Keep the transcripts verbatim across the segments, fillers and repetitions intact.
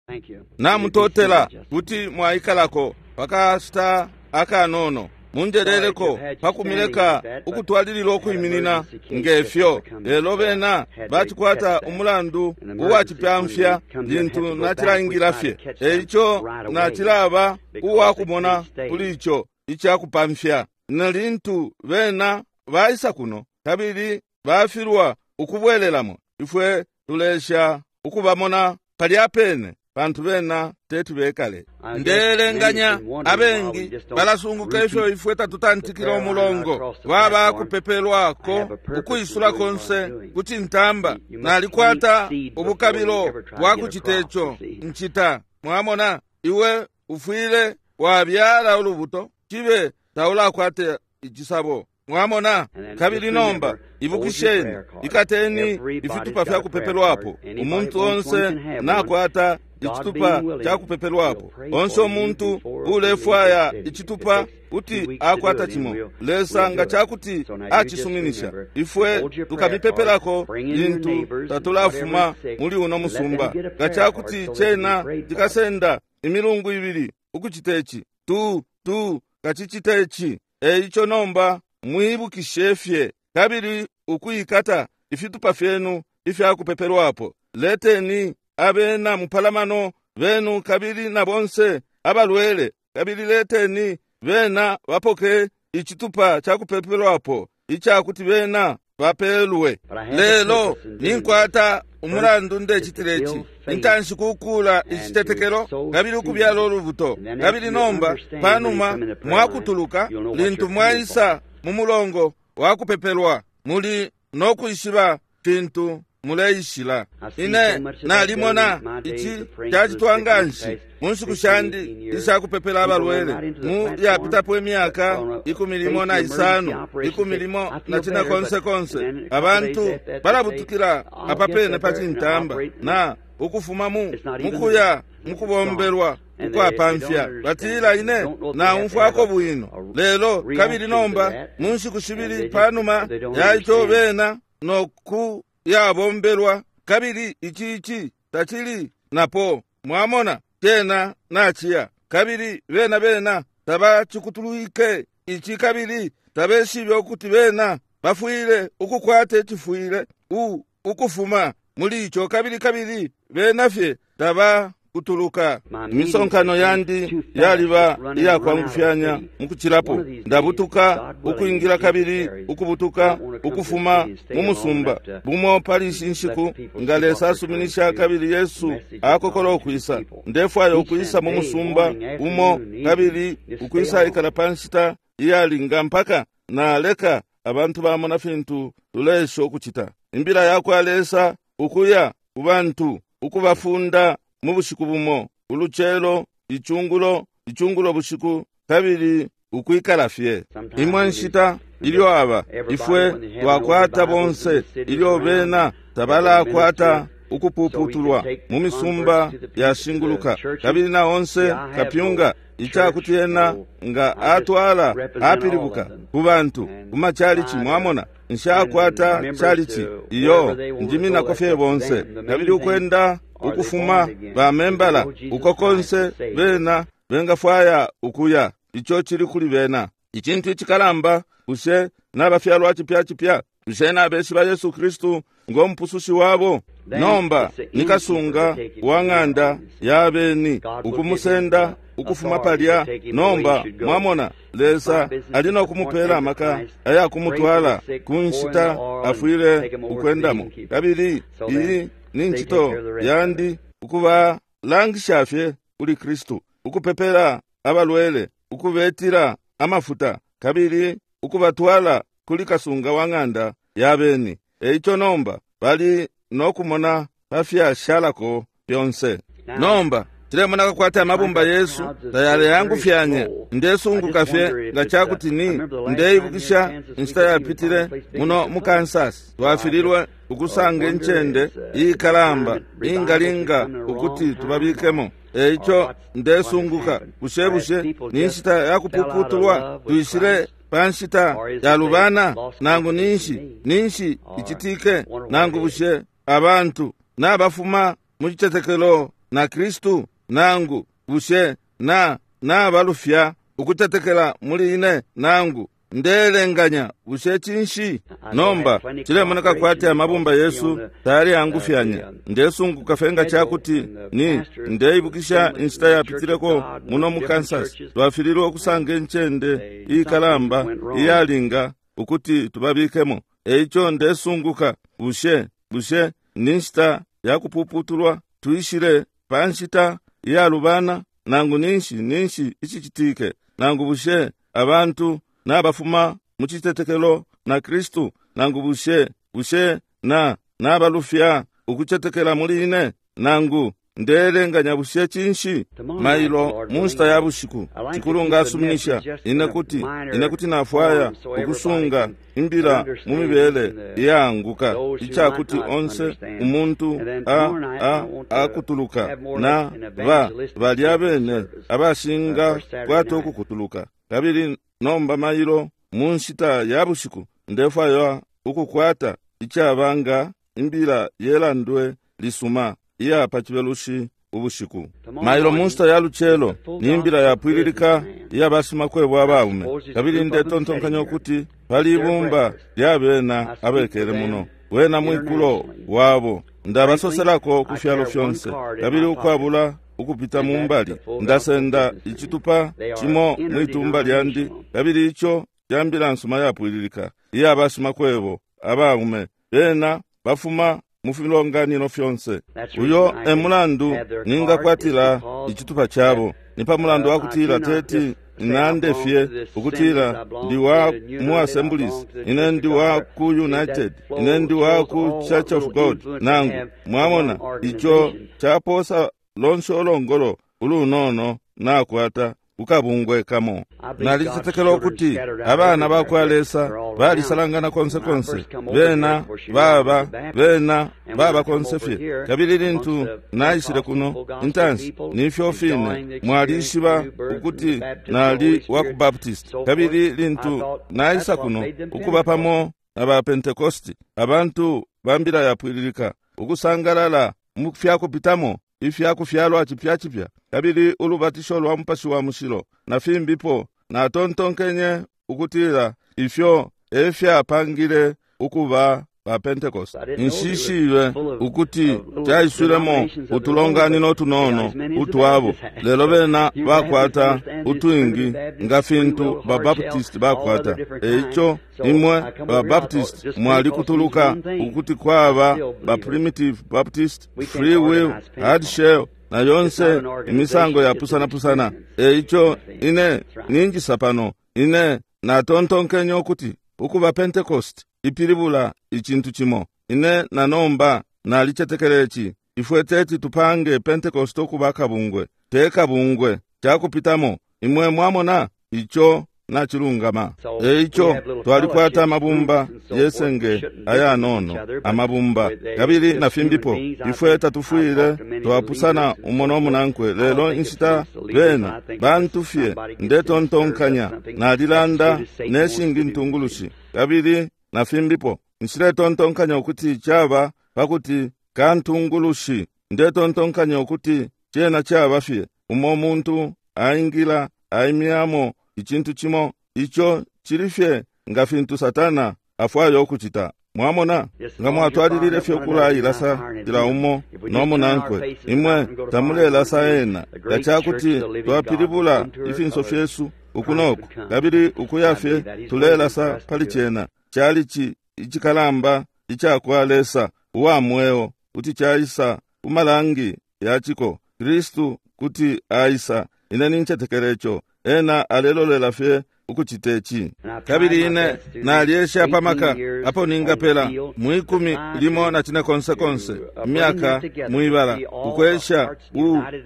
Thank you. Namutotela. Kuti mwaikalako pakashita akanono. Munjeleleko pakumileka ukutwalilila ukwiminina ngefyo, lelo bena bacikwata umulandu uwacipyamfya lintu nacilaingila fye. Eico nacilaba uwakumona kuli ico icakupamfya na lintu bena baisa kuno kabili bafilwa ukubwelelamo, ifwe tulesha ukubamona palya pene pantu bena teti bekale. Ndelenganya abengi balasunguka ifyo ifwe tatutantikila umulongo waba kupepelwako ukwisula konse kucintamba. Nalikwata ubukabilo bwa kucita ico ncita. Mwamona, iwe ufwile wabyala ulubuto cibe taulakwata icisabo. Mwamona? Kabili nomba ibukisheni, ikateni ifitupa fya kupepelwapo. Umuntu onse nakwata icitupa ca kupepelwapo. Onse umuntu ulefwaya icitupa kuti akwata cimo. Lesa nga cakuti acisuminisha, ifwe tukamipepelako lintu tatulafuma muli uno musumba. Nga cakuti cena cikasenda imilungu ibili ukucita ici, tu tu kacicita ici. Eico nomba mwibukishe fye kabili ukuikata ifitupa fyenu ifya kupepelwapo. Leteni abena mupalamano benu kabili na bonse abalwele, kabili leteni bena bapoke icitupa ca kupepelwapo icakuti bena bapelwe. Lelo ninkwata umulandu ndecitile ici. Intanshi kukula icitetekelo kabili ukubyala ulubuto, kabili nomba panuma mwakutuluka lintu mwaisa mu mulongo wa kupepelwa muli no kwishiba fintu muleishila. Ine nalimona ici cacitwa nganshi mu nshiku shandi isha kupepela abalwele mu yapitapo imyaka ikumi limo na isano, ikumi limo na cine konse konse. Abantu balabutukila apapene pa cintamba na ukufuma mu mukuya mukubombelwa ukwapamfya. Batila ine naumfwako bwino lelo, kabili nomba mu nshiku shibili panuma ya ico bena noku yabombelwa, kabili ici ici tacili napo. Mwamona, cena naciya, kabili bena bena tabacikutulwike ici, kabili tabeshibe ukuti bena bafwile ukukwata icifwile u ukufuma muli ico, kabili kabili bena fye tabakutuluka. Imisonkano yandi yaliba iyakwangufyanya mukucilapo. Ndabutuka ukwingila kabili ukubutuka ukufuma mu musumba. Bumo pali ishi nshiku nga Lesa asuminisha kabili Yesu akokola ukwisa, ndefwaya ukwisa mu musumba umo kabili ukwisa ikala pa nshita iyalinga mpaka naleka abantu bamona fintu tulesha ukucita. Imbila yakwa Lesa ukuya ku bantu ukubafunda mu bushiku bumo, ulucelo, icungulo, icungulo bushiku, kabili ukwikala fye. Imwe nshita ilyo aba ifwe twakwata bonse ilyo bena tabalakwata ukupuputulwa mu misumba yashinguluka, kabili na onse kapyunga icakuti ena nga atwala apilibuka ku bantu ku machalichi. Mwamona, nshakwata chalichi iyo njiminako fye bonse, kabili ukwenda ukufuma bamembala uko konse bena bengafwaya ukuya, ico cili kuli bena. Icintu icikalamba, bushe nabafyalwa cipya cipya? Bushe nabeshiba Yesu Kristu ng'omupusushi wabo? Nomba nikasunga wa ng'anda ya beni ukumusenda ukufuma palya. Nomba mwamona, Lesa ali no kumupela amaka ayakumutwala ku nshita afwile ukwendamo. Kabili iyi ni ncito yandi ukubalangisha fye kuli Kristu, ukupepela abalwele, ukubetila amafuta, kabili ukubatwala kuli kasunga wa ng'anda ya beni. Eico nomba bali no kumona pafyashalako fyonse. Nomba cilemoneka kwati amabumba yesu tayaleyangufyanya. Ndesunguka fye nga cakuti ni ndeibukisha inshita yapitile muno mu Kansas, twafililwe ukusanga incende iikalamba ingalinga ukuti tubabikemo. Eico ndesunguka bushe bushe ni nshita yakupuputulwa tuishile pa nshita yalubana, nangu ninshi ninshi icitike, nangu bushe abantu nabafuma mu citetekelo na Kristu? Nangu bushe na nabalufya ukutetekela muli ine? Nangu ndelenganya bushe cinshi? Nomba cilemoneka kwati amabumba yesu tayali angufyanya. Ndesunguka fenga chakuti ni ndeibukisha inshita yapitileko muno mu Kansas, twafililwe ukusanga incende ikalamba iyalinga ukuti tubabikemo. Eico ndesunguka bushe bushe ni nshita yakupuputulwa tuishile pa nshita iyalubana, nangu ninshi ninshi icicitike, nangu bushe abantu nabafuma mu citetekelo na Kristu, nangu bushe bushe na nabalufya ukucetekela muli ine, nangu ndelenganya bushe cinshi? Mailo mu nshita ya bushiku cikulunga asuminisha ine kuti ine kuti nafwaya ukusunga imbila mu mibele iyaanguka icakuti onse umuntu a a akutuluka na ba balya bene abashinga kwata ukukutuluka. Kabili nomba mailo mu nshita ya bushiku ndefwaya ukukwata icabanga imbila yelandwe lisuma iya pa chibelushi ubushiku. Mailo mu nshita ya lucelo ni imbila yapwililika iya bashimakwebo abaume, kabili ndetontonkanya ukuti pali ibumba lya bena abekele muno wena mwikulo wabo. Ndabasoselako ku fyalo fyonse, kabili ukwabula ukupita mumbali ndasenda icitupa cimo mwitumba lyandi, kabili ico ca mbila nsuma yapwililika iya bashimakwebo abaume. Bena bafuma mu filonganino fyonse. Uyo e mulandu ningakwatila icitupa cabo, ni pa mulandu wa kutila teti nande fye ukutila ndi wa mu Assemblies, ine ndi wa ku United, ine ndi wa ku Church of God. Nangu mwamona ico caposa lonse olongolo ulunono nakwata ukabungwe kamo. Nalicetekela ukuti abana bakwa Lesa balisalangana konse konse, bena baba bena baba konse fye. Kabili lintu naishile kuno intansi nifyo fine mwalishiba ukuti nali wa ku Baptist, kabili lintu naisa kuno ukuba pamo na ba Pentecosti, abantu bambila yapwililika ukusangalala mu fyakupitamo ifyakufyalwa cipya cipya, kabili ulubatisho lwa Mupashi wa Mushilo na fimbipo. Natontonkenye ukutila ifyo efyapangile ukuba ba Pentecost. Nshishibe ukuti caiswilemo utulonganino tunono utwabo, lelo bena bakwata utwingi nga fintu ba Baptist bakwata. Eico imwe ba Baptist mwalikutuluka ukuti kwaba ba Primitive Baptist, Free Will, Hard Shell na yonse imisango yapusana-pusana. Eico ine ninjisa pano, ine natontonkenye ukuti ukuba Pentecost ipilibula icintu cimo. Ine nanomba nalicetekela ici, ifwe teti tupange Pentecost ukuba kabungwe, te kabungwe cakupitamo. Imwe mwamona ico nachilungama. Eico twalikwata amabumba yesenge ayanono amabumba kabili na fimbipo. Ifwe tatufwile twapusana umo nomunankwe, lelo inshita bena bantu fye ndetontonkanya nalilanda neshingi ntungulushi kabili na fimbipo. Nshiletontonkanya ukuti caba pakuti kantungulushi, ndetontonkanya ukuti cena caba fye umo muntu aingila aimyamo icintu cimo, ico cili fye nga fintu Satana afwaya ukucita. Mwamona nga mwatwalilile fye ukulailasa cila umo nomunankwe, imwe tamulelasa ena. Nga cakuti twapilibula ifinso fyesu uku noku kabili ukuya fye tulelasa pali cena, calici icikalamba icakwa Lesa uwa mweo kuti caisa kumalangi yaciko. Kristu kuti aisa. Ine nincetekela ico. Ena alelolela fye ukucita ici. Kabili ine nalyesha pamaka apo ningapela mwikumi limo na cine konse konse imyaka mwibala ukwesha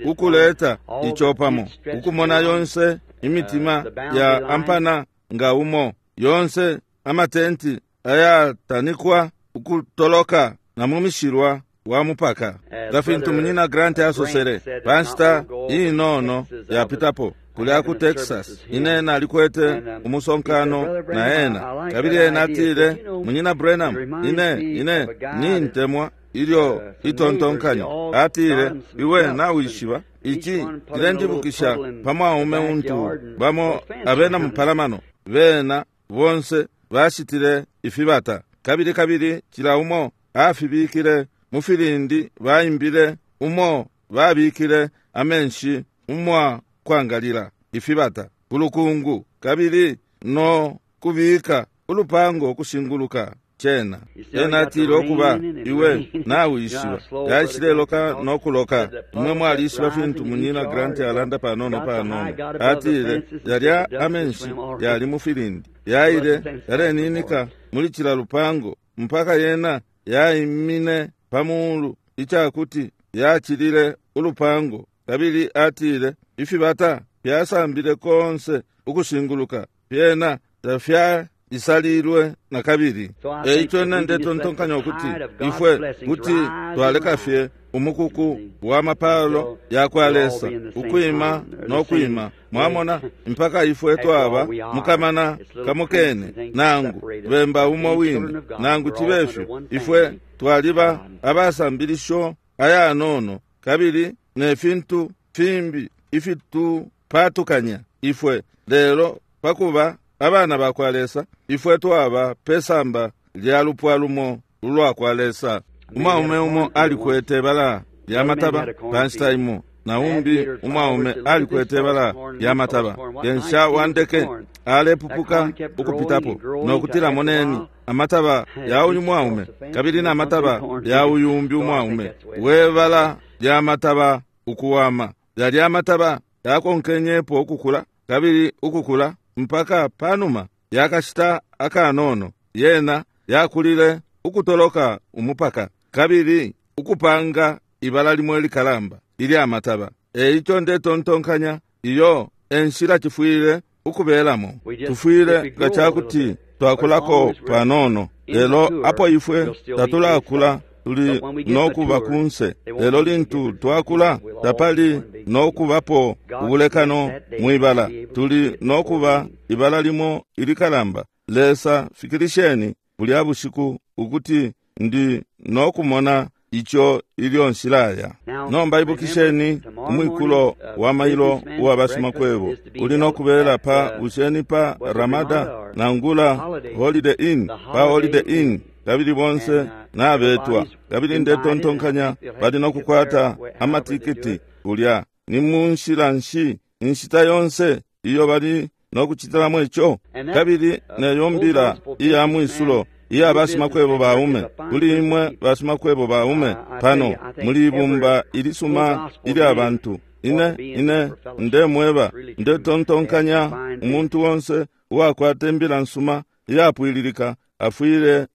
ukuleta ico pamo, ukumona yonse imitima ya ampana nga umo, yonse amatenti ayatanikwa ukutoloka na mumishilwa wa mupaka. Nga fintu munyina Grant asosele pa nshita inono yapitapo kulya ku Texas, ine nalikwete umusonkano na ena, kabili ena atile, munyina Branham, ine ine nintemwa ilyo itontonkanyo. Atile, iwe nawishiba ici cilenjibukisha pa mwaume untu bamo abena mupalamano bena bonse bashitile ifibata, kabili kabili cila umo afibikile mu filindi baimbile umo babikile amenshi umwa kwangalila ifibata kulukungu, kabili no kubika ulupango kushinguluka cena. Ena atile okuba iwe nawishiba yaishileloka nokuloka. Imwe mwalishiba fintu munyina Grant alanda panono panono. Atile yalya amenshi yali mu filindi yaile yaleninika muli cila lupango mpaka yena yaimine pamulu icakuti yacilile ulupango. Kabili atile ifibata fyasambile konse ukushinguluka fyena tafya isalilwe na kabili. Eico ine ndetontonkanya ukuti ifwe kuti twaleka fye umukuku wa mapalo yakwa Lesa ukwima no kwima, mwamona, mpaka ifwe twaba mukamana kamukene nangu bemba umo wine nangu chibefyo ifwe twaliba abasambilisho ayanono kabili ne fintu fimbi ifitupatukanya ifwe. Lelo pakuba abana bakwa Lesa ifwe twaba pesamba lya lupwa lumo ulwakwa Lesa. Umwaume umo alikwete bala lya mataba panshita imo, na umbi umwaume alikwete bala lya mataba. Kensha wandeke alepupuka ukupitapo nokutila, moneni amataba ya uyu mwaume kabili na mataba ya uyu umbi umwaume, we bala lya mataba ukuwama. Yalya amataba yakonkenyepo ukukula kabili ukukula mpaka panuma yakashita akanono yena yakulile ukutoloka umupaka kabili ukupanga ibala limwe likalamba ilya mataba. Eico ndetontonkanya iyo enshila chifwile ukubelamo. Tufwile nga cakuti twakulako panono, lelo apo ifwe tatulakula tuli nokuba kunse. Lelo lintu twakula tapali nokubapo ubulekano mwibala, tuli nokuba ibala limo ilikalamba. Lesa fikilisheni bulya bushiku ukuti ndi nokumona ico ilyo nshilaya. Nomba ibukisheni umwikulo wa mailo uwa bashimakwebo uli nokubela pa busheni pa Ramada nangula Holiday Inn, pa Holiday Inn, kabili bonse nabetwa. Kabili ndetontonkanya bali nokukwata amatikiti kulya. Ni munshila nshi inshita yonse iyo bali nokuchitilamo ico? Kabili neyo mbila iya mwisulo iya bashimakwebo baume kuli imwe bashimakwebo baume pano muli ibumba ilisuma ilya bantu. Ine ine ndemweba ndetontonkanya umuntu wonse uwakwata imbila nsuma iyapwililika afwile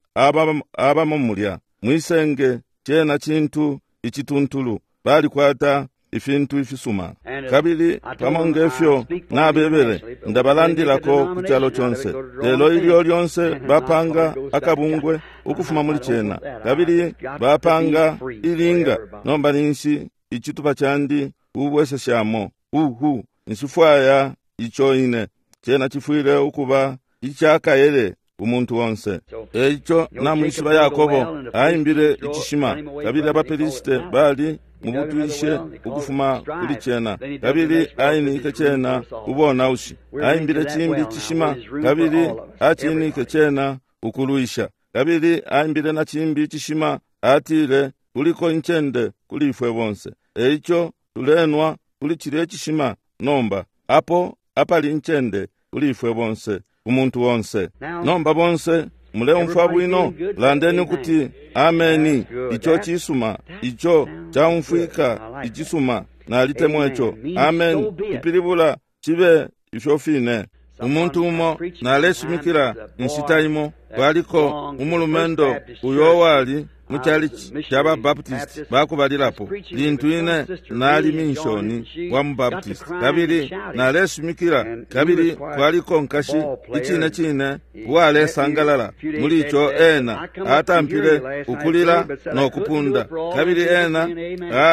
abamo mulya mwisenge. Cena cintu icituntulu, balikwata ifintu ifisuma. Kabili pamo ngefyo nabebele ndabalandilako ku calo conse, lelo ilyo lyonse bapanga akabungwe ukufuma muli cena kabili bapanga ilinga. Nomba ninshi icitupa candi ubweseshamo uhu nshifwaya ico ine. Cena chifwile ukuba icakayele umuntu wonse. Eico namwishiba Yakobo aimbile icishima, kabili abapelisite bali mubutwishe ukufuma kuli cena, kabili ainike cena ubonaushi. Aimbile chimbi icishima, kabili acinike cena ukulwisha, kabili aimbile na chimbi icishima, atile kuliko incende kuli ifwe bonse. Eico tulenwa kuli chile icishima nomba, apo apali incende kuli ifwe bonse, umuntu wonse. Nomba bonse muleumfwa bwino, landeni ukuti ameni. Ico cisuma, ico caumfwika icisuma, nalitemwa ico. Ameni ipilibula cibe ifyo fine. Umuntu umo naleshimikila inshita imo, kwaliko umulumendo uyo wali mu chalichi cha Babaptist bakubalilapo lintu ine nali minshoni wa mu Baptist, kabili naleshimikila, kabili kwaliko nkashi icine cine uwalesangalala muli ico. Ena atampile ukulila no kupunda, kabili ena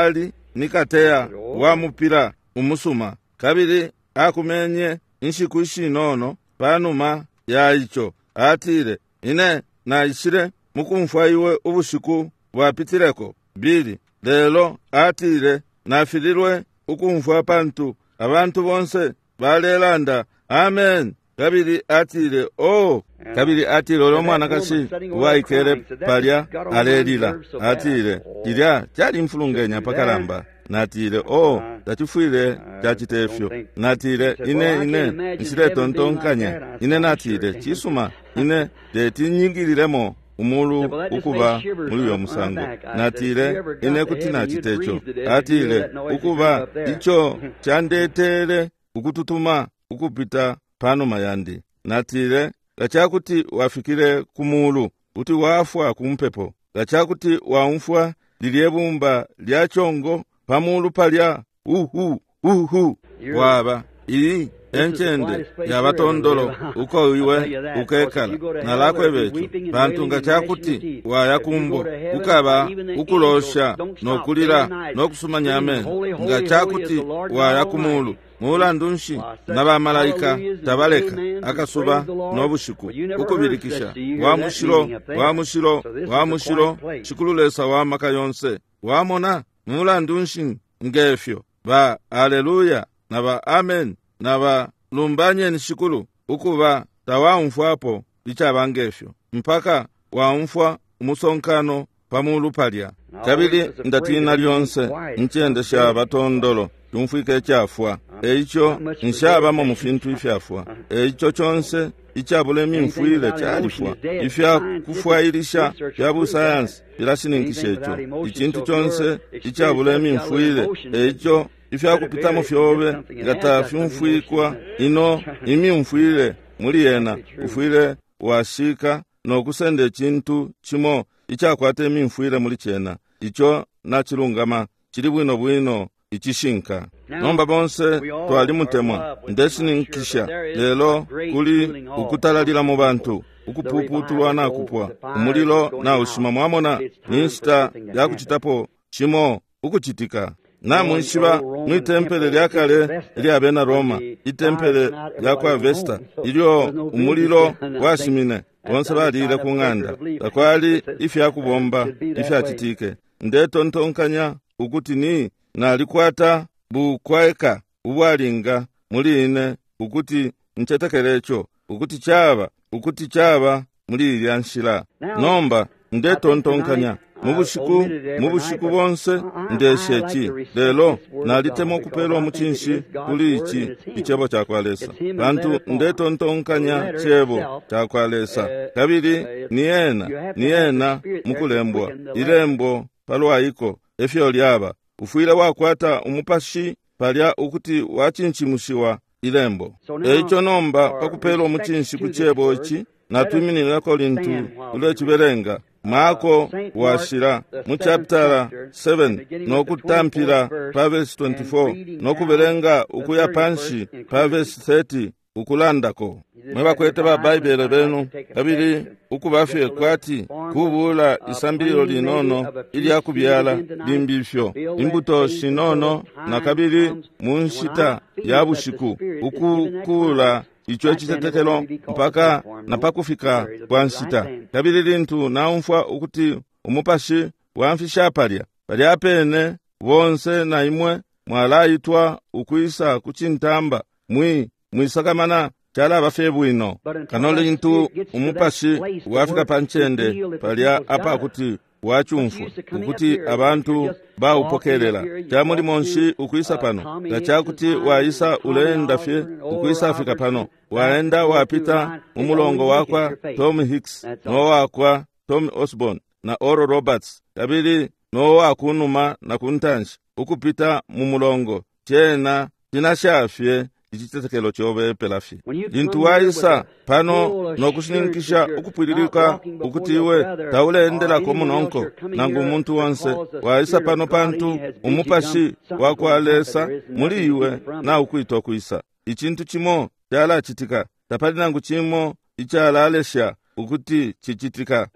ali ni kateya wa mupila umusuma, kabili akumenye inshiku ishinono panuma ya ico. Atile, ine naishile mukumfwa iwe ubushiku bwapitileko Billy, lelo atile nafililwe ukumfwa pantu abantu bonse balelanda amen. Kabili atile oh, kabili atile ulo mwanakashi uwaikele palya alelila, atile cilya calimfulungenya pakalamba. Natile oh, tacifwile cacite ifyo. Natile ine ine nshiletontonkanya. Ine natile cisuma, ine teti nyingililemo umulu ukuba muli uyo musango. Natile ine kuti nacite ico. Atile ukuba ico candetele ukututuma ukupita panuma yandi. Natile ngacakuti wafikile ku mulu kuti wafwa ku mpepo, ngacakuti waumfwa lilye bumba lya chongo pamulu palya uhu uhu waba iyi encende yabatondolo uko iwe ukekala. Nalakwebecho pantu ngacakuti waya kumbo kukaba ukulosha nokulila nokusumanya ameno. Ngacakuti waya kumulu mulandu nshi na bamalaika tabaleka akasuba nobushiku ukubilikisha wa mushilo wa mushilo wa mushilo Shikulu Lesa wa maka yonse. Wamona mulandu nshi ngefyo ba aleluya na ba amen na ba lumbanyeni Shikulu ukuba tawaumfwapo icaba ngefyo mpaka waumfwa umusonkano pamulu palya. Kabili ndatina lyonse incende sha batondolo tumfwike icyafwa. Eico nshabamo mu fintu ifyafwa. Eico conse icabula imimfwile califwa. Ifya kufwailisha fya busayansi filashininkisha ico. Icintu conse icabula imimfwile, eico ifya kupitamo fyobe nga tafyumfwikwa ino imimfwile muli yena, ufwile washika nokusenda icintu cimo icakwata imimfwile muli cena. Ico nacilungama, cili bwino bwino icishinka. Nomba bonse twalimutemwa, ndeshininkisha, lelo kuli ukutalalila mu bantu, ukupuputulwa na kupwa, umulilo na ushima. Mwamona ni nshita ya kucitapo cimo ukucitika. Namwishiba mwi tempele lya kale lya bena Roma, itempele lya kwa Vesta, ilyo umulilo washimine bonse balile ku ng'anda, takwali ifya kubomba ifyacitike. Ndetontonkanya ukuti ni nalikwata bukweka ubwalinga muli ine ukuti ncetekele ico, ukuti caba ukuti caba muli ilya nshila. Nomba ndetontonkanya mu bushiku mu bushiku bonse ndeshe ici, lelo nalitemwa ukupelwa umucinshi kuli ici icebo ca kwa Lesa, pantu ndetontonkanya cebo ca kwa Lesa, kabili ni ena ni ena mukulembwa ilembo palwaiko efyo lyaba. Ufwile wakwata umupashi palya ukuti wacinchimushiwa ilembo. Eico nomba pakupelwa umucinshi ku cebo ici, natwimininako lintu tulecibelenga Marko washila mu chapter seven nokutampila pa verse twenty-four nokubelenga ukuya panshi pa verse thirty ukulandako. Mwe bakwete ba Baibele benu, kabili ukubafye kwati kubula isambililo linono ilya kubyala limbi ifyo imbuto shinono, na kabili mu nshita ya bushiku ukukula ico icitetekelo mpaka na pakufika kwa nshita. Kabili lintu naumfwa ukuti umupashi wamfisha palya palya pene bonse na imwe mwalaitwa ukwisa ku cintamba mwi mwisakamana calaba fye bwino. Kano lintu umupashi wafika pa ncende palya apakuti wacumfwa ukuti abantu baupokelela, ca mulimo nshi ukwisa pano? Nga cakuti waisa uleenda fye ukwisa fika pano, waenda wapita mu mulongo wakwa Tom Hicks nowakwa Tom Osborne na Oral Roberts, kabili nowakunuma na kuntanshi ukupita mu mulongo, cena cinashafye icitetekelo cobe pelafye. Lintu waisa pano nokushininkisha ukupwililika ukuti iwe tauleendelako munonko nangu umuntu onse, waisa pano pantu umupashi wa kwa Lesa muli iwe na ukwitwa kwisa. Icintu cimo calacitika, tapali nangu cimo icalalesha ukuti cicitika.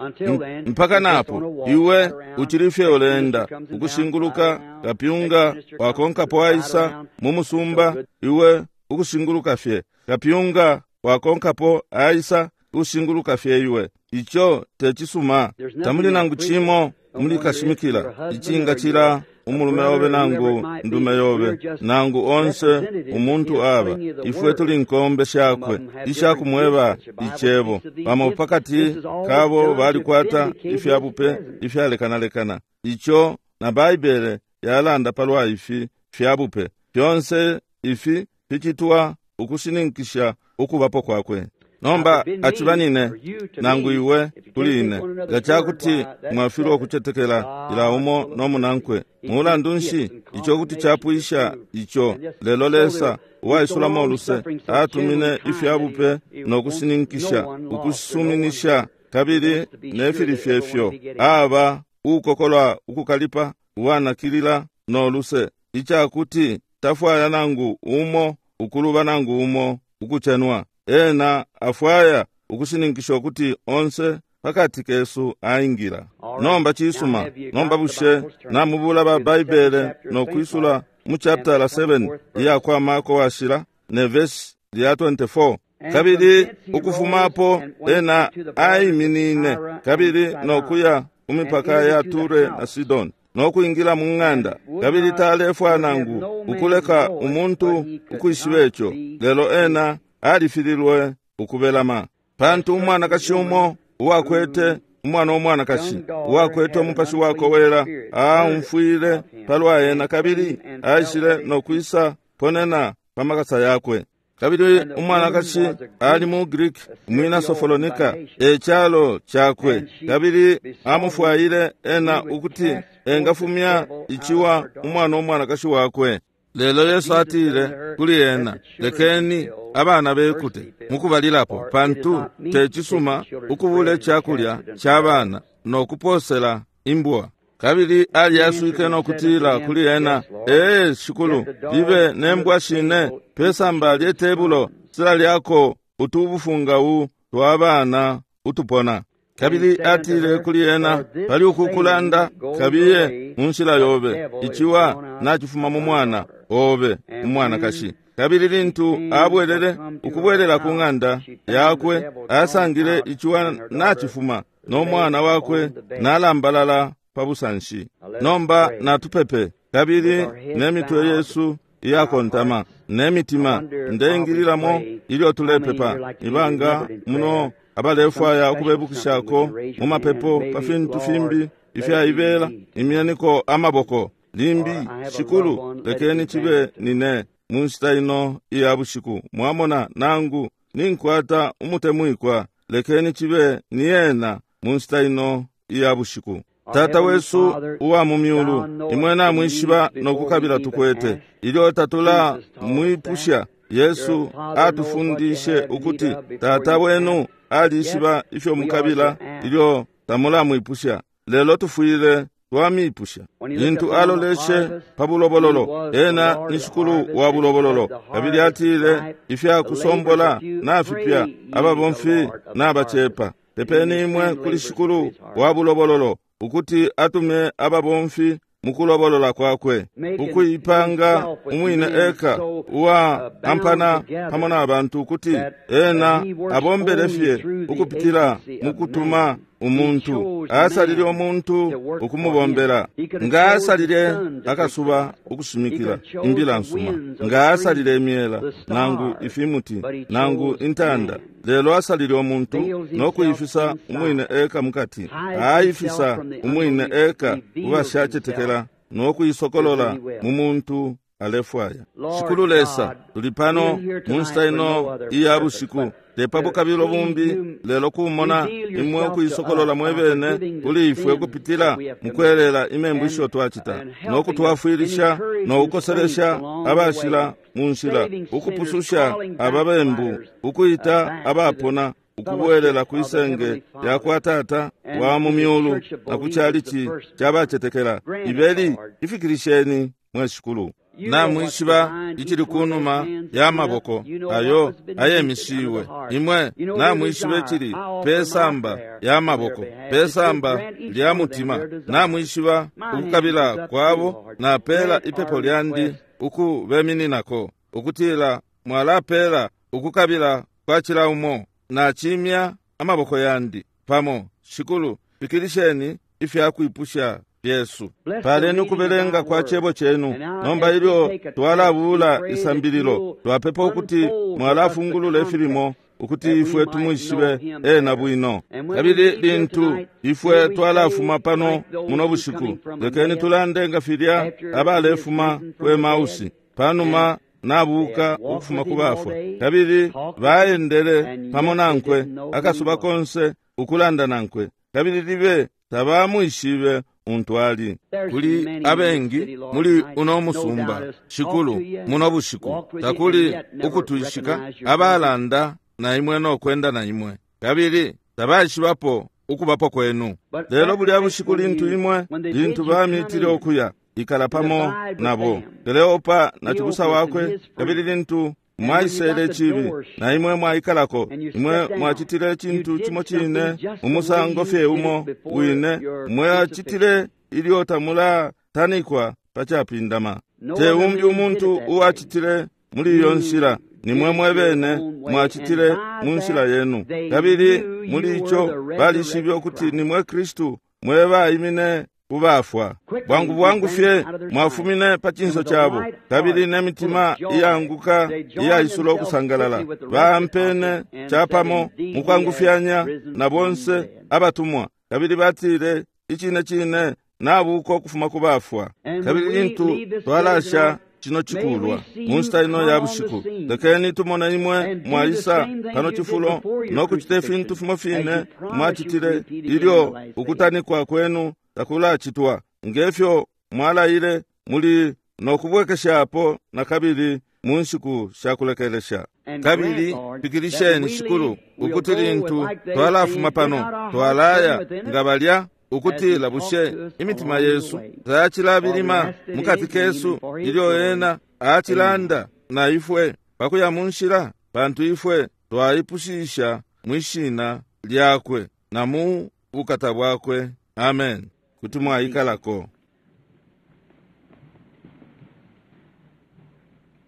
Mpaka napo iwe uchilifye uleenda ukushinguluka kapyunga wakonkapo aisa mu musumba, iwe ukushinguluka fye kapyunga wakonkapo aisa ukushinguluka fye iwe. Ico tecisuma. Tamuli nangu cimo muli kashimikila icinga cila umulume obe nangu ndume yobe nangu onse umuntu aba ifwe tuli nkombe shakwe ishakumweba icebo. Bamo pakati kabo balikwata ifyabupe ifyalekanalekana. Ico na Baibele yalanda palwa ifi fyabupe fyonse ifi ficitwa ukushininkisha ukubapo kwakwe. Nomba aciba nine nangu iwe kuli ine nga cakuti mwafilwa ukucetekela ila umo no munankwe, mulandu nshi ico kuti capwisha ico. Lelo Lesa uwaisulamo uluse atumine ifyabupe no kushininkisha ukusuminisha kabili nefili fyefyo aba ukokolwa ukukalipa uwanakilila no luse, icakuti tafwaya nangu umo ukuluba nangu umo ukucenwa. Ena afwaya ukushininkisha ukuti onse pakati kesu aingila. Nomba cisuma. Nomba bushe namubula ba Baibele no kwisula mu chapter seven iya kwa Marko washila ne verse lya twenty-four. Kabili ukufumapo ena aiminine kabili no kuya kumipaka ya Ture na Sidoni no kuingila mu ng'anda, kabili talefwa nangu ukuleka umuntu ukwishiba ico, lelo ena alifililwe ukubelama. Pantu umwanakashi umo uwakwete umwana umwanakashi uwakwete umupashi wakowela aumfwile palwa ena, kabili aishile no kwisa ponena pamakasa yakwe. Kabili umwanakashi ali mu Greek umwina Sofolonika e calo chakwe, kabili amufwaile ena ukuti engafumya ichiwa umwana umwanakashi wakwe. Lelo Yesu atile kuli ena, lekeni abana bekute mukubalilapo, pantu tecisuma ukubula icakulya ca bana no kuposela imbwa. Kabili aliyaswike no kutila kuli ena, ee Shikulu, libe nembwa shine pesamba lye tebulo sila lyako utubufungau twa bana utupona. Kabili atile kuli ena, pali ukukulanda kabiye munshila yobe, ichiwa nachifuma mu mwana obe umwanakashi. Kabili lintu abwelele ukubwelela ku ng'anda yakwe, asangile ichiwa nachifuma no mwana wakwe nalambalala pabusanshi. Nomba natupepe kabili nemitwe yesu iyakontama nemitima ndeingililamo ilyo tulepepa. Ibanga muno abalefwaya ukubebukishako mu mapepo pa fintu fimbi ifyaibela, imyeniko amaboko limbi. Shikulu, lekeni chibe nine mu nshita ino iya bushiku, mwamona nangu ninkwata umutemwikwa, lekeni chibe niyena mu nshita ino iya bushiku. Tata wesu uwa mu myulu, imwe namwishiba nokukabila tukwete. Ilyo tatula mwipusha, Yesu atufundishe ukuti Tata wenu alishiba ifyo mukabila ilyo tamulamwipusha, lelo tufwile twamipusha. Lintu aloleshe pa bulobololo, ena ni Shikulu wa bulobololo, kabili atile ifyakusombola nafipya, ababomfi nabacepa. Pepeni imwe kuli Shikulu wa bulobololo ukuti atume ababomfi mukulobolola kwakwe, ukuipanga umwine eka uwa ampana pamo na bantu, ukuti ena abombele fye ukupitila mukutuma umuntu. Asalile umuntu ukumubombela. Nga asalile akasuba ukushimikila imbila nsuma, nga asalile imyela nangu ifimuti nangu intanda, lelo asalile umuntu no kuifisa umwine eka mukati. Aifisa umwine eka ubashacetekela no kuisokolola mu muntu alefwaya. Shikulu Lesa, tuli pano mu nshita ino iya bushiku, tepapo kabilo bumbi, lelo kumona imwe ukuisokolola mwebene kuli ifwe ukupitila mukwelela imembu isho twacita, no kutwafwilisha no kukoselesha abashila mu nshila, ukupususha ababembu, ukuita abapona ukubwelela kwisenge ya kwa Tata wa mu myulu na ku chalichi chabacetekela. Ibeli ifikilisheni mwe Shikulu. Namwishiba ichili kunuma ya maboko ayo ayemishiwe. Imwe namwishiba ichili pesamba ya maboko, pesamba lya mutima. Namwishiba ukukabila kwabo, napela ipepo lyandi ukubemininako, ukutila mwalapela ukukabila kwa chila umo. Nachimya amaboko yandi pamo. Shikulu, fikilisheni ifya kwipusha fyesu. Paleni ukubelenga kwa cebo cenu. Nomba ilyo twalabula isambililo, twapepa ukuti mwalafungulula ifilimo ukuti ifwe tumwishibe ena bwino. Kabili lintu ifwe twalafuma pano muno bushiku, lekeni tulande nga filya abalefuma ku Emausi panuma nabuka ukufuma ku bafwa, kabili baendele pamo nankwe akasuba konse ukulanda nankwe, kabili libe tabamwishibe untu ali. Kuli abengi muli uno musumba, Shikulu, muno bushiku takuli ukutwishika abalanda na imwe no kwenda na imwe, kabili tabaishibapo ukubapo kwenu. Lelo bulya bushiku lintu imwe lintu bamitile okuya ikala pamo nabo, Kleopa na cibusa wakwe, kabili lintu mwaisele cibi na imwe mwaikalako, imwe mwacitile cintu cimo cine umusango fye umo wine mwacitile ilyo tamulatanikwa pa capindama. Te umbi umuntu uwacitile muli iyo nshila, nimwe mwebene mwacitile mu nshila yenu, kabili muli ico balishibe ukuti nimwe Kristu mwe baimine kubafwa. Bwangu bwangu fye mwafumine pa cinso cabo, kabili n'emitima iyanguka iyaisula okusangalala. Bampene capamo mukwangufyanya na bonse abatumwa, kabili batile icine cine nabuka ukufuma ku bafwa. Kabili lintu twalasha cino cikulwa mu nshita ino ya bushiku, lekeni tumone imwe mwaisa pano cifulo no kucita ifintu fimo fine mwacitile ilyo ukutanikwa kwenu takulacitwa, ngefyo mwalaile muli no kubwekeshapo na kabili mu nshiku sha kulekelesha. Kabili pikilisheni Shikulu ukuti lintu twalafuma pano twalaya nga balya ukutila bushe imitima yesu tayacilabilima mukati kesu ilyo ena acilanda na ifwe pakuya mu nshila, pantu ifwe twaipushisha mwishina lyakwe na mu bukata bwakwe. Amen. Kuti mwaikalako.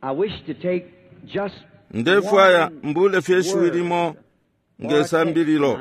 I wish to take just Ndefwaya mbule fye shiwi limo ngesambililo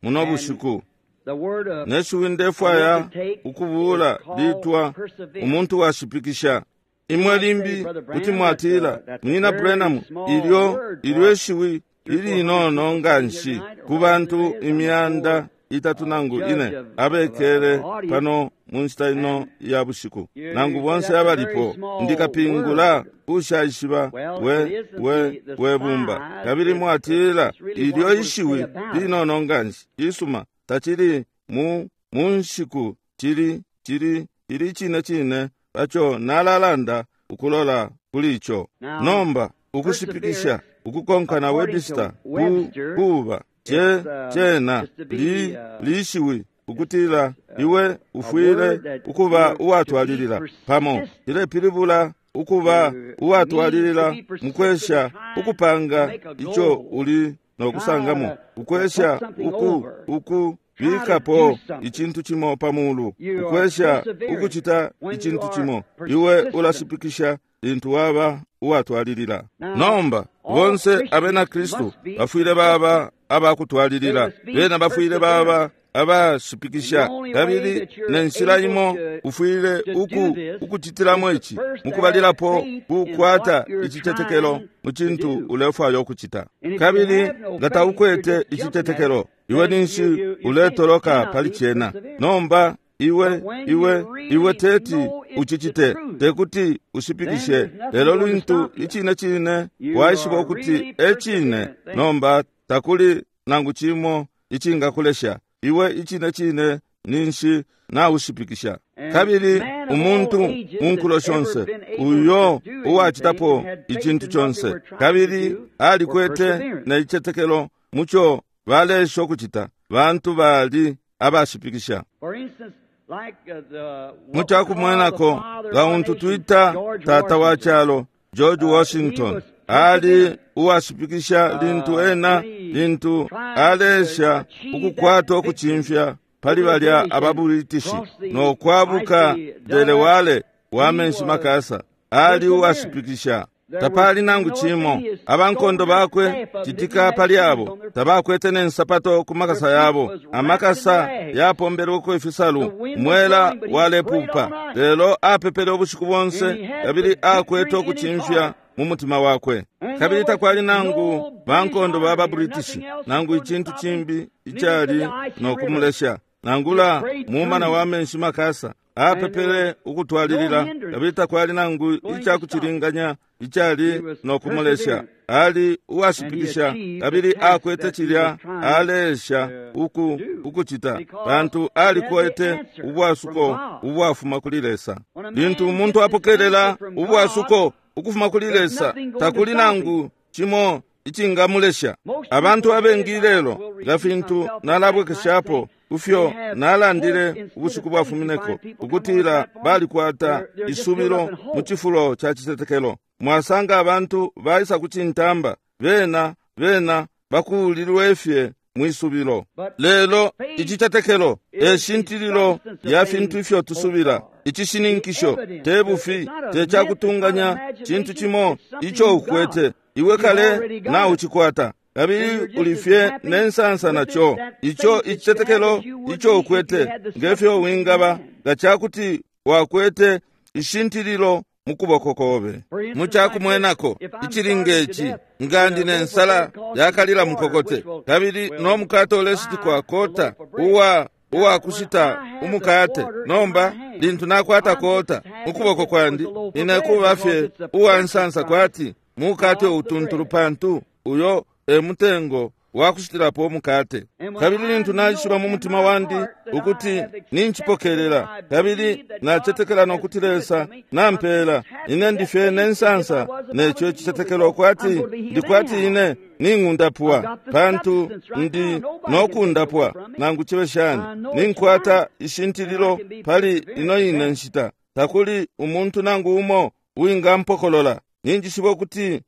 muno bushiku. the word of Neshiwi ndefwaya ukubula litwa umuntu washipikisha. Imwe limbi kuti mwatila, Munyina Branham, ilyo ilyo ishiwi ilinono nganshi ku bantu imyanda itatu nangu ine abekele pano mu nshita ino ya bushiku, nangu bonse abalipo, ndikapingula ushaishiba we we we bumba. Kabili mwatila ilyo ishiwi linono nganshi, isuma tacili mu mu nshiku, cili cili cili cine cine paco nalalanda ukulola kuli ico. Nomba ukushipikisha ukukonka na Webster ku kuba ce cena li lishiwi ukutila iwe ufwile ukuba uwatwalilila pamo, cilepilibula ukuba uwatwalilila mukwesha ukupanga ico uli nokusangamo, ukwesha uku uku bikapo icintu cimo pamulu, ukwesha ukucita icintu cimo. Iwe ulashipikisha lintu waba uwatwalilila. Nomba bonse abena Kristu bafwile baba abakutwalilila, bena bafwile baba abashipikisha. Kabili ne nshila imo ufwile uku ukucitilamo ici mukubalilapo kukwata icitetekelo mu cintu ulefwaya ukucita. Kabili nga taukwete icitetekelo, iwe ninshi uletoloka pali cena. Nomba iwe iwe iwe teti ucicite, tekuti ushipikishe. Lelo lintu icine cine waishiba ukuti ecine, nomba takuli nangu cimo icingakulesha iwe icine cine ninshi naushipikisha. Kabili umuntu mu nkulo shonse uyo uwacitapo icintu conse kabili alikwete ne icitetekelo muco balesha ukucita, bantu bali abashipikisha. For instance, like uh, the Mu cakumwenako nga untu twita tata wa calo George Washington ali uwashipikisha lintu ena lintu alesha ukukwata ukucimfya pali balya ababuritishi no kwabuka Delaware wa menshi makasa. Ali uwashipikisha. Tapali nangu cimo. Abankondo bakwe citika pali abo tabakwete ne nsapato ku makasa yabo. Amakasa yapombelweko ifisalu, mwela walepupa. Lelo apepele ubushiku bonse, kabili akwete ukucimfya mu mutima wakwe. Kabili takwali nangu bankondo baba British nangu icintu cimbi icali no kumulesha, nangula mumana wa menshi makasa. Apepele ukutwalilila, kabili takwali nangu icakucilinganya icali no kumulesha. Ali uwashipikisha, kabili akwete cilya alesha uku ukucita, pantu alikwete ubwasuko ubwafuma kuli Lesa. Lintu umuntu apokelela ubwasuko ukufuma kuli Lesa, takuli nangu cimo icingamulesha. Abantu abengi lelo, nga fintu nalabwekeshapo kufyo nalandile ubushiku bwafumineko, ukutila balikwata isubilo mu cifulo ca citetekelo. Mwasanga abantu baisa kucintamba, bena bena bakulilwe fye mwisubilo. Lelo icitetekelo e shintililo ya fintu ifyo tusubila. Icishininkisho te bufi, te cakutunganya, cintu cimo ico ukwete iwe kale na ucikwata, kabili ulifye ne nsansa naco. Ico icitetekelo ico ukwete, ngefyo wingaba nga cakuti wakwete ishintililo mu kuboko kobe. Mu cakumwenako icili ngeci, nga ndi ne nsala yakalila mukokote, kabili no mukate uleshitikwa kota uwa uwakushita umukate. Nomba lintu nakwata kota mu kuboko kwandi, ine kuba fye uwa nsansa kwati mukate utuntulu, pantu uyo e mutengo wakushitilapo umukate. Kabili lintu naishiba mu mutima wandi ukuti ninchipokelela, kabili nacetekela nokuti Lesa nampela, ine ndifye ne nsansa neco citetekelo kwati ndikwati ine ning'undapwa, pantu ndi nokundapwa nangu cibe shani. Ninkwata ishintililo pali ino ine nshita, takuli umuntu nangu umo uwingampokolola. Ninjishiba ukuti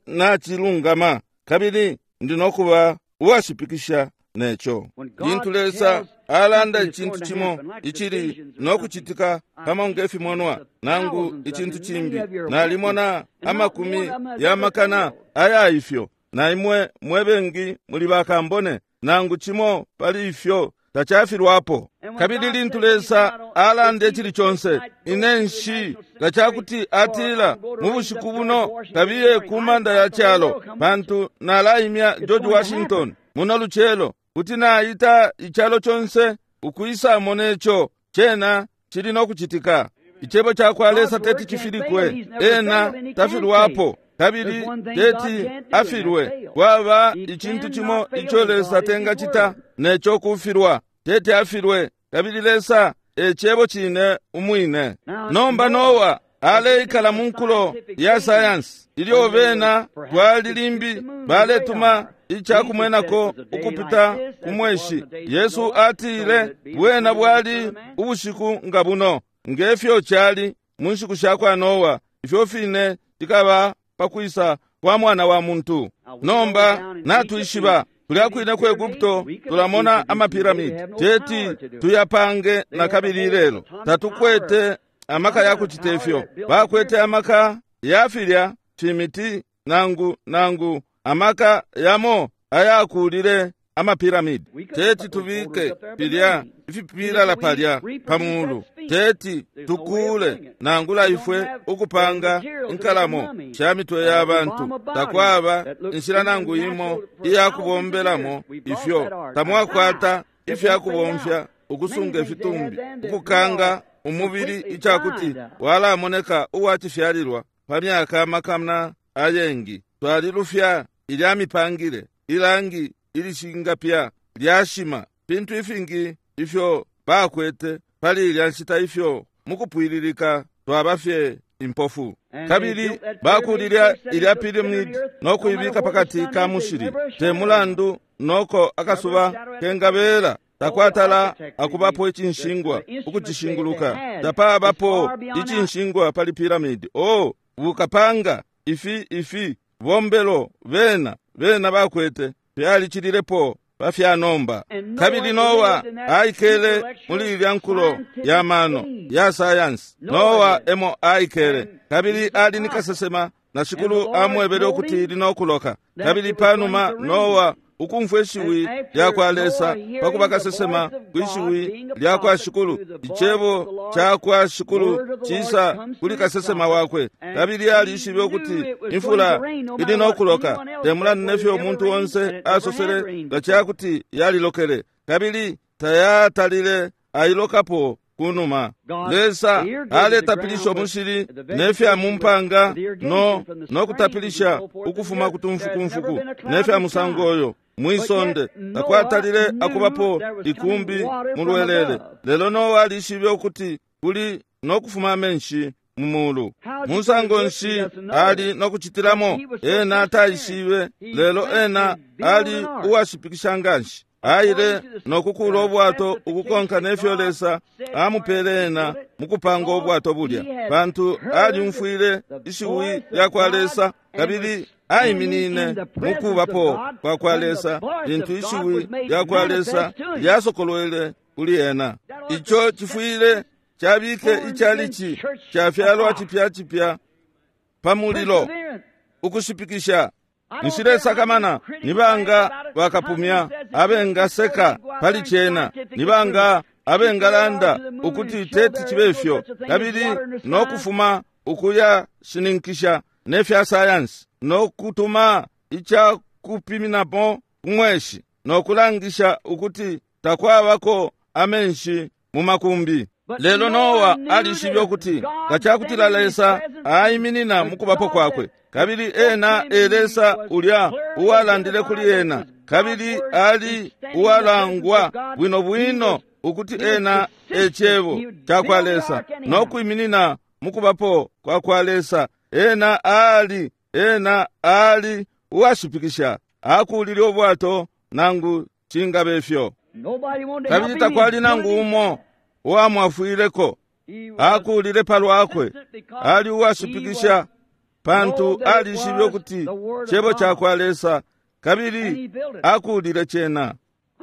nachilungama, kabili ndi nokuba uwashipikisha neco. Lintu Lesa alanda icintu cimo icili nokucitika pamo nge fimonwa nangu icintu cimbi, nalimona amakumi ya makana aya ifyo, na imwe mwe bengi muli bakambone, nangu cimo pali ifyo tacafilwapo. Kabili lintu Lesa alanda icili conse, ine nshi nga cakuti atila mu bushiku buno kabiye ku manda ya calo, pantu nalaimya George Washington muno lucelo, kuti naita icalo conse ukwisamo neco, cena cili nokucitika. Icebo cakwa Lesa teti cifilikwe, ena tafilwapo, kabili teti afilwe. Kwaba icintu cimo ico Lesa tengacita neco kufilwa, teti afilwe, kabili Lesa e cebo cine umwine. Nomba Noa aleikala mu nkulo ya sayansi, ilyo bena twali limbi baletuma icakumwenako ukupita ku mweshi. Yesu atile bwena bwali ubushiku nga buno, ngefyo cali mu nshiku sha kwa Noa, ifyo fine tikaba pakwisa kwa mwana wa muntu. Nomba natwishiba kulya kwine ku Egupto tulamona amapiramidi, teti tuyapange na kabili lelo. Tatukwete amaka ya kucita ifyo. Bakwete amaka ya filya fimiti nangu nangu amaka yamo ayakulile amapiramidi. Teti tubike filya ifipilala palya pamulu, teti tukule nangula ifwe ukupanga inkalamo sha mitwe ya bantu. Takwaba inshila nangu imo iya kubombelamo ifyo. Tamwakwata ifya kubomfya ukusunga ifitumbi, ukukanga umubili icakuti walamoneka uwacifyalilwa pa myaka amakana ayengi. Twalilufya ilya mipangile, ilangi ilishingapya lyashima, fintu ifingi ifyo bakwete pali ilya nshita ifyo mukupwililika twaba fye impofu. Kabili bakulilya ilya piramidi no kuibika pakati ka mushili, te mulandu noko akasuba kengabela, takwatala akubapo icinshingwa ukucishinguluka. Tapabapo icinshingwa pali piramidi. Oh, bukapanga ifi ifi bombelo bena bena bakwete fyalicililepo pafyanomba. Kabili Noa aikele muli ilya nkulo ya mano ya sayansi. Noa emo aikele, kabili ali ni kasesema na Shikulu amwebele ukuti ili nokuloka. Kabili panuma Noa ukumfwa ishiwi lyakwa Lesa pakuba kasesema kwishiwi lyakwa Shikulu, icebo cakwa Shikulu cisa kuli kasesema wakwe, kabili alishibe ukuti imfula ili nokuloka, te mulandu nefyo umuntu onse asosele nga cakuti yalilokele, kabili tayatalile ailokapo kunuma. Lesa aletapilisha umushili nefya mumpanga no nokutapilisha ukufuma kutumfukumfuku nefya musango oyo mwisonde, takwatalile akubapo ikumbi mulwelele. Lelo Noa alishibe ukuti kuli nokufuma amenshi mu mulu. Musango nshi ali nokucitilamo? Ena taishibe, lelo ena ali uwashipikisha nganshi. Aile nokukula ubwato ukukonka nefyo Lesa amupele ena mukupanga ubwato bulya, pantu alyumfwile ishiwi lyakwa Lesa kabili aiminine mukubapo kwa kwa Lesa lintu ishiwi lyakwa Lesa lyasokolwele kuli ena. Ico cifwile cabike icalici cafyalwa cipya cipya pa mulilo ukushipikisha. Nshilesakamana nibanga bakapumya abengaseka pali cena, nibanga abengalanda ukuti teti chibe ifyo, kabili nokufuma ukuya shininkisha nefya sayansi nokutuma icakupiminapo kumweshi nokulangisha ukuti takwabako amenshi mu makumbi. Lelo Noa alishibe ukuti nga cakutila Lesa aiminina mukubapo kwakwe, kabili ena e Lesa ulya uwalandile kuli ena, kabili ali uwalangwa bwino bwino ukuti ena e cebo cakwa Lesa nokwiminina mukubapo kwa kwa Lesa, ena ali ena ali uwashipikisha, akulile ubwato nangu cingabe ifyo. Kabili takwali nangu umo uwamwafwileko, akulile palwakwe, ali uwashipikisha pantu alishibe ukuti cebo cakwa Lesa, kabili akulile cena.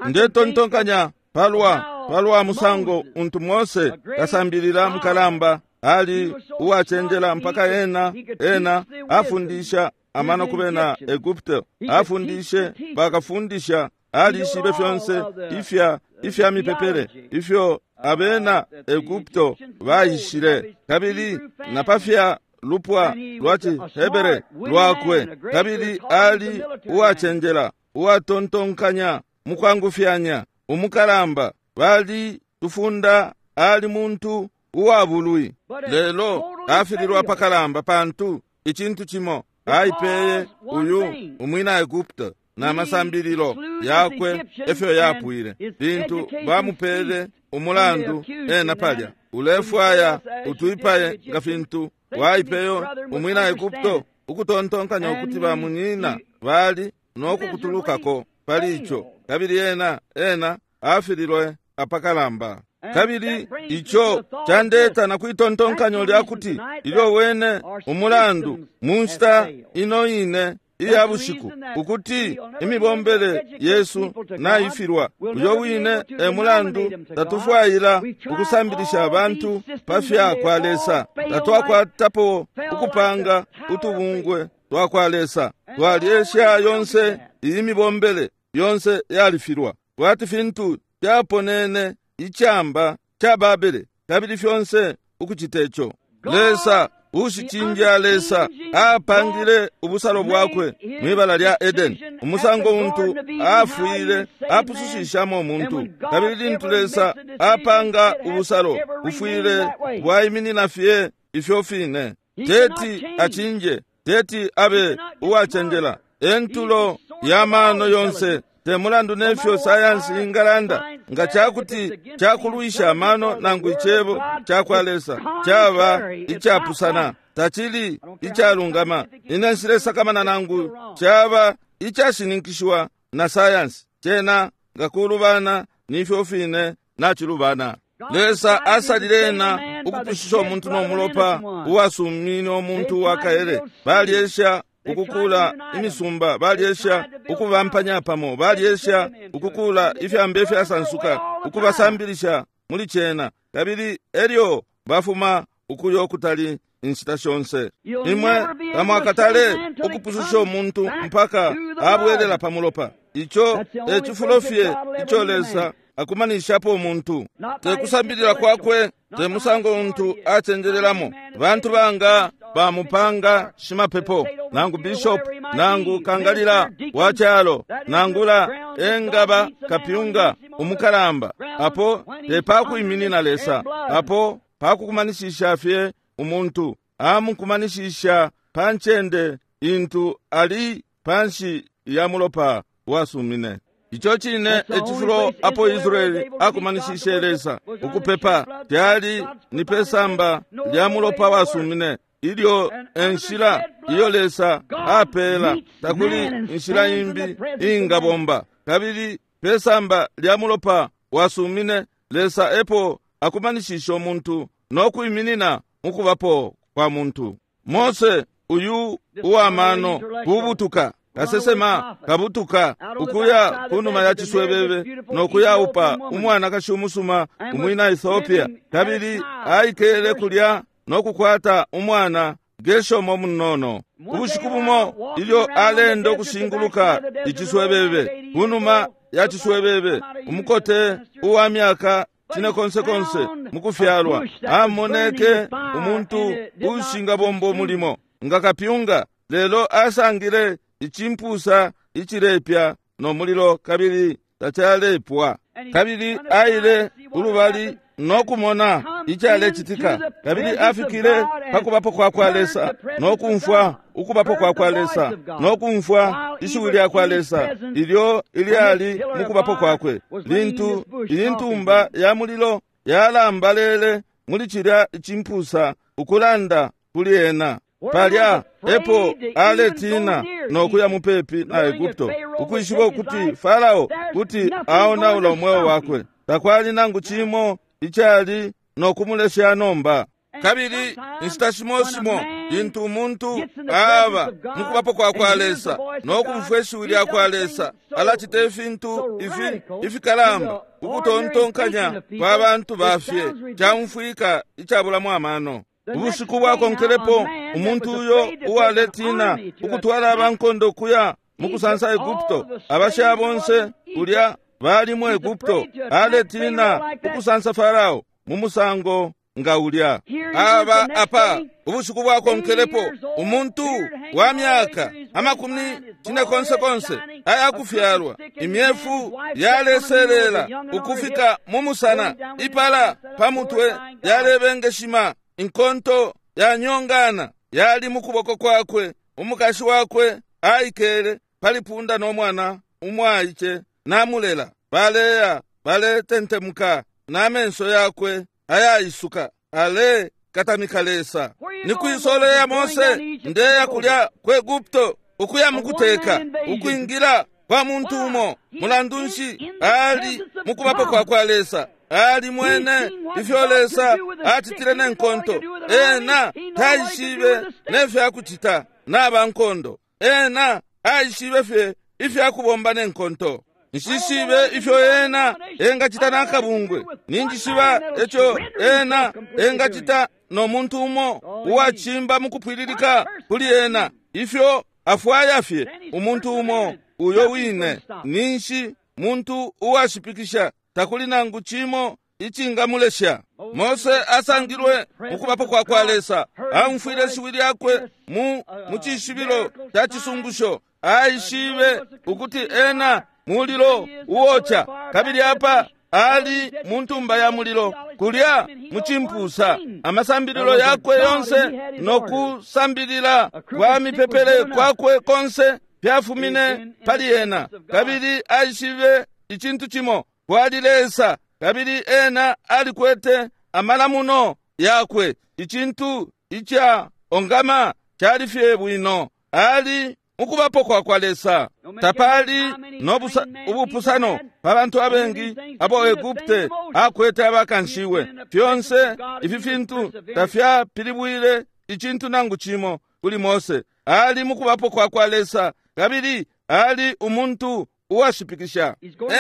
Ndetontonkanya palwa palwa musango untu Mose kasambilila mukalamba ali uwacenjela mpaka ena ena afundisha amano kubena Egupto, afundishe bakafundisha, alishibe fyonse ifya ifya mipepele ifyo abena Egupto baishile, kabili napafya lupwa lwa Cihebere lwakwe, kabili ali uwacenjela uwatontonkanya mukwangufyanya umukalamba, bali tufunda ali muntu uwabulwi. Lelo afililwa pakalamba pantu icintu cimo aipeye uyu umwina Egupto na masambililo yakwe efyo yapwile lintu bamupele umulandu ena palya, ulefwaya utuipaye nga fintu waipeyo umwina Egupto, ukutontonkanya ukuti bamunyina bali nokukutulukako pali ico, kabili ena ena afililwe apakalamba. Kabili ico candeta na kwitontonkanyo lyakuti ilyo wene umulandu mu nshita ino ine iya bushiku ukuti imibombele yesu naifilwa, uyo wine e mulandu tatufwaila ukusambilisha abantu pafya kwa Lesa, tatwakwatapo ukupanga utubungwe twa kwa Lesa, twalyesha yonse iyi mibombele yonse yalifilwa, kwati fintu fyaponene icamba ca Babele, kabili fyonse ukucita ico. Lesa ushicinja Lesa apangile ubusalo bwakwe mwibala lya Edeni, umusango untu afwile apusushishamo umuntu, kabili lintu Lesa apanga ubusalo bufwile bwaiminina fye ifyo fine. Teti acinje, teti abe uwacenjela, entulo ya mano yonse, te mulandu nefyo sayansi ingalanda nga cakuti cakulwisha amano nangu icebo cakwa Lesa caba icapusana, tacili icalungama. Ine nshilesakamana nangu caba icashininkishiwa na sayansi, cena nga kulubana nifyo fine nacilubana. Lesa asalile ena ukupushisha umuntu no mulopa uwasumine umuntu wakaele. Balyesha ukukula imisumba, balyesha ukubampanya pamo, balyesha ukukula ifyambe ifyasansuka, ukubasambilisha muli cena, kabili elyo bafuma ukuyo kutali inshita shonse. Imwe tamwakatale ukupususha umuntu mpaka abwelela pa mulopa. Ico e cifulo fye ico Lesa akumanishapo umuntu, te kusambilila kwakwe, te musango untu acenjelelamo. Bantu banga bamupanga shimapepo, nangu bishop, nangu kangalila wa calo, nangula engaba kapyunga umukalamba. Apo te pakwiminina Lesa, apo pakukumanishisha fye umuntu, amukumanishisha pa ncende intu ali panshi ya mulopa wasumine. Ico cine ecifulo apo Israeli akumanishishe Lesa ukupepa kyali ni pesamba lya mulopa wasumine. Ilyo enshila iyo Lesa apela, takuli inshila imbi ingabomba. Kabili pesamba lya mulopa wasumine, Lesa epo akumanishisha umuntu no kwiminina mukubapo kwa muntu. Mose uyu uwamano kubutuka kasesema kabutuka ukuya kunuma ya ciswebebe no kuyaupa umwanakashi umusuma umwina Ethiopia, kabili aikele kulya no kukwata umwana Geshomo munono. Ubushiku bumo ilyo alenda ukushinguluka iciswebebe kunuma ya ciswebebe, umukote uwa myaka cine konse konse mukufyalwa amoneke umuntu ushingabomba umulimo nga kapyunga, lelo asangile icimpusa icilepya no mulilo kabili tacalepwa. Kabili aile ulubali no kumona icalecitika, kabili afikile pakubapo kwa kwa Lesa no kumfwa ukubapo kwa kwa Lesa no kumfwa ishiwi lya kwa Lesa ilyo ilyali mukubapo kwakwe. Lintu iyi ntumba ya mulilo yalambalele muli cilya icimpusa ukulanda kuli ena, palya epo aletina no kuya mupepi na Egupto, ukwishiba ukuti Farao kuti aonaula umweo wakwe. Takwali nangu cimo icali no kumulesha nomba. Kabili inshita shimo shimo lintu umuntu aba mukubapo kwa kwa Lesa no kumfwa ishiwi lya kwa Lesa, alacita ifintu ifi ifikalamba ukutontonkanya kwa bantu bafye caumfwika icabulamo amano. Ubushiku bwakonkelepo umuntu uyo uwaletina ukutwala abankondo kuya mukusansa Egupto, abasha bonse kulya bali mu Egupto, aletina ukusansa Farao mu musango nga ulya. Aba apa ubushiku bwakonkelepo umuntu wa myaka amakumi cine konse konse ayakufyalwa, imyefu yaleselela ukufika mu musana, ipala pa mutwe yalebengeshima, inkonto yanyongana yali mukuboko kwakwe. Umukashi wakwe aikele pali punda no mwana umwaice namulela, baleya baletentemuka n'amenso yakwe ayaisuka ale katamika Lesa. Ni kwisolo ya Mose ndeya kulya ku Egupto ukuya mukuteka ukwingila kwa muntu umo. Mulandu nshi ali mukubapo kwa kwa Lesa? Ali mwene ifyo Lesa acitile nenkonto, ena taishibe nefyakucita n'abankondo, ena aishibe fye ifyakubomba nenkonto. Nshishibe ifyo ena engacita nakabungwe, ninjishiba eco ena engacita no muntu umo uwacimba mukupwililika kuli ena, ifyo afwaya fye umuntu umo uyo wine. Ninshi muntu uwashipikisha, takuli nangu cimo icingamulesha. Mose asangilwe mukubapo kwa kwa Lesa, aumfwile ishiwi lyakwe mu mucishibilo ca cisungusho, aishibe ukuti ena mulilo uwoca, kabili apa ali mu ntumba ya mulilo kulya mucimpusa. Amasambililo yakwe yonse no kusambilila kwa mipepele kwakwe konse fyafumine pali ena, kabili aishibe icintu cimo, kwali Lesa, kabili ena alikwete amalamuno yakwe. Icintu ica ongama cali fye bwino, ali mukubapo kwa kwa Lesa. Tapali no ubupusano pa bantu abengi abo Egupte akwete abakanshiwe. Fyonse ifi fintu tafyapilibwile icintu nangu cimo kuli Mose. Ali mukubapo kwa kwa Lesa, kabili ali umuntu uwashipikisha.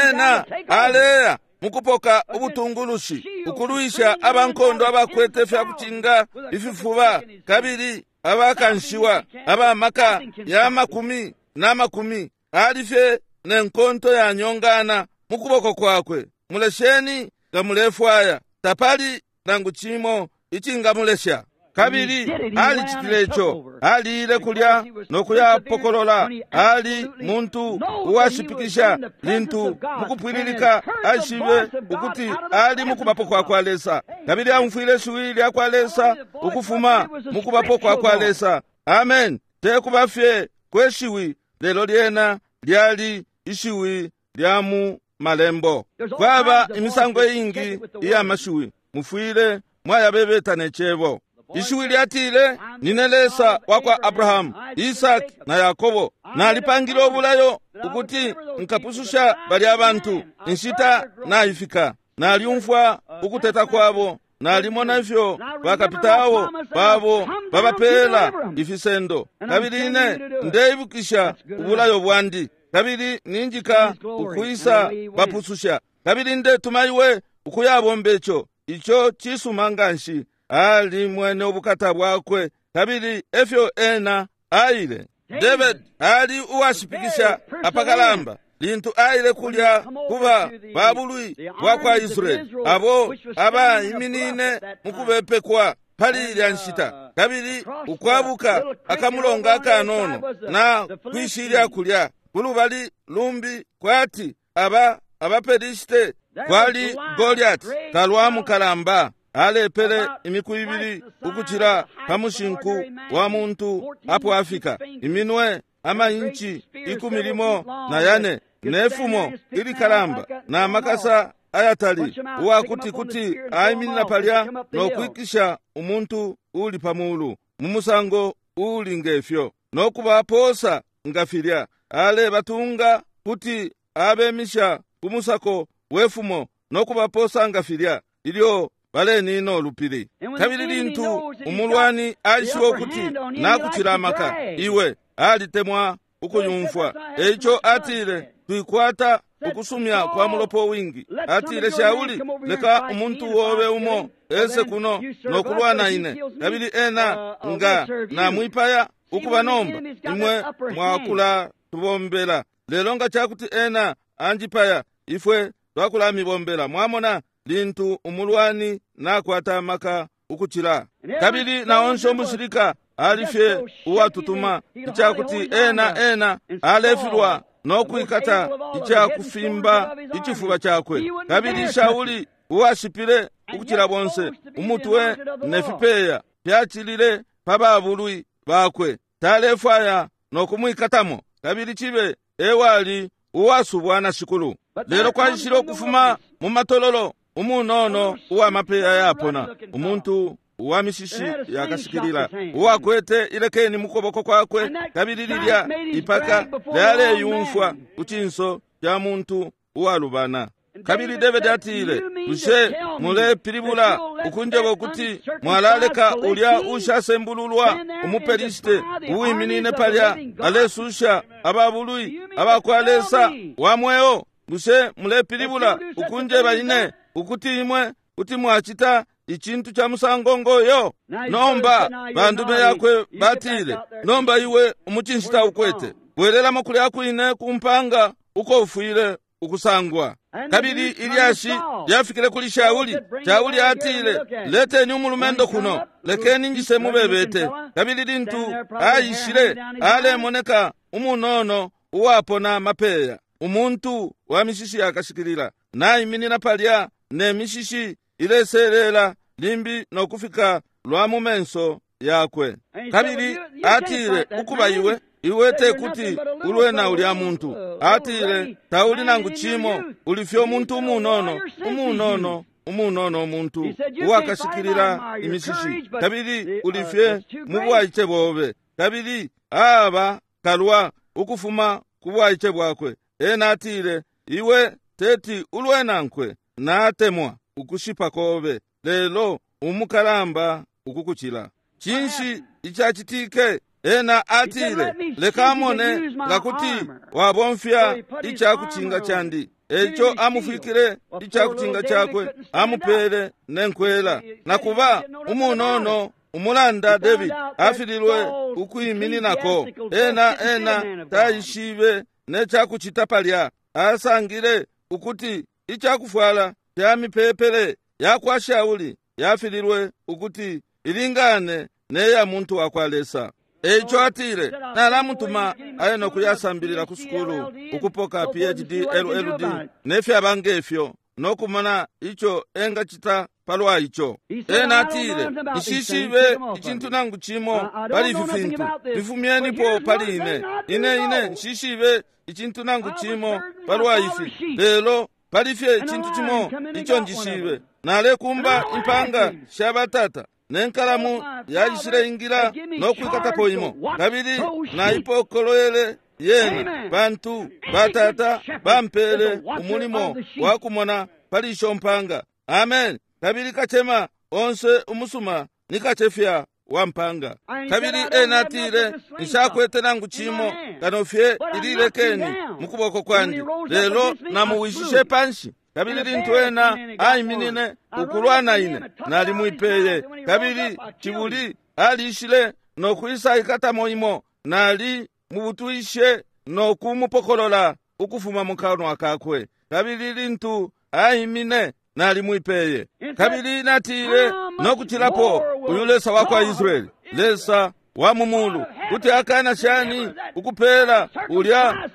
Ena aleya mukupoka ubutungulushi ukulwisha abankondo abakwete fyakucinga ififuba kabili abakanshiwa abamaka ya makumi na makumi. Ali fye ne nkonto ya nyongana mu kuboko kwakwe. Mulesheni nga mulefwaya, tapali nangu chimo ichingamulesha. Kabili alicitile ico, aliile kulya no kuyapokolola. Ali muntu uwashipikisha lintu mukupwililika aishibe ukuti ali mukubapo kwa kwa Lesa, kabili aumfwile shiwi lya kwa Lesa ukufuma mukubapo kwa kwa Lesa. Amen. Tekuba fye kweshiwi, lelo lyena lyali ishiwi lya mu malembo. Kwaba imisango ingi iya mashiwi, mufwile mwayabebeta ne cebo. Ishiwi lyatile, nine Lesa wa kwa Abrahamu, Isaki na Yakobo. Nalipangile obulayo ukuti nkapususha bali abantu. Inshita naifika. Naliumfwa ukuteta kwabo, nalimona ifyo bakapitawo babo babapela ifisendo, kabili ine ndeibukisha ubulayo bwandi, kabili ninjika ukwisa bapususha, kabili ndetuma iwe ukuyabomba ico. Ico cisuma nganshi. Ali mwene ubukata bwakwe, kabili efyo ena aile. David ali uwashipikisha apakalamba lintu aile kulya kuba babulwi bwa kwa Israeli, abo abaiminine mukubepekwa pali ilya nshita, kabili ukwabuka akamulonga akanono na kwishilya kulya kulubali lumbi kwati aba abaPelishite. Kwali Goliath kalwa mukalamba, alepele imiku ibili ukucila pa mushinku wa muntu apo afika, iminwe amainchi ikumi limo na yane, nefumo ilikalamba na makasa ayatali, uwakuti kuti aiminina palya no kwikisha umuntu uli pamulu mu musango uli ngefyo, no kubaposa nga filya. Alebatunga kuti abemisha ku musako wefumo no kubaposa nga filya ilyo balenina olupili. Kabili lintu umulwani aishiba ukuti nakucila amaka, iwe alitemwa ukuyumfwa. Eico atile, twikwata ukusumya kwa mulopo wingi. Atile, Shauli, leka umuntu wobe umo ese kuno no kulwana ine, kabili ena nga namwipaya ukuba nomba imwe mwakula tubombela. Lelo nga cakuti ena anjipaya, ifwe twakulamibombela. Mwamona lintu umulwani nakwata amaka ukucila. Kabili naonse umushilika alifye uwatutuma icakuti ena ena alefilwa no kwikata icakufimba icifuba cakwe. Kabili Shauli uwashipile ukucila bonse, umutwe ne fipeya fyacilile pa babulwi bakwe, talefwaya no kumwikatamo, kabili cibe ewali uwasubwa na Shikulu. Lelo kwaishile ukufuma mu matololo umunono uwa mapeya yapona, umuntu uwa mishishi yakashikilila, uwakwete ilekeni mukuboko kwakwe, kabili lilya ipaka lyaleyumfwa ku cinso ca muntu uwalubana. Kabili David atile, bushe mulepilibula ukunjeba ukuti mwalaleka ulya ushasembululwa umuPelishite uwiminine palya alesusha ababulwi abakwa Lesa wa mweo? Bushe mulepilibula ukunjeba ine ukuti imwe kuti mwacita icintu ca musango ngoyo? Nomba bandume yakwe batile, nomba iwe umucinshi taukwete, bwelelamo kulya kwine kumpanga uko ufwile ukusangwa. Kabili ilyashi lyafikile kuli Shauli. Shauli atile, leteni umulumendo kuno, lekeni njise mubebete. Kabili lintu aishile, alemoneka umunono uwapona mapeya, umuntu wa mishishi yakashikilila, naiminina palya ne mishishi ileselela limbi no kufika lwa mu menso yakwe. Kabili atile, ukuba iwe iwe tekuti ulwe na ulya muntu. Atile, tauli nangu chimo, ulifye umuntu umunono umunono umunono umuntu uwakashikilila imishishi, kabili ulifye mu bwaice bobe. Kabili aba kalwa ukufuma ku bwaice bwakwe. Ena atile, iwe teti ulwe nankwe, natemwa ukushipa kobe, lelo umukalamba ukukucila. Cinshi icacitike? Ena atile, leka mone nga kuti wabomfya icakucinga candi. Eico amufwikile icakucinga cakwe, amupele nenkwela. Nakuba umunono umulanda David afililwe ukwimininako. Ena ena taishibe necakucita palya. Asangile ukuti icakufwala fya mipepele yakwa Shauli yafililwe ukuti ilingane neya muntu wakwa Lesa. Eico atile, nalamutuma aye nokuyasambilila ku sukulu ukupoka P H D L L D nefyaba ngefyo, nokumona ico engacita palwa ico. Ena atile, nshishibe icintu nangu cimo pali ifi fintu, bifumyenipo pali ine. Ine ine nshishibe icintu nangu cimo palwa ifi, lelo pali fye icintu cimo ico njishibe. Nalekumba impanga sha batata, nenkalamu yaishile ingila nokwikatapo imo, kabili naipokolwele yena, pantu batata bampele umulimo wa kumona pali isho mpanga. Amen. Kabili kachema onse umusuma ni kachefya wa mpanga. Kabili ena atile, nshakwete nangu cimo kano fye ililekeni mukuboko kwandi, lelo namuwishishe panshi. Kabili lintu ena aiminine ukulwa na ine, nalimwipeye. Kabili cibuli alishile nokwisa ikatamo imo, nali mubutwishe nokumupokolola ukufuma mu kanwa kakwe. Kabili lintu aimine, nalimwipeye. Kabili natile, nokucilapo uyu Lesa wakwa Israeli, Lesa wa mumulu, kuti akana shani ukupela ulya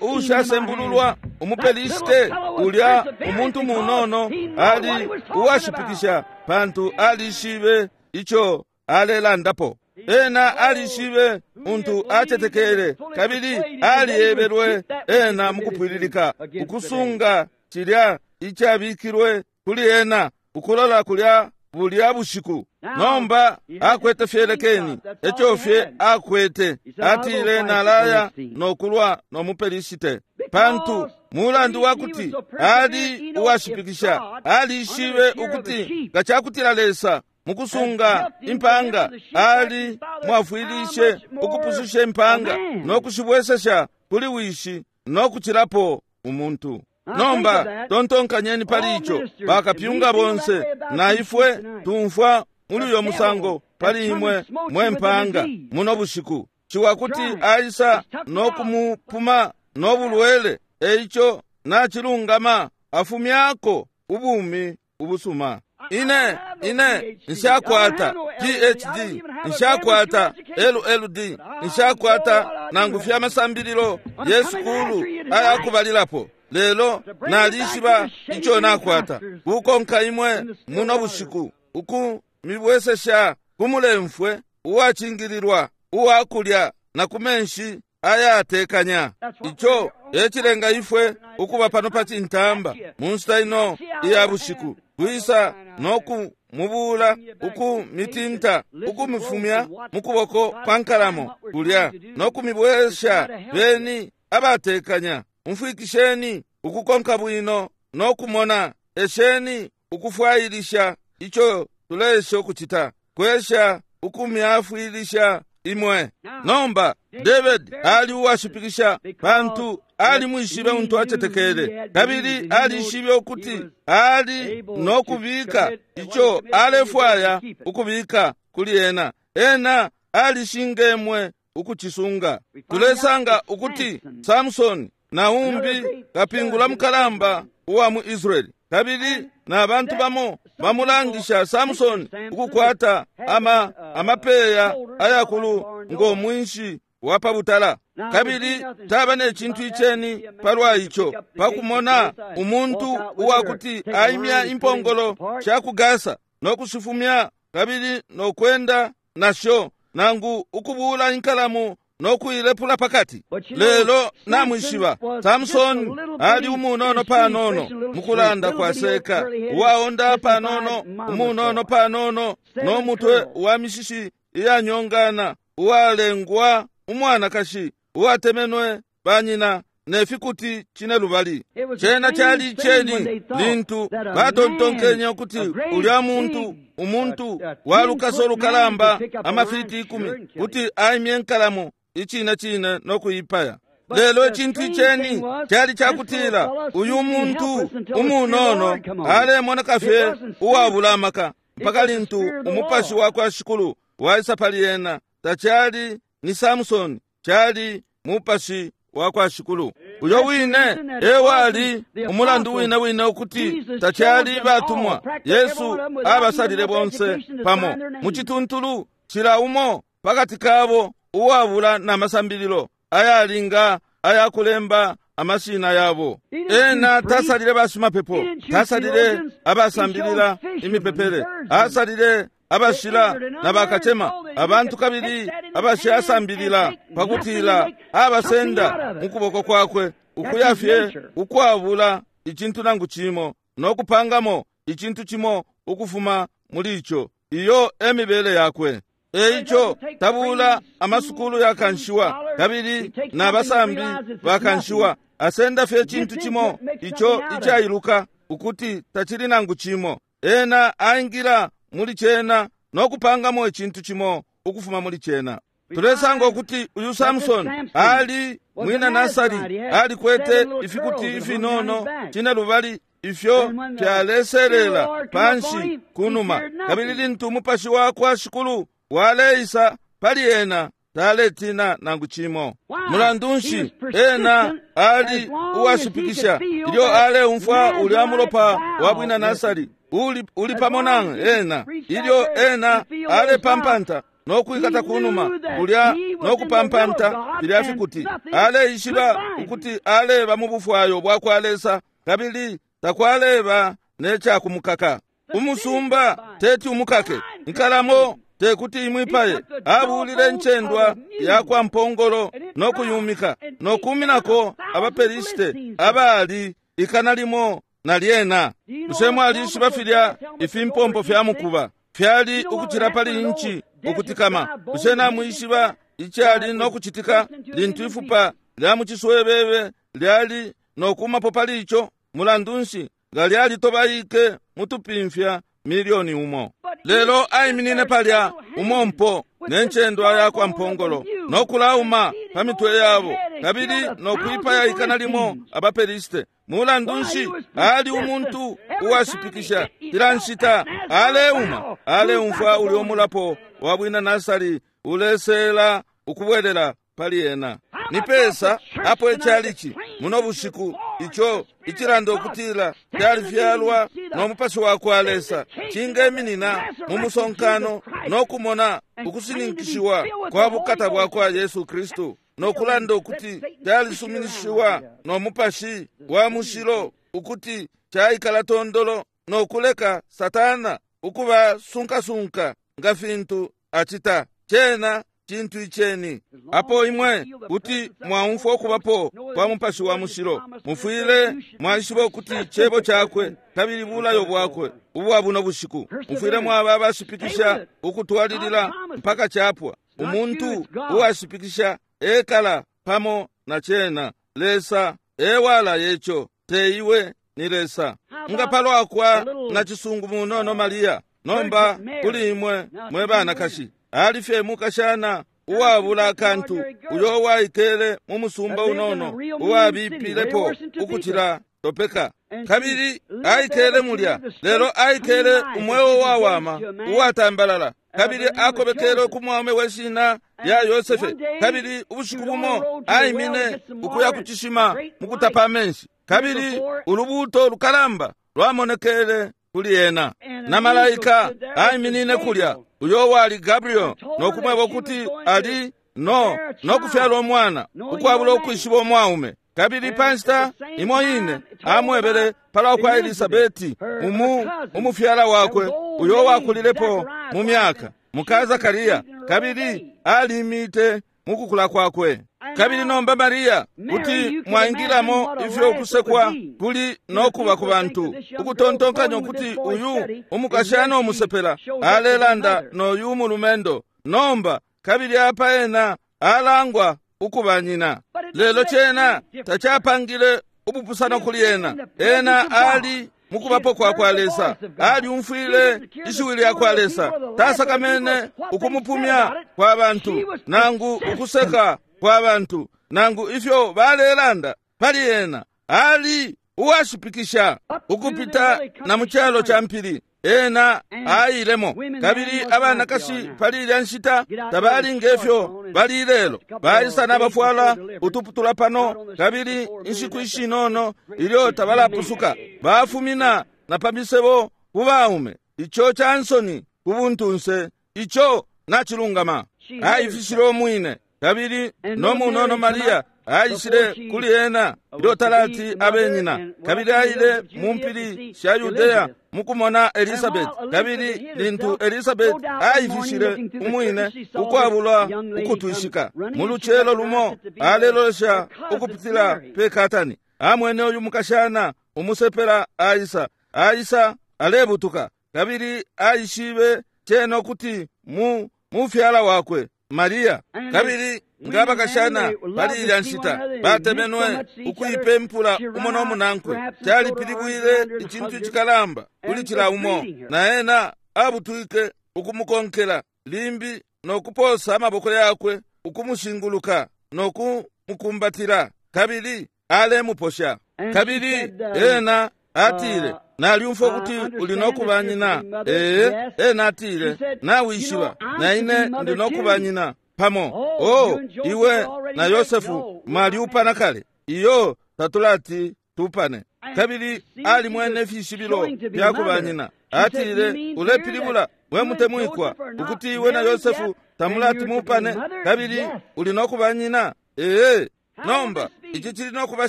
ushasembululwa umupelishite, ulya umuntu munono ali uwashipikisha, pantu alishibe ico alelandapo. Ena alishibe untu atetekele, kabili aliebelwe ena mukupwililika ukusunga cilya icabikilwe kuli ena ukulola kulya bulya bushiku. Nomba akwete fyelekeni, eco fye akwete. Atile, nalaya nokulwa nomupelishite, pantu mulandu wakuti ali uwashipikisha, alishibe ukuti nga cakutila Lesa mukusunga impanga ali mwafwilishe ukupususha impanga nokushibwesesha kuli wishi nokucilapo umuntu. Nomba tontonkanyeni pali ico, bakapyunga bonse na ifwe tumfwa muli uyo musango pali imwe mwe mpanga muno bushiku. Ciwa kuti aisa nokumupuma nobulwele, eico nacilungama afumyako ubumi ubusuma. Ine ine nshakwata P H D, nshakwata L L D, nshakwata nangu fya masambililo yesukulu ayakubalilapo, lelo nalishiba ico nakwata. Kukonka imwe muno bushiku ukumibwesesha kumulemfwe uwacingililwa uwakulya na kumenshi ayatekanya. Ico ecilenga ifwe ukuba pano pa cintamba mu nshita ino iya bushiku, kwisa nokumubula, ukumitinta, ukumifumya mukuboko kwa nkalamo kulya nokumibwesha. Beni abatekanya, umfwikisheni ukukonka bwino nokumona, esheni ukufwailisha ico tulesha ukucita, kwesha ukumyafwilisha imwe. Nomba David ali uwashipikisha, pantu ali mwishibe untu atetekele, kabili alishibe ukuti ali nokubika ico alefwaya ukubika kuli ena. Ena alishingemwe ukucisunga. Tulesanga ukuti Samson na umbi kapingula mukalamba uwa mu Israeli, kabili na bantu bamo bamulangisha Samson ukukwata ama amapeya ayakulu ngo mwinshi wa pabutala. Kabili taba ne cintu iceni palwa ico, pakumona umuntu uwakuti aimya impongolo sha ku Gasa nokushifumya kabili nokwenda nasho, nangu ukubula inkalamu nokuilepula pakati. Lelo namwishiba Samson ali umunono panono mukulanda kwaseka, uwaonda panono, umunono panono, nomutwe wa mishishi iyanyongana, uwalengwa umwanakashi uwatemenwe banyina nefikuti cine lubali. Cena cali iceni lintu batontonkenye ukuti ulya muntu umuntu walukaso lukalamba amafiti ikumi kuti aimye nkalamu icine cine nokuipaya. Lelo icintu iceni cali cakutila uyu muntu umunono alemoneka fye uwabula amaka mpaka lintu umupashi wakwa Shikulu waisa pali ena. Tacali ni Samson, cali mupashi wakwa Shikulu. Uyo wine ewali umulandu wine wine ukuti tacali batumwa. Yesu abasalile bonse pamo mucituntulu, cila umo pakati kabo uwabula na masambililo ayalinga ayakulemba amashina yabo. Ena tasalile bashimapepo, tasalile abasambilila imipepele, asalile abashila na bakachema, abantu kabili abashasambilila, pakutila abasenda mukuboko kwakwe ukuya fye ukwabula icintu nangu cimo nokupangamo icintu cimo ukufuma muli ico. Iyo emibele yakwe. Eico tabula amasukulu yakanshiwa kabili na basambi bakanshiwa, asenda fye icintu cimo ico icailuka ukuti tacili nangu cimo. Ena aingila muli cena nokupangamo icintu cimo ukufuma muli cena. Tulesanga ukuti uyu Samson ali mwina Nasari, alikwete ifikuti ifinono cine lubali ifyo fyaleselela panshi kunuma, kabili lintu umupashi wakwa Shikulu waleisa pali ena taletina nangu cimo. Mulandu nshi? Ena ali uwashipikisha ilyo aleumfwa ulya mulopa wa bwina Nasari uli, uli pamo na ena, ilyo ena alepampanta nokwikata kunuma kulya nokupampanta filya fikuti. Aleishiba ukuti aleba mu bufwayo bwakwa Lesa kabili takwaleba necakumukaka. Umusumba teti umukake, inkalamo tekuti imwipaye. Abulile ncendwa yakwa mpongolo nokuyumika nokuminako abapelisite abali ikana limo na lyena. Bushe mwalishiba filya ifimpompo fya mukuba fyali ukucila pali inchi ukutikama? Bushe namwishiba icali nokucitika lintu ifupa lya muciswebebe lyali nokumapo pali ico? Mulandu nshi, nga lyalitobaike mutupimfya milioni umo. Lelo aiminine palya umompo nencendwa yakwa mpongolo nokulauma pa mitwe yabo kabili nokwipaya ikana limo abapelisite. Mulandu nshi, ali umuntu uwashipikisha. Kila nshita aleuma, aleumfwa ulyo mulapo wa bwina Nasari ulesela ukubwelela pali ena. Ni pesa apo echalichi muno bushiku ico icilanda ukutila kyalifyalwa no mupashi wakwa Lesa cingeminina mu musonkano nokumona ukusininkishiwa kwa bukata bwakwa Yesu Kristu, nokulanda ukuti kyalisuminishiwa no mupashi wa mushilo ukuti caikala tondolo, nokuleka Satana ukuba sunkasunka nga fintu acita. Cena cintu iceni. Apo imwe kuti mwaumfwa ukubapo kwa mupashi wa mushilo, mufwile mwaishiba ukuti cebo cakwe kabili bulayo bwakwe ubwa buno bushiku. Mufwile mwaba abashipikisha ukutwalilila mpaka capwa. Umuntu uwashipikisha ekala pamo na cena. Lesa ewala yeco, teiwe ni Lesa. Nga palwakwa na cisungu munono Maria, nomba kuli imwe mwe banakashi, ali fye mukashana uwabula akantu uyo waikele mu musumba unono uwabipilepo ukucila topeka, kabili aikele mulya. Lelo aikele umweo wawama uwatambalala, kabili akobekele ku mwaume weshina lya Yosefe. Kabili ubushiku bumo aimine ukuya ku cishima mukutapa amenshi, kabili ulubuto lukalamba lwamonekele kuli ena, na malaika aiminine kulya uyo wali Gabriel, nokumweba ukuti ali no nokufyala umwana ukwabula ukwishiba umwaume. Kabili panshita imo ine amwebele palwa kwa Elisabeti umu umufyala wakwe uyo wakulilepo mu myaka muka Zakariya, kabili alimite mukukula kwakwe. Kabili nomba Maria, kuti mwaingilamo ifyo ukusekwa kuli nokuba ku bantu, ukutontonkanya ukuti uyu umukashana umusepela alelanda noyu umulumendo nomba, kabili apa ena alangwa ukuba nyina. Lelo cena tacapangile ubupusano kuli ena. Ena ali mukubapo kwa kwa Lesa, aliumfwile ishiwi lya kwa Lesa, tasakamene ukumupumya kwa bantu nangu ukuseka kwa bantu nangu ifyo balelanda pali ena, ali uwashipikisha ukupita na mu calo ca mpili. Ena ailemo, kabili abanakashi pali ilya nshita tabali ngefyo bali lelo. Baisa nabafwala utuputula pano, kabili inshiku ishinono ilyo tabalapusuka bafumina na pa misebo ku baume. Ico ca nsoni ku buntunse, ico nacilungama. Aifishile umwine, kabili no munono Maria aishile kuli ena ilyo talati abe nyina, kabili aile mu mpili sha Yudea mukumona Elizabeth. Kabili lintu Elizabeth aifishile umwine ukwabula ukutwishika, mu lucelo lumo alelolesha ukupitila pe katani, amwene uyu mukashana umusepela aisa aisa alebutuka, kabili aishibe cena ukuti mu mufyala wakwe Maria. Kabili nga bakashana pali ilya nshita batemenwe ukuipempula umo no munankwe, calipilibwile icintu icikalamba kuli cila umo, na ena abutwike ukumukonkela limbi no kuposa amaboko yakwe ukumushinguluka no kumukumbatila, kabili alemuposha. Kabili ena atile, nalyumfwa ukuti uli nokuba nyina. Ee, ena atile, nawishiba na ine ndi nokuba nyina pamo. Oh, iwe na Yosefu mwalyupana kale. Iyo tatulati tupane. Kabili alimwene ifishibilo fya nyina. Atile, ulepilibula we mutemwikwa ukuti iwe na Yosefu tamulati mupane, kabili uli nokuba nyina. Ee, nomba ici cili nokuba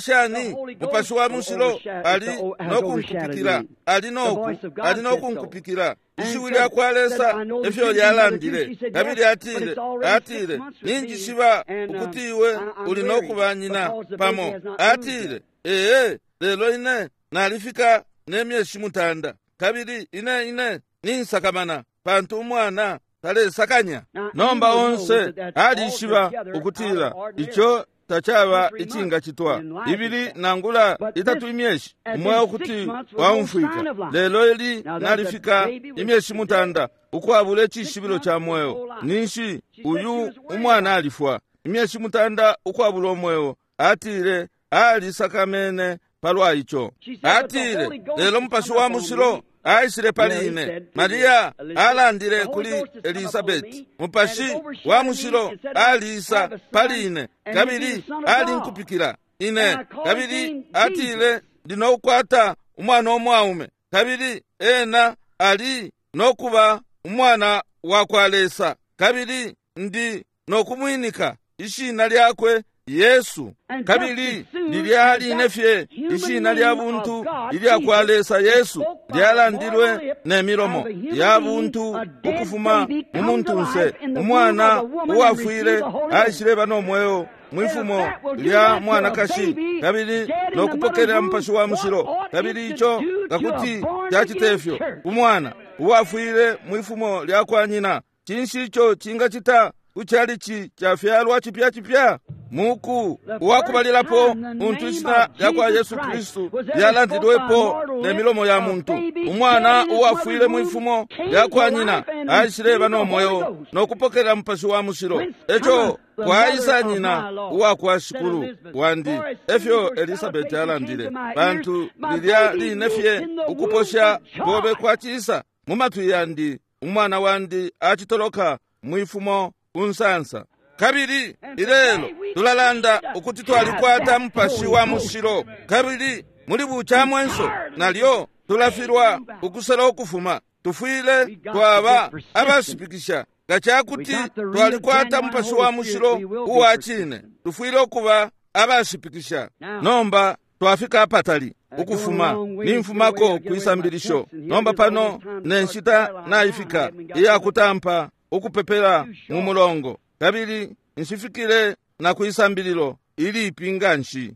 shani? Mupashi wa mushilo ali nokunkupikila, ali noku ali nokunkupikila. Ishiwi lya kwa Lesa efyo lyalandile. Kabili atile, atile, ninjishiba ukuti iwe uli nokuba nyina pamo. Atile, ee, lelo ine nalifika ne myeshi mutanda, kabili ine ine ninsakamana pantu umwana talesakanya. Nomba onse alishiba ukutila ico tacaba icingacitwa ibili nangula itatu imyeshi umweo kuti waumfwika, lelo ili nalifika imyeshi mutanda ukwabula icishibilo ca mweo. Ninshi uyu umwana alifwa imyeshi mutanda ukwabula umweo. Atile alisakamene palwa ico. Atile, lelo mupashi wa mushilo aishile pali ine. Maria alandile kuli Elizabeti, mupashi wa mushilo aliisa pali ine, kabili alinkupikila ine. Kabili atile, ndi nokukwata umwana umwaume, kabili ena ali nokuba umwana wa kwa Lesa, kabili ndi nokumwinika ishina lyakwe Yesu. Kabili lilya line fye ishina lya buntu ilya kwa Lesa Yesu lyalandilwe ne milomo ya buntu ukufuma mu muntunse. Umwana uwafwile aishileba no mweo mwifumo lya mwanakashi, kabili nokupokelela mupashi wa mushilo. Kabili ico ngakuti cacite fyo umwana uwafwile mwifumo lya kwa nyina, cinshi ico cingacita kuchalichi chafyalwa chipya chipya? Muku uwakubalilapo muntu ishina lya kwa Yesu Kristu lyalandilwepo ne milomo ya muntu. Umwana uwafwile mwifumo lya kwa nyina aishileba no mweo nokupokelela mupashi wa mushilo. Eco kwaisa nyina uwakwa shikulu wandi, efyo Elizabeti alandile, pantu lilya line fye ukuposha kobe kwacisa mu matwi yandi, umwana wandi acitoloka mwifumo unsansa. Kabili ilelo tulalanda ukuti twalikwata mupashi wa mushilo, kabili muli bucamwenso nalyo tulafilwa ukusela ukufuma. Tufwile twaba abashipikisha. Nga cakuti twalikwata mupashi wa mushilo uwa cine, tufwile ukuba abashipikisha. Nomba twafika apatali ukufuma nimfumako kwisambilisho. Nomba pano ne nshita naifika iyakutampa ukupepela mu mulongo, kabili nshifikile na kwisambililo ilipi nganshi.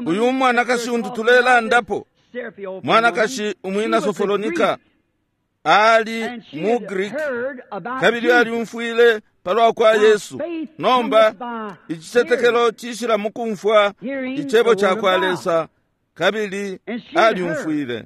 Uyu mwanakashi untu tulelandapo, mwanakashi umwina Sofolonika, ali mu Greek, kabili alyumfwile palwa kwa Yesu. Nomba icicetekelo cishila mukumfwa icebo ca kwa Lesa, kabili alyumfwile.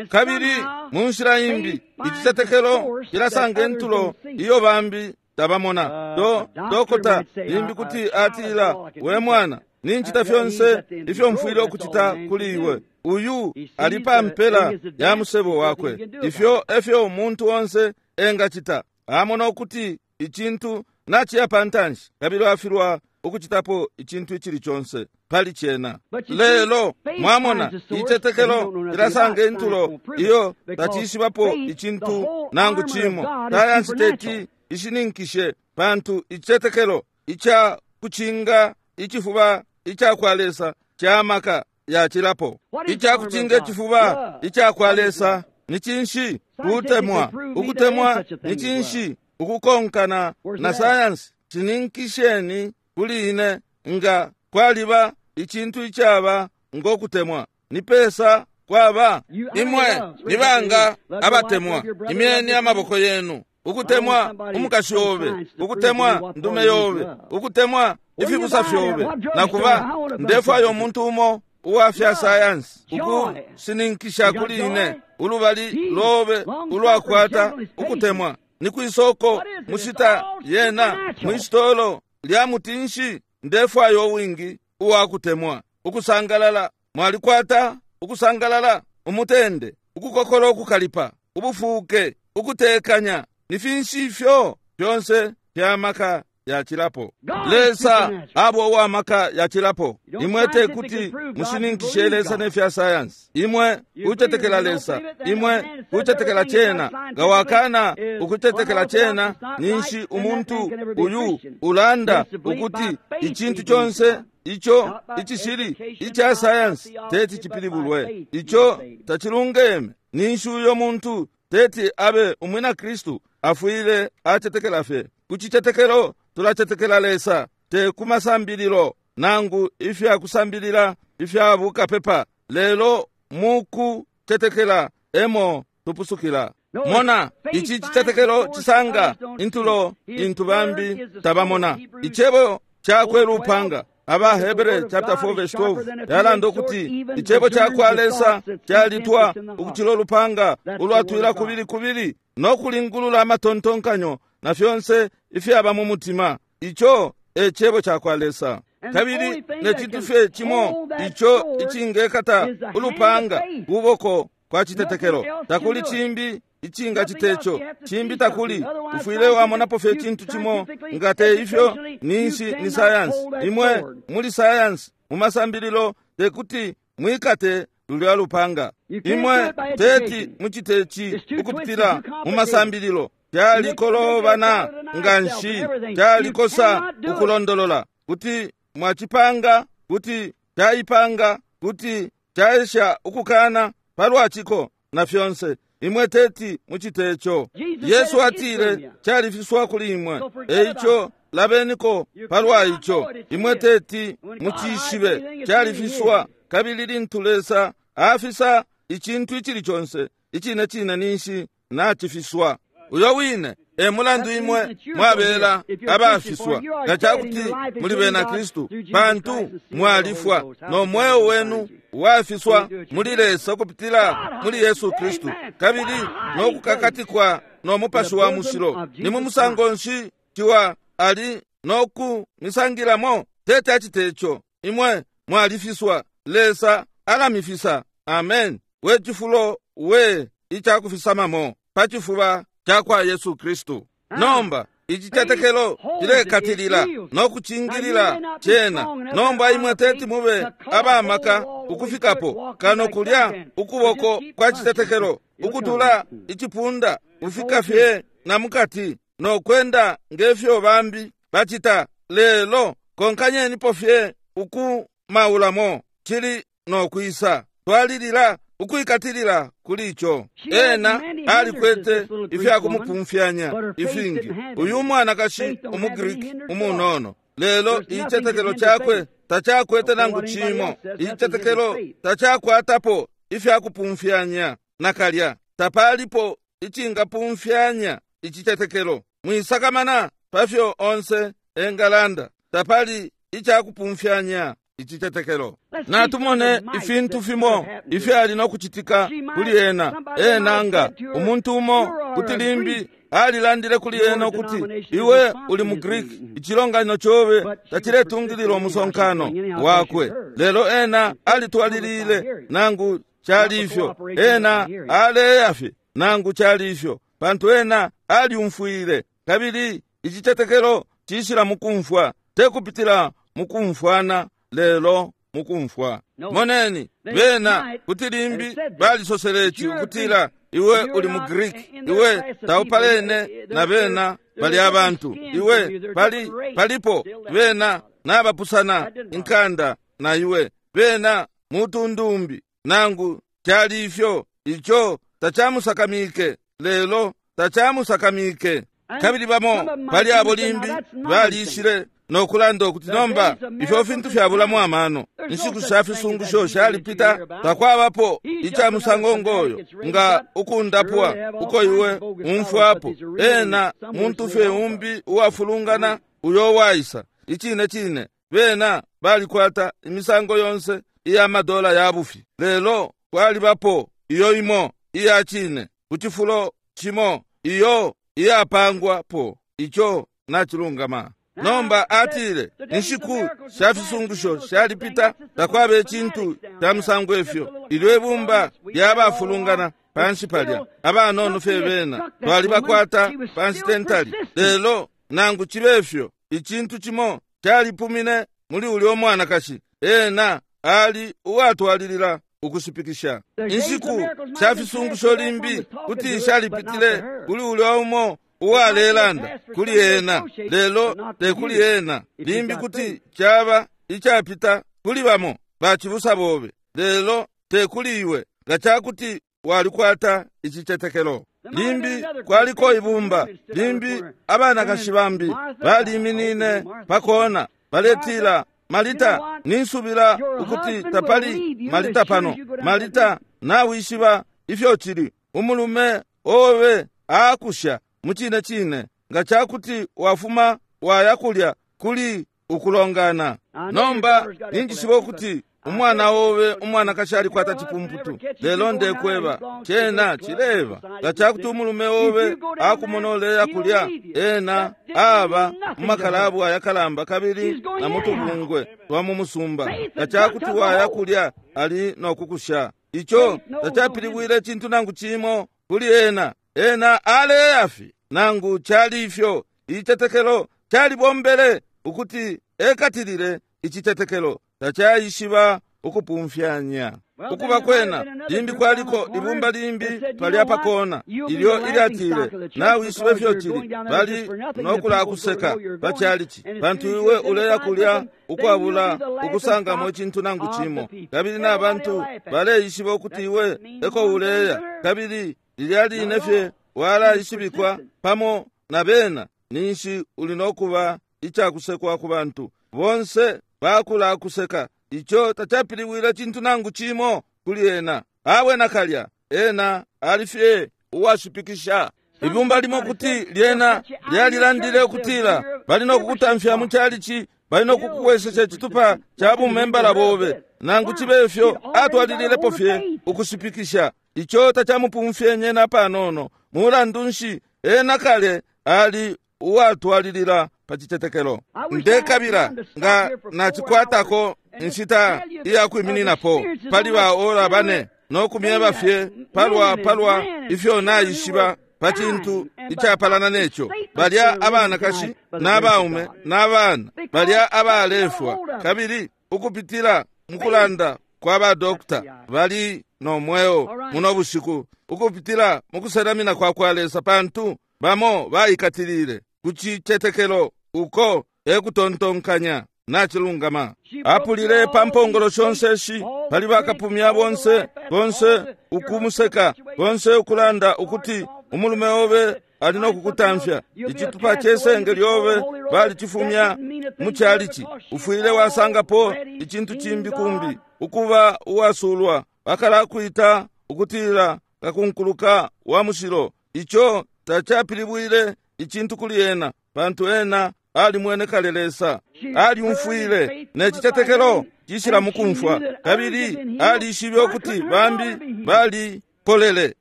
Kabili mu nshila imbi icicetekelo cilasanga intulo iyo bambi tabamona. Do dokota limbi kuti atila, we mwana, ninchita fyonse ifyo mfwile ukuchita kuli iwe. Uyu ali pa mpela ya musebo wakwe. Ifyo efyo umuntu onse engachita. Amona ukuti icintu nachiya pantanshi, kabili afilwa ukuchitapo icintu ichili chonse pali chena. Lelo mwamona ichetekelo ilasanga intulo iyo tachiishibapo icintu nangu chimo. Sayansi teti ishininkishe, pantu ichetekelo icha kuchinga ichifuba icha kwa Lesa cha maka yachilapo. Icha kuchinga ichifuba icha kwa Lesa ni chinshi? Kutemwa. Ukutemwa ni chinshi? Ukukonkana na sayansi. Chininkisheni kuli ine nga kwaliba icintu ichaba ngokutemwa. Ni pesa kwaba imwe nibanga abatemwa. Imyeni amaboko yenu. Ukutemwa umukashi obe, ukutemwa ndume yobe, ukutemwa ifibusa fyobe. Nakuba ndefwayo umuntu umo uwafya sayansi ukusininkisha kuli ine ulubali lobe ulwakwata ukutemwa. Ni kwisoko mushita yena mwisitolo lya mutinshi. Ndefwayo wingi uwakutemwa. Ukusangalala mwalikwata ukusangalala, umutende, ukukokola, ukukalipa, ubufuke, ukutekanya. Ni finshi ifyo fyonse fya maka yachilapo. Lesa abo uwa maka yachilapo. Imwe tekuti mushininkishe Lesa nefya sayansi. Imwe kutetekela Lesa, imwe kutetekela chena. Nga wakana ukutetekela chena, ninshi umuntu uyu ulanda ukuti icintu chonse icho ichishili icha sayansi teti chipilibulwe. Icho tachilungeme. Ninshi uyo muntu teti abe umwina Kristu afwile atetekela fye. Kuchichetekelo tulachetekela Lesa, te kumasambililo nangu ifya kusambilila ifya bukapepa, lelo muku tetekela emo tupusukila. Mona ichi chichetekelo chisanga intulo intu bambi tabamona. Ichebo chakwe lupanga. Aba Hebere chapter four verse twelve yalanda ukuti ichebo chakwa Lesa chalitwa ukuchilo lupanga ulwatwila kubili kubili no kulingulula amatontonkanyo na fyonse ifyaba mu mutima. Icho e chebo chakwa Lesa. Kabili ne chintu fye chimo icho ichingekata ulupanga kuboko kwa chitetekelo. Takuli chimbi ichinga chitecho chimbi takuli. Ufwile wamonapo fye chintu chimo ngate ifyo ninshi ni sayansi. Imwe muli sayansi mumasambililo tekuti mwikate lulya lupanga. Imwe teti muchitechi ukupitila mumasambililo. Kyalikolobana nganshi, kyalikosa ukulondolola kuti mwachipanga, kuti kyayipanga, kuti kyaesha ukukana palwachiko na fyonse. Imwe teti muchitecho. Yesu atile kyalifiswa kuli imwe, eicho labeniko palwa icho. Imwe teti muchishibe, kyalifiswa. Kabili lintu Lesa afisa ichintu ichili chonse ichine chine ninshi nachifiswa. Uyo wine e mulandu imwe mwabela abafiswa nga chakuti muli bena Kristu, pantu mwalifwa no mweo wenu wafiswa muli Lesa kupitila muli Yesu Kristu, kabili no kukakatikwa no mupashi wa mushilo. Ni mu musango nshi chiwa ali no kumisangilamo? Tete achitecho. Imwe mwalifiswa, Lesa alamifisa. Amen. We chifulo we ichakufisamamo pachifuba chakwa Yesu Kristu. Nomba ichichetekelo chilekatilila no kuchingilila chena. Nomba imwe teti mube abamaka ukufikapo kano kulya ukuboko kwa chitetekelo ukutula ichipunda ufika fye na mukati no kwenda ngefyo bambi bachita. Lelo konkanyenipo fye ukumaulamo chili no kwisa. Twalilila ukuikatilila kuli icho. Ena alikwete ifya kumupumfyanya ifingi uyu mwanakashi umugiriki umunono, lelo ichetekelo chakwe tachakwete nangu chimo. Ichetekelo tachakwatapo ifya kupumfyanya nakalya. Tapalipo ichingapumfyanya ichitetekelo. Mwisakamana pafyo onse engalanda, tapali ichakupumfyanya ichitetekelo. Natumone ifintu fimo ifyali no kuchitika kuli ena. Ena nga umuntu umo kuti limbi Alilandile kuli ena ukuti iwe uli mu Greek, icilonganino cobe taciletungilila umusonkano wakwe. Lelo ena alitwalilile nangu cali ifyo, ena aleya fye nangu cali ifyo, pantu ena aliumfwile. Kabili icicetekelo cishila mukumfwa, tekupitila mukumfwana, lelo mukumfwa. Moneni, bena kuti limbi balisosele ici ukutila iwe uli mu Greek, iwe taupalene na bena bali abantu, iwe pali palipo bena nabapusana inkanda na iwe, bena mutundumbi. Nangu cali ifyo, ico tacamusakamike, lelo tacamusakamike. Kabili bamo pali abo limbi balishile nokulanda ukuti nomba ifyo fintu fyabulamo amano, inshiku sha fisungusho shalipita, takwabapo ica musango ngoyo nga ukundapwa uko iwe umfwapo. Ena muntu fye umbi uwafulungana uyo waisa. Icine cine bena balikwata imisango yonse iya madola ya bufi, lelo kwalibapo iyo imo iya cine ku cifulo cimo iyo iyapangwapo. Ico nacilungama. Nomba atile inshiku sha fisungusho shalipita, takwaba icintu ca musango ifyo. Ilyo ibumba lyabafulungana panshi palya, abanono fye bena twalibakwata panshi tentali. Lelo nangu cibe ifyo, icintu cimo calipumine muli ulya mwanakashi. Ena ali uwatwalilila ukushipikisha. Inshiku sha fisungusho limbi kuti shalipitile kuli ulya umo uwalelanda kuli ena, lelo tekuli ena. Limbi kuti caba icapita kuli bamo bacibusa bobe, lelo tekuli iwe, nga cakuti walikwata icicetekelo. Limbi kwaliko ibumba, limbi abanakashi bambi baliminine pakona baletila, Malita, ninsubila ukuti tapali Malita pano. Malita, nawishiba ifyo cili, umulume obe akusha mucine cine, nga cakuti wafuma waya kulya kuli ukulongana. Nomba ninjishiba ukuti umwana obe umwanakashi alikwata cipumputu, lelo ndekweba cena cileba. Nga cakuti umulume obe akumona uleya kulya, ena aba mu makalabu ayakalamba kabili na mutubungwe twa mu musumba. Nga cakuti waya kulya, ali nokukusha. Ico tacapilibwile icintu nangu cimo kuli ena. Ena aleya fye nangu cali ifyo. Icitetekelo calibombele ukuti ekatilile icitetekelo, tacaishiba ukupumfyanya. Ukuba kwena limbi kwaliko ibumba limbi palya pakona ilyo ilyatile, nawishiba ifyo cili, bali nokulakuseka pachalichi, pantu iwe uleya kulya ukwabula ukusangamo icintu nangu cimo, kabili nabantu baleishiba ukuti iwe eko uleya, kabili lilya line fye walaishibikwa pamo na bena, ninshi uli nokuba icakusekwa ku bantu bonse bakulakuseka. Ico tacapilibwile cintu nangu cimo kuli ena. Awe nakalya, ena ali fye uwashipikisha. Ibumba limo kuti lyena lyalilandile ukutila bali nokukutamfya mu chalichi, bali nokukuwesesha icitupa ca bumembala bobe. Nangu cibe ifyo, atwalililepo fye ukushipikisha. Ico tacamupumfyenye na panono. Mulandu nshi, ena kale ali uwatwalilila pa citetekelo. Ndekabila nga nacikwatako inshita iyakwimininapo pali ba ora bane nokumyeba fye palwa palwa ifyo naishiba pa cintu icapalana neco. Balya abanakashi n'abaume n'abana, balya abalefwa, kabili ukupitila mukulanda kwa badokita bali no mweo muno bushiku, ukupitila mukuselamina kwa kwa Lesa, pantu bamo baikatilile ku cicetekelo uko ekutontonkanya nacilungama. Apulile pa mpongolo shonse shi pali bakapumya bonse, bonse ukumuseka, bonse ukulanda ukuti umulume obe ali nokukutamfya, icitupa cesenge lyobe balicifumya mu chalichi, ufwile wasangapo icintu cimbi kumbi, ukuba uwasulwa, bakalakwita ukutila kakunkuluka wa mushilo. Ico tacapilibwile icintu kuli ena, pantu ena alimwene kale Lesa, aliumfwile ne cicetekelo cishila mukumfwa, kabili alishibe ukuti bambi balipolele.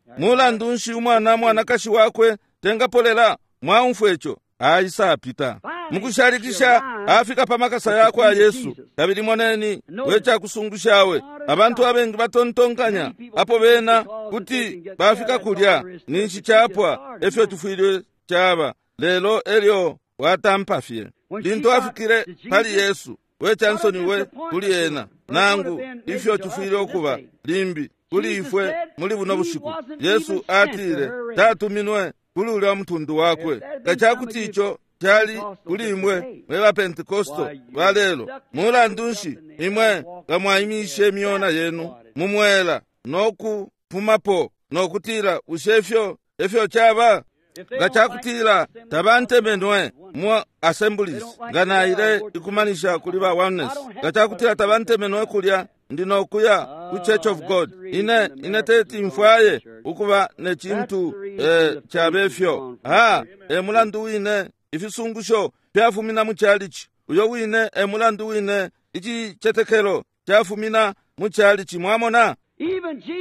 Mulandu nshi umwana mwanakashi wakwe tengapolela? Mwaumfwa ico aisapita mukushalikisha afika pa makasa yakwa Yesu. Kabili moneni wecakusungushawe abantu abengi batontonkanya apo bena kuti bafika kulya ninshi chapwa efyo tufwile chaba, lelo elyo watampa fye. Lintu afikile pali Yesu, wechansoni we kuli ena nangu ifyo tufwile okuba limbi kuli ifwe muli buno bushiku. Yesu atile tatuminwe kuli ulya mutundu wakwe. Kachakuti icho chali kuli imwe mwe ba Pentekosto balelo, mulandu nshi imwe nga mwaimishe imyona yenu mumwela nokupumapo nokutila bushe ifyo efyo chaba? Nga chakutila tabantemenwe mu assemblies, nga naile ikumanisha kuli ba Oneness, nga chakutila tabantemenwe kulya ndi nokuya ku Church of God, ine ine teti mfwaye ukuba ne chintu eh, chabefyo. Ha, e mulandu wine ifisungusho fyafumina mu chalichi, uyo wine e mulandu wine ichichetekelo chafumina mu chalichi. Mwamona,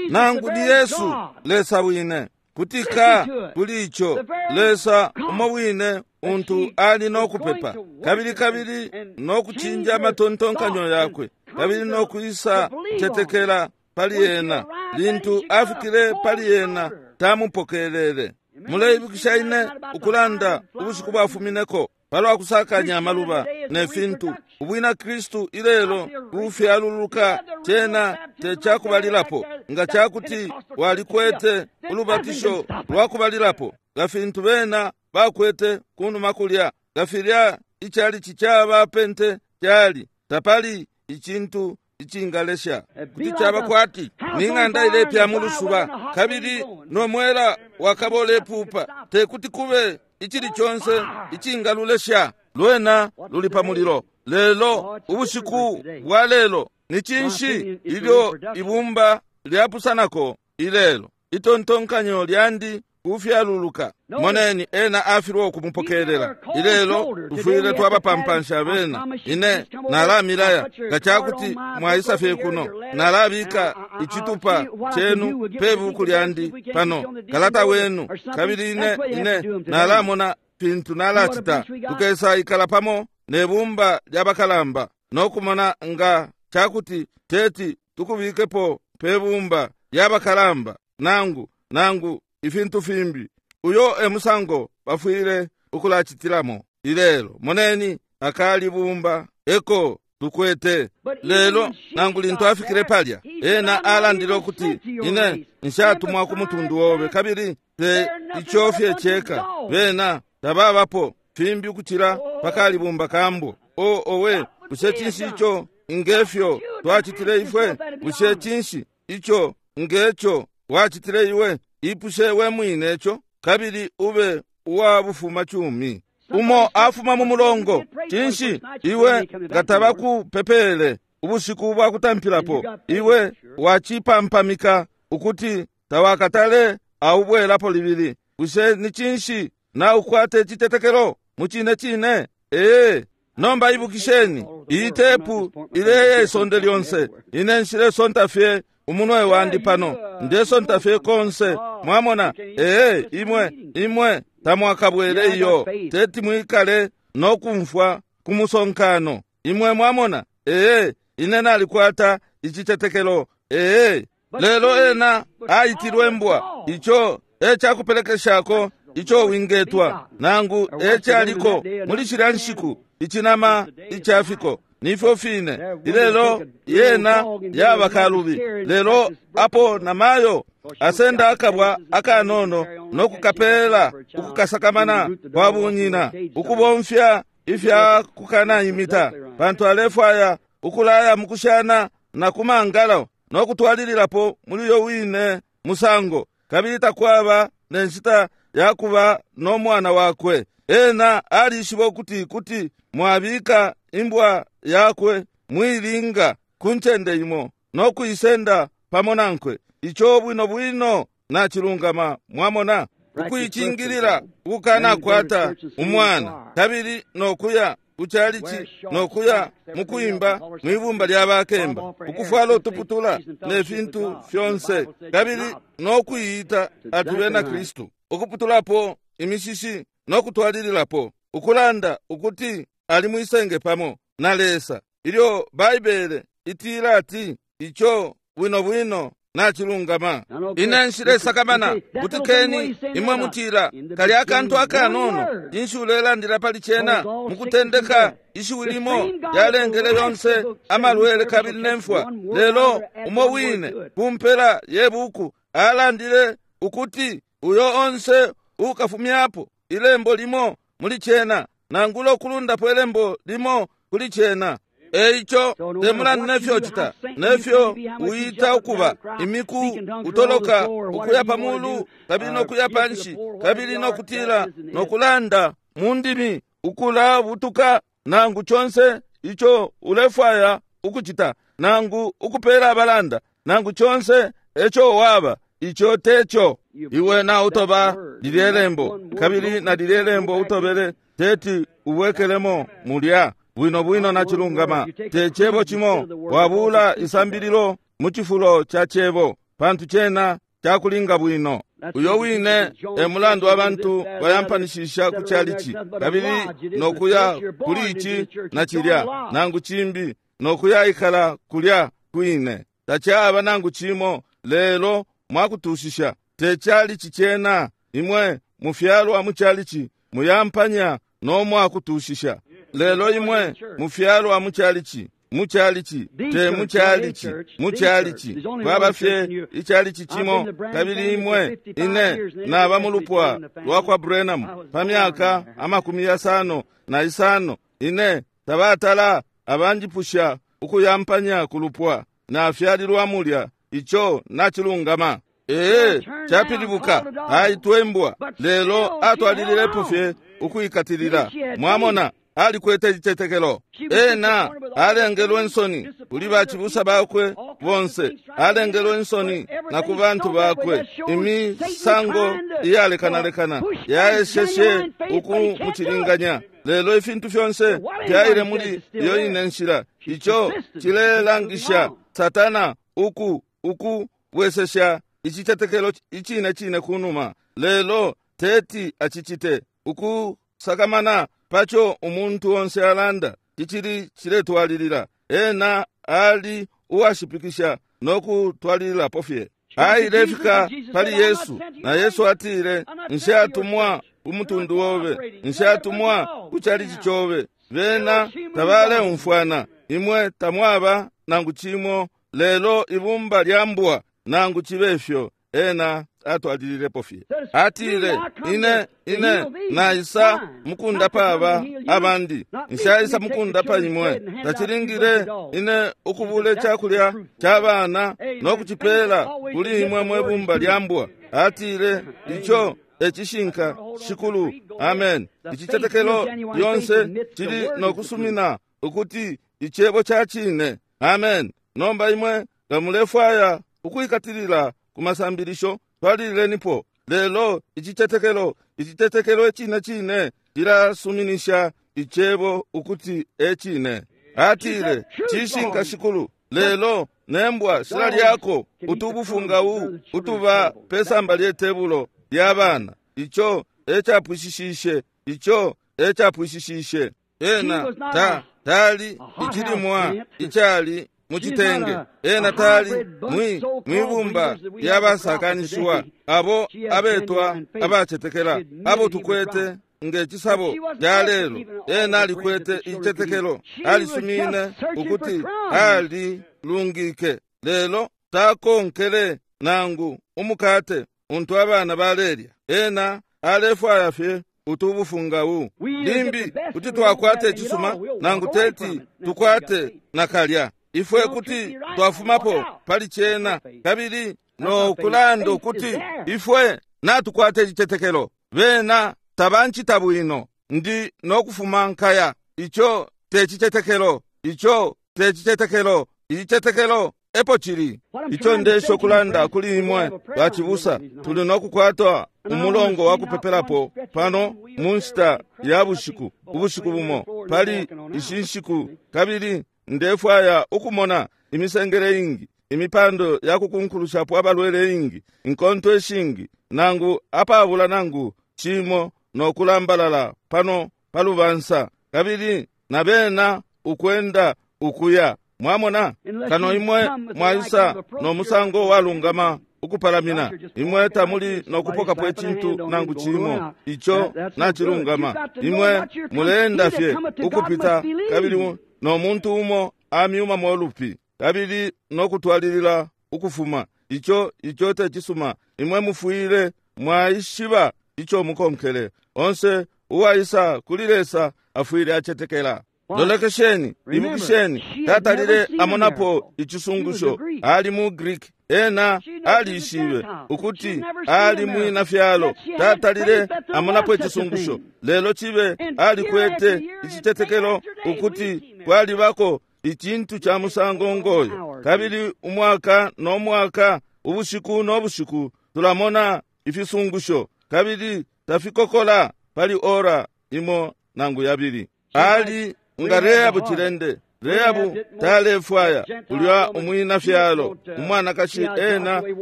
nangu ni Yesu Lesa wine kutika kuli icho Lesa umo wine untu ali nokupepa kabili kabili nokuchinja amatontonkanyo yakwe kabili nokuisa chetekela pali yena. Lintu afikile pali yena tamupokelele. Muleibukisha ine ukulanda ubushiku bwafumineko palwa kusakanya amaluba ne fintu. Ubwina Kristu ilelo bufyaluluka chena tekyakubalilapo. Nga kyakuti walikwete ulubatisho lwakubalilapo nga fintu bena bakwete kunuma kulya, nga filya ichali chichaba pente kyali tapali ichintu ichingalesha kuti chaba kwati ning'anda ilepya mu lusuba kabili nomwela wakabole pupa, tekuti kube ichili chonse ichingalulesha lwena luli pa mulilo. Lelo ubushiku bwa lelo ni chinshi ilyo ibumba lyapusanako ilelo? Itontonkanyo lyandi kufyaluluka. Moneni ena afilwa okumupokelela ilelo tufwile twabapampansha bena. Ine nalamilaya nga kyakuti mwaisa fye kuno, nalabika ichitupa chenu pebuku lyandi pano kalata wenu, kabili ine ine nalamona pintu nalachita. Tukesa ikala pamo nebumba lyabakalamba nokumona nga kyakuti teti tukubikepo pebumba lyabakalamba nangu nangu ifintu fimbi. Uyo emusango bafwile ukulachitilamo ilelo. Moneni akali bumba eko tukwete lelo. Nangu lintu afikile palya ena alandile okuti ine nshatumwa ku mutundu wobe, kabili te ichofye cheka bena tababapo fimbi ukuchila pakali bumba kambo. O owe, bushe chinshi icho ngefyo twachitile ifwe? Bushe chinshi icho ngecho wachitile iwe? Ipushe we mwine echo kabili ube uwabufuma chumi. Umo afuma mu mulongo chinshi iwe ngatabakupepele ubushiku bwakutampilapo, iwe wachipampamika ukuti tawakatale aubwelapo libili. Bushe ni chinshi na ukwate chitetekelo muchine chine? Ee, nomba ibukisheni iyi tepu ileye isonde lyonse. Ine nshile sonta fye umunwe wandi pano, ndesonta fye konse. Mwamona? Ee, imwe imwe tamwakabwele iyo teti mwikale nokumfwa kumusonkano. Imwe mwamona? Ee, ine nalikwata ichitetekelo. Ee, lelo ena aitilwe mbwa icho ekyakupelekeshako icho wingetwa nangu ekyaliko muli shilya nshiku ichinama ichafiko nifyo fine ilelo yena yaba kalubi. Lelo apo namayo asenda akabwa akanono nokukapela ukukasakamana kwa bunyina ukubomfya ifya kukana imita pantu alefwaya ukulaya mukushana na kumangalo nokutwalililapo muli yo wine musango, kabili takwaba nenshita yakuba nomwana wakwe. Ena alishiba ukuti kuti mwabika imbwa yakwe mwilinga kunchende imo nokuisenda pamo nankwe. Icho bwino bwino nachilungama. Mwamona, ukuichingilila ukukana kwata umwana kabili nokuya kuchalichi nokuya mukuimba mwibumba lyabakemba ukufwala utuputula ne fintu fyonse kabili nokuiyita ati bena Kristu, ukuputulapo imishishi no kutwalililapo, ukulanda ukuti ali mwisenge pamo na Lesa, ilyo Baibele itila ati ico bwino bwino nachilungama. Ine nshilesakamana kutikeni imwe mutila kali akantu akanono, cinshi ulelandila pali cena? Mukutendeka ishiwi limo lyalengele yonse amalwele kabili nemfwa, lelo umo wine kumpela ye buku alandile ukuti uyo onse ukafumyapo ilembo limo muli cena nangula ukulundapo ilembo limo kuli cena. Eico temulandu nefyo cita nefyo uita ukuba imiku utoloka ukuya pamulu kabili nokuya panshi kabili nokutila nokulanda mu ndimi ukulabutuka nangu conse ico ulefwaya ukucita nangu ukupela abalanda nangu conse eco waba, ico teco. Iwe na utoba lilye lembo, kabili na lilye lembo utobele teti ubwekelemo mulya bwino bwino na chilungama. Te cebo cimo wabula isambililo mu cifulo ca cebo, pantu cena cakulinga bwino. Uyo wine e mulandu abantu bayampanishisha ku chalichi kabili nokuya kuli ici na cilya nangu cimbi nokuya ikala kulya kwine. Tacaba nangu cimo, lelo mwakutushisha te chalichi cena. Imwe mufyalwa mu chalichi muyampanya no mwakutushisha, lelo imwe mufyalwa mu chalichi, mu chalichi, te mu chalichi, mu chalichi kwaba fye ichalichi cimo. Kabili imwe ine naba mulupwa lwa kwa Branham pa myaka amakumi yasano na isano, ine tabatala abanjipusha ukuyampanya kulupwa nafyalilwa mulya. Ico nachilungama. Ee, chapilibuka aitwembwa, lelo atwalililepo fye ukuikatilila. Mwamona, alikwete icitetekelo. Ena alengelwe nsoni kuli bachibusa bakwe bonse, alengelwe nsoni na ku bantu bakwe. Imisango iyalekanalekana yaesheshe ukumucilinganya, lelo ifintu fyonse fyaile muli iyo ine nshila. Ico cilelangisha Satana uku ukubwesesha icitetekelo icine cine kunuma, lelo teti acicite. Ukusakamana paco umuntu onse alanda cicili ciletwalilila. Ena ali uwashipikisha no kutwalililapo fye. Ailefika pali Yesu, na Yesu atile, nshatumwa umutundu wobe, nshatumwa ku chalichi chobe. Bena tabaleumfwana, imwe tamwaba nangu cimo, lelo ibumba lya mbwa. Nangu chibe fyo, ena atwalililepo fye. Atile, ine ine naisa mukundapa aba abandi, nshaisa mukundapa imwe. Tacilingile ine ukubula icakulya ca bana no kucipela kuli imwe mwe bumba lya mbwa. Atile, ico ecishinka, Shikulu. Amen. Icitetekelo lyonse cili no kusumina ukuti icebo ca cine. Amen. Nomba imwe nga mulefwaya ukwikatilila ku masambilisho, twalililenipo, lelo icitetekelo, icitetekelo icine cine cilasuminisha icebo ukuti ecine. Atile, cishinka, Shikulu, lelo nembwa shilalyako utubufungau utuba pesamba lye tebulo lya bana. Ico ecapwishishishe, ico ecapwishishishe. Ena ta tali icilimwa icali mucitenge, ena tali mwi mwibumba lyabasakanishiwa abo abetwa abacetekela abo tukwete nge cisabo lya lelo. Ena alikwete icitetekelo, alisumine ukuti alilungike, lelo takonkele nangu umukate untu abana balelya. Ena alefwaya fye utubufungau. Limbi kuti twakwata icisuma nangu teti tukwate nakalya. Ifwe kuti twafumapo pali cena kabili no kulanda ukuti ifwe natukwata icitetekelo. Bena tabancita bwino, ndi no kufuma nkaya. Ico te citetekelo, ico te citetekelo. Icitetekelo epo cili. Ico ndesho kulanda kuli imwe bachibusa, tuli no kukwata umulongo wa kupepelapo pano mu nshita ya bushiku, ubushiku bumo pali ishi nshiku, kabili ndefwaya ukumona imisengele ingi, imipando ya kukunkulushapo abalwele ingi, inkonto ishingi, nangu apabula nangu cimo no kulambalala pano palubansa, kabili na bena ukwenda ukuya. Mwamona, kano imwe mwaisa no musango walungama ukupalamina, imwe tamuli nokupokapo icintu nangu cimo ico nacilungama. Imwe muleenda fye ukupita, kabili no muntu umo amyuma molupi kabili nokutwalilila ukufuma. Ico ico tecisuma. Imwe mufwile mwaishiba ico mukonkele. Onse uwaisa kuli Lesa afwile acetekela. Lolekesheni, ibukisheni, tatalile amonapo icisungusho. Ali mu Greek, ena alishibe ukuti ali mwina fyalo. Tatalile amonapo icisungusho, lelo cibe alikwete icitetekelo ukuti kwalibako icintu ca musango ngoyo. Kabili umwaka no mwaka, ubushiku no bushiku, tulamona ifisungusho, kabili tafikokola pali ora imo nangu yabili. Ali nga Rehabu cilende. Rehabu talefwaya ulya umwina fyalo umwanakashi, ena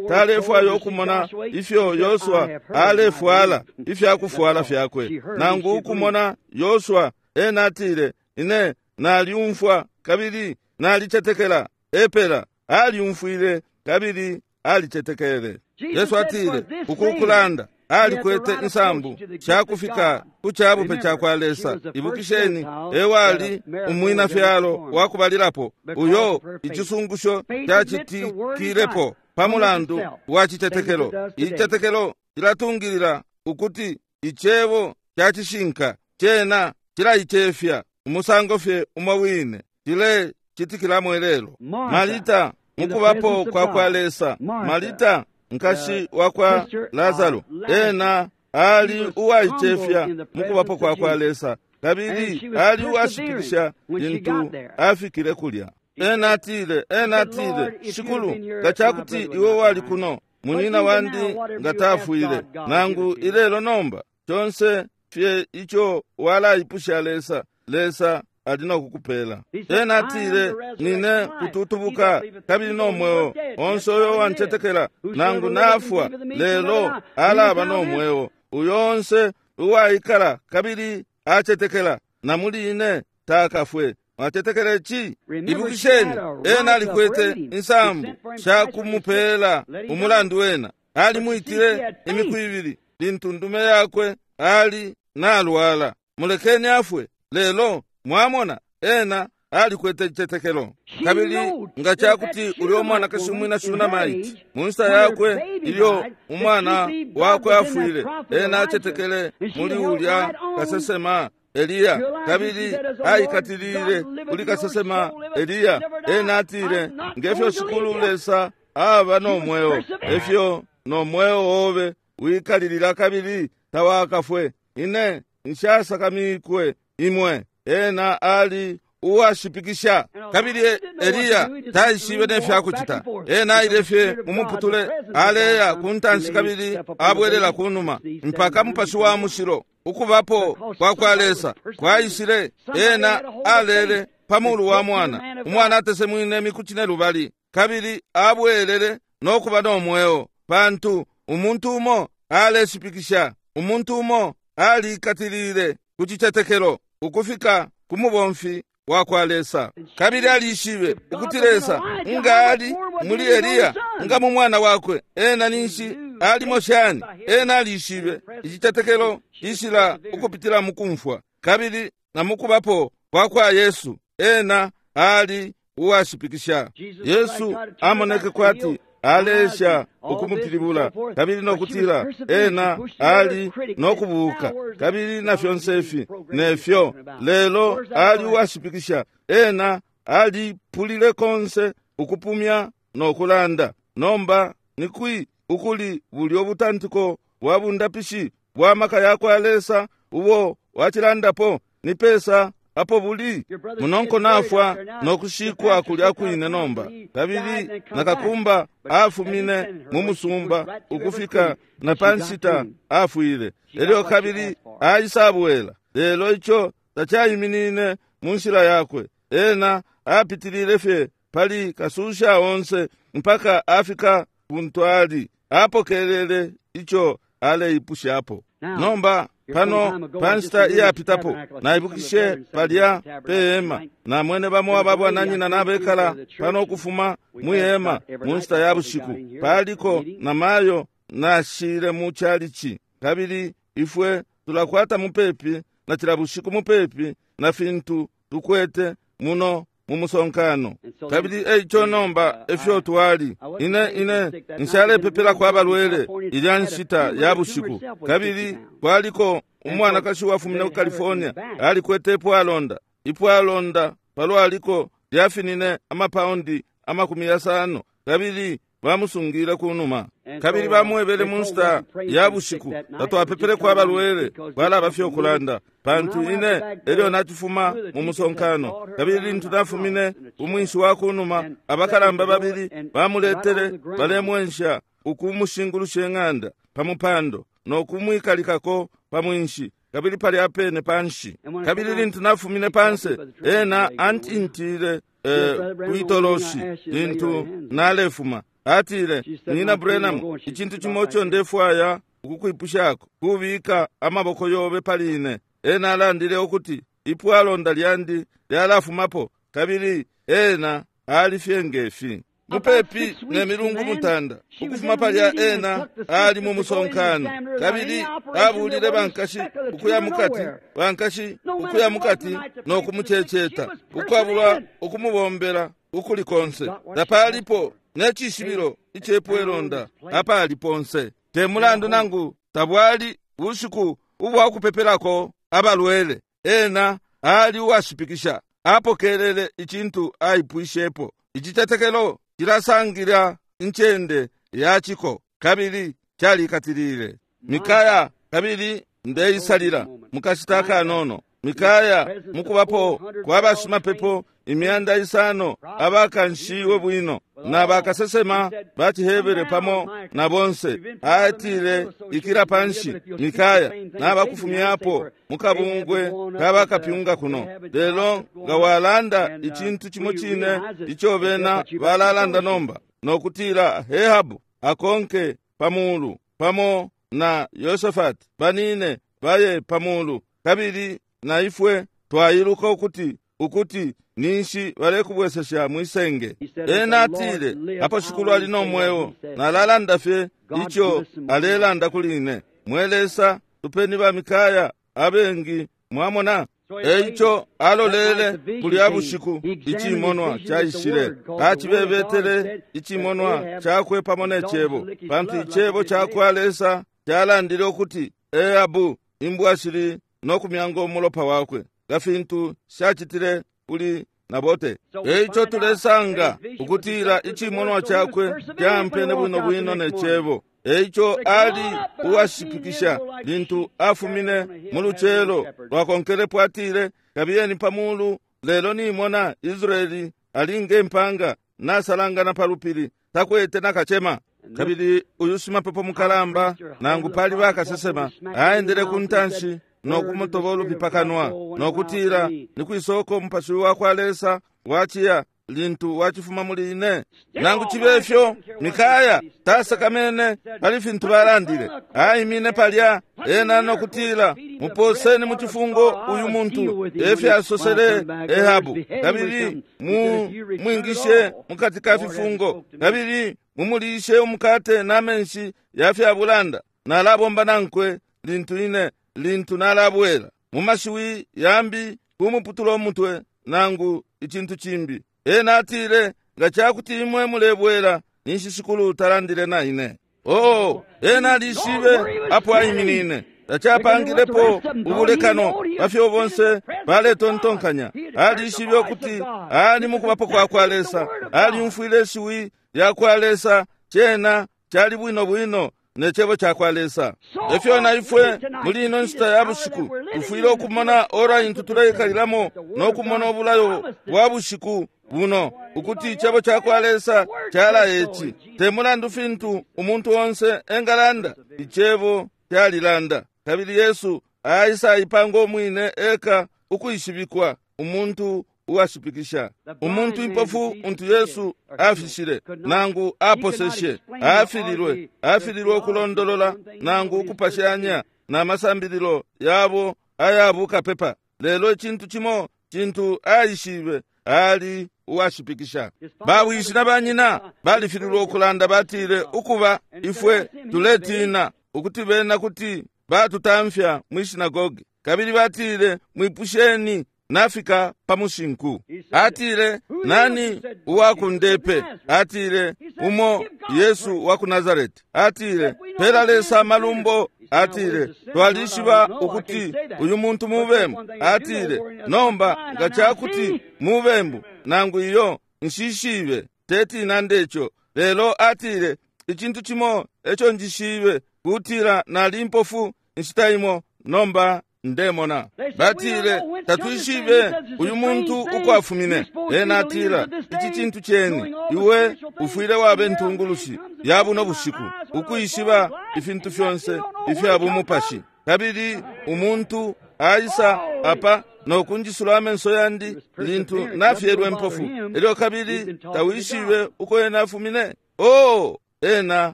talefwaya ukumona ifyo Yosua alefwala ifyakufwala fyakwe, nangu ukumona Yosua. Ena atile, ine naliumfwa kabili nalicetekela. Epela aliumfwile kabili alicetekele. Yesu atile ukukulanda alikwete insambu shakufika ku cabupe cakwa Lesa. Ibukisheni, ewali umwina fyalo wakubalilapo uyo icisungusho cacitikilepo pa mulandu wa citetekelo. Icitetekelo cilatungilila ukuti icebo cacishinka, cena cilaicefya umusango fye umo wine cilecitikilamo ilelo. Marita mukubapo kwa kwa Lesa, Marita nkashi wakwa Lazaro, ena ali uwaicefya mukubapo kwa kwa Lesa, kabili ali uwashipikisha lintu afikile kulya. Ena atile, ena atile, Shikulu, nga cakuti iwe wali kuno, munyina wandi nga tafwile. Nangu ilelo nomba, conse fye ico walaipusha Lesa, Lesa ali nokukupela. Ena atile, nine kututubuka kabili no mweo. Onse uyo wancetekela nangu nafwa, lelo alaba no mweo. Uyo onse uwaikala kabili acetekela na muli ine takafwe. Mwacetekela ici? Ibukisheni, ena alikwete insambu shakumupela umulandu. Wena alimwitile imiku ibili lintu ndume yakwe ali nalwala, mulekeni afwe. Lelo mwamona, ena alikwete icitetekelo. Kabili nga cakuti ulyo mwanakashi umwina Shunamaiti mu nshita yakwe ilyo umwana wakwe afwile, ena acetekele muli ulya kasesema Eliya, kabili aikatilile kuli kasesema Eliya. Ena atile, ngefyo Shikulu Lesa aba no mweo, efyo no mweo obe wikalilila kabili tawakafwe. Ine nshasakamikwe imwe. Ena ali uwashipikisha. Kabili Eliya taishibe nefyakucita. Ena aile fye mumuputule, aleya ku ntanshi kabili abwelela ku numa, mpaka Mupashi wa Mushilo ukubapo kwa kwa Lesa kwaishile. Ena alele pa mulu wa mwana, umwana atesemwine imiku cine lubali, kabili abwelele nokuba no mweo, pantu umuntu umo aleshipikisha, umuntu umo alikatilile ku cicetekelo ukufika ku mubomfi wa kwa Lesa. Kabili alishibe ukuti Lesa nga ali muli Eliya, nga mu mwana wakwe, ena ninshi alimo shani. Ena alishibe icitetekelo cishila ukupitila mukumfwa kabili na mukubapo kwa kwa Yesu. Ena ali uwashipikisha. Yesu amoneke kwati alesha ukumupilibula kabili nokutila ena ali nokubuka kabili na fyonse ifi nefyo, lelo ali uwashipikisha. Ena alipulile konse ukupumya nokulanda. Nomba nikwi ukuli bulyo butantiko bwa bundapishi bwa maka yakwa Lesa ubo wacilandapo? Ni pesa apo buli? Munonko nafwa nokushikwa kulya kwine nomba. Kabili nakakumba afumine mu musumba ukufika na panshita afwile. Elyo kabili aisabwela, lelo ico tacaiminine mu nshila yakwe. Ena apitilile fye pali kasusha onse mpaka afika kuntu ali, apokelele ico aleipushapo. Nomba pano pa nshita iyapitapo naibukishe palya pe hema, namwene bamo ababwananyina nabekala pano ukufuma mwi hema mu nshita ya bushiku. Paliko na mayo nashile mu chalichi, kabili ifwe tulakwata mupepi na cila bushiku mupepi na fintu tukwete muno mu musonkano. Kabili eico nomba efyo twali, ine ine nshalepepelako abalwele ilya nshita ya bushiku. Kabili kwaliko umwanakashi wafumine ku California, alikwete ipwalonda, ipwalonda palwaliko lyafinine amapaundi amakumi yasano, kabili bamusungile kunuma. Kabili bamwebele mu nshita ya bushiku, tatwapepeleko abalwele, kwalaba fye ukulanda, pantu ine elyo nacifuma mu musonkano. Kabili lintu nafumine umwinshi wa kunuma, abakalamba babili bamuletele, balemwensha ukumushingulusha ing'anda pa mupando no kumwikalikako pa mwinshi, kabili palya pene panshi. Kabili lintu nafumine panse, ena antintile eh, kwitoloshi lintu nalefuma. Atile, "Nina Branham, icintu cimo ico ndefwaya ukukwipushako, kubika amaboko yobe pali ine." Ena alandile ukuti ipwalonda lyandi lyalafumapo, kabili ena ali fye ngefi. Mupepi ne milungu mutanda ukufuma palya, ena ali mu musonkano, kabili abulile bankashi ukuya mukati, bankashi ukuya mukati no kumuceceta ukwabula ukumubombela ukuli konse. Tapalipo ne cishibilo icepwelonda apali ponse, te mulandu nangu tabwali bushiku ubwa kupepelako abalwele. Ena ali uwashipikisha, apokelele icintu aipwishepo. Icitetekelo cilasangila incende yaciko, kabili calikatilile Mikaya. Kabili ndeisalila mukashita kanono. Mikaya, mukubapo kwa bashimapepo imyanda isano abakanshiwe bwino na bakasesema ba ciHebere pamo na bonse, atile, "Ikila panshi, Mikaya, nabakufumyapo mukabungwe kabakapyunga kuno, lelo nga walanda icintu cimo cine ico bena balalanda nomba, nokutila Ahabu akonke pamulu pamo na Yosafati banine baye pamulu, kabili na ifwe twailuka ukuti ukuti ninshi balekubwesesha mwisenge." Ena atile, "Apo Shikulu ali no mweo, nalalanda fye ico alelanda kuli ine." Mwe Lesa, tupeni ba Mikaya abengi, mwamona. Eico alolele kulya bushiku, icimonwa caishile, acibebetele icimonwa cakwe pamo ne cebo, pantu icebo cakwa Lesa calandile ukuti Ahabu imbwa shili no kumyanga umulopa wakwe nga fintu shacitile kuli Nabote. Eico tulesanga ukutila icimonwa cakwe campene bwino bwino ne cebo. Eico ali uwashipikisha lintu afumine mu lucelo lwakonkelepo, atile, "Kabiyeni pamulu, lelo nimona Israeli ali nge mpanga nasalangana pa lupili, takwete nakacema." Kabili uyu shimapepo mukalamba, nangu pali bakasesema, aendele ku ntanshi no kumutoba ulupi pakanwa no kutila, "Ni kwisoko umupashi wa kwa Lesa waciya lintu wacifuma muli ine?" Nangu cibe ifyo, Mikaya tasakamene pali fintu balandile. Aimine palya ena no kutila, "Muposeni mu cifungo uyu muntu," efyasosele Ahabu, "kabili mumwingishe mukati ka fifungo, kabili mumulishe umukate n'amenshi ya fyabulanda. Nalabomba nankwe lintu ine lintu nalabwela." Mu mashiwi yambi, kumuputula umutwe nangu icintu cimbi. Ena atile, "Nga cakuti imwe mulebwela, ninshi Shikulu talandile na ine." Oh, ena alishibe apo aiminine. Tacapangilepo ubulekano pafyo bonse baletontonkanya. Alishibe ukuti ali mukubapo kwa kwa Lesa, alyumfwile ishiwi lya kwa Lesa. Cena cali bwino bwino ne cebo ca kwa Lesa. Efyo na ifwe muli ino nshita ya bushiku tufwile ukumona ora intu tuleikalilamo no kumona ubulayo bwa bushiku buno, ukuti icebo ca kwa Lesa calaya ici. Te mulandu fintu umuntu onse engalanda, icebo calilanda. Kabili Yesu aisa ipanga umwine eka ukwishibikwa, umuntu uwashipikisha. Umuntu impofu untu Yesu afishile nangu aposeshe, afililwe afililwe ukulondolola nangu ukupashanya na masambililo yabo aya bukapepa. Lelo icintu cimo cintu aishibe, ali uwashipikisha. Bawishi na banyina balifililwe ukulanda, batile ukuba ifwe tuletina ukuti bena kuti batutamfya mwi sinagogi. Kabili batile, mwipusheni nafika pa mushinku. Atile, nani uwakundepe? Atile, umo Yesu wa ku Nazareti. Atile, pela Lesa amalumbo. Atile, twalishiba ukuti uyu muntu mubembu. Atile, nomba nga cakuti mubembu nangu iyo nshishibe, teti nandecho. Lelo atile, icintu cimo eco njishibe, kutila nali impofu inshita imo, nomba ndemona. Batile, tatwishibe uyu muntu ukwafumine. Ena atila, ici cintu ceni, iwe ufwile wabe ntungulushi ya buno bushiku, ukwishiba ifintu fyonse ifya bumupashi. Kabili umuntu aisa apa nokunjisula amenso yandi lintu nafyelwe mpofu, elyo kabili tawishibe uko ena afumine. Oh, ena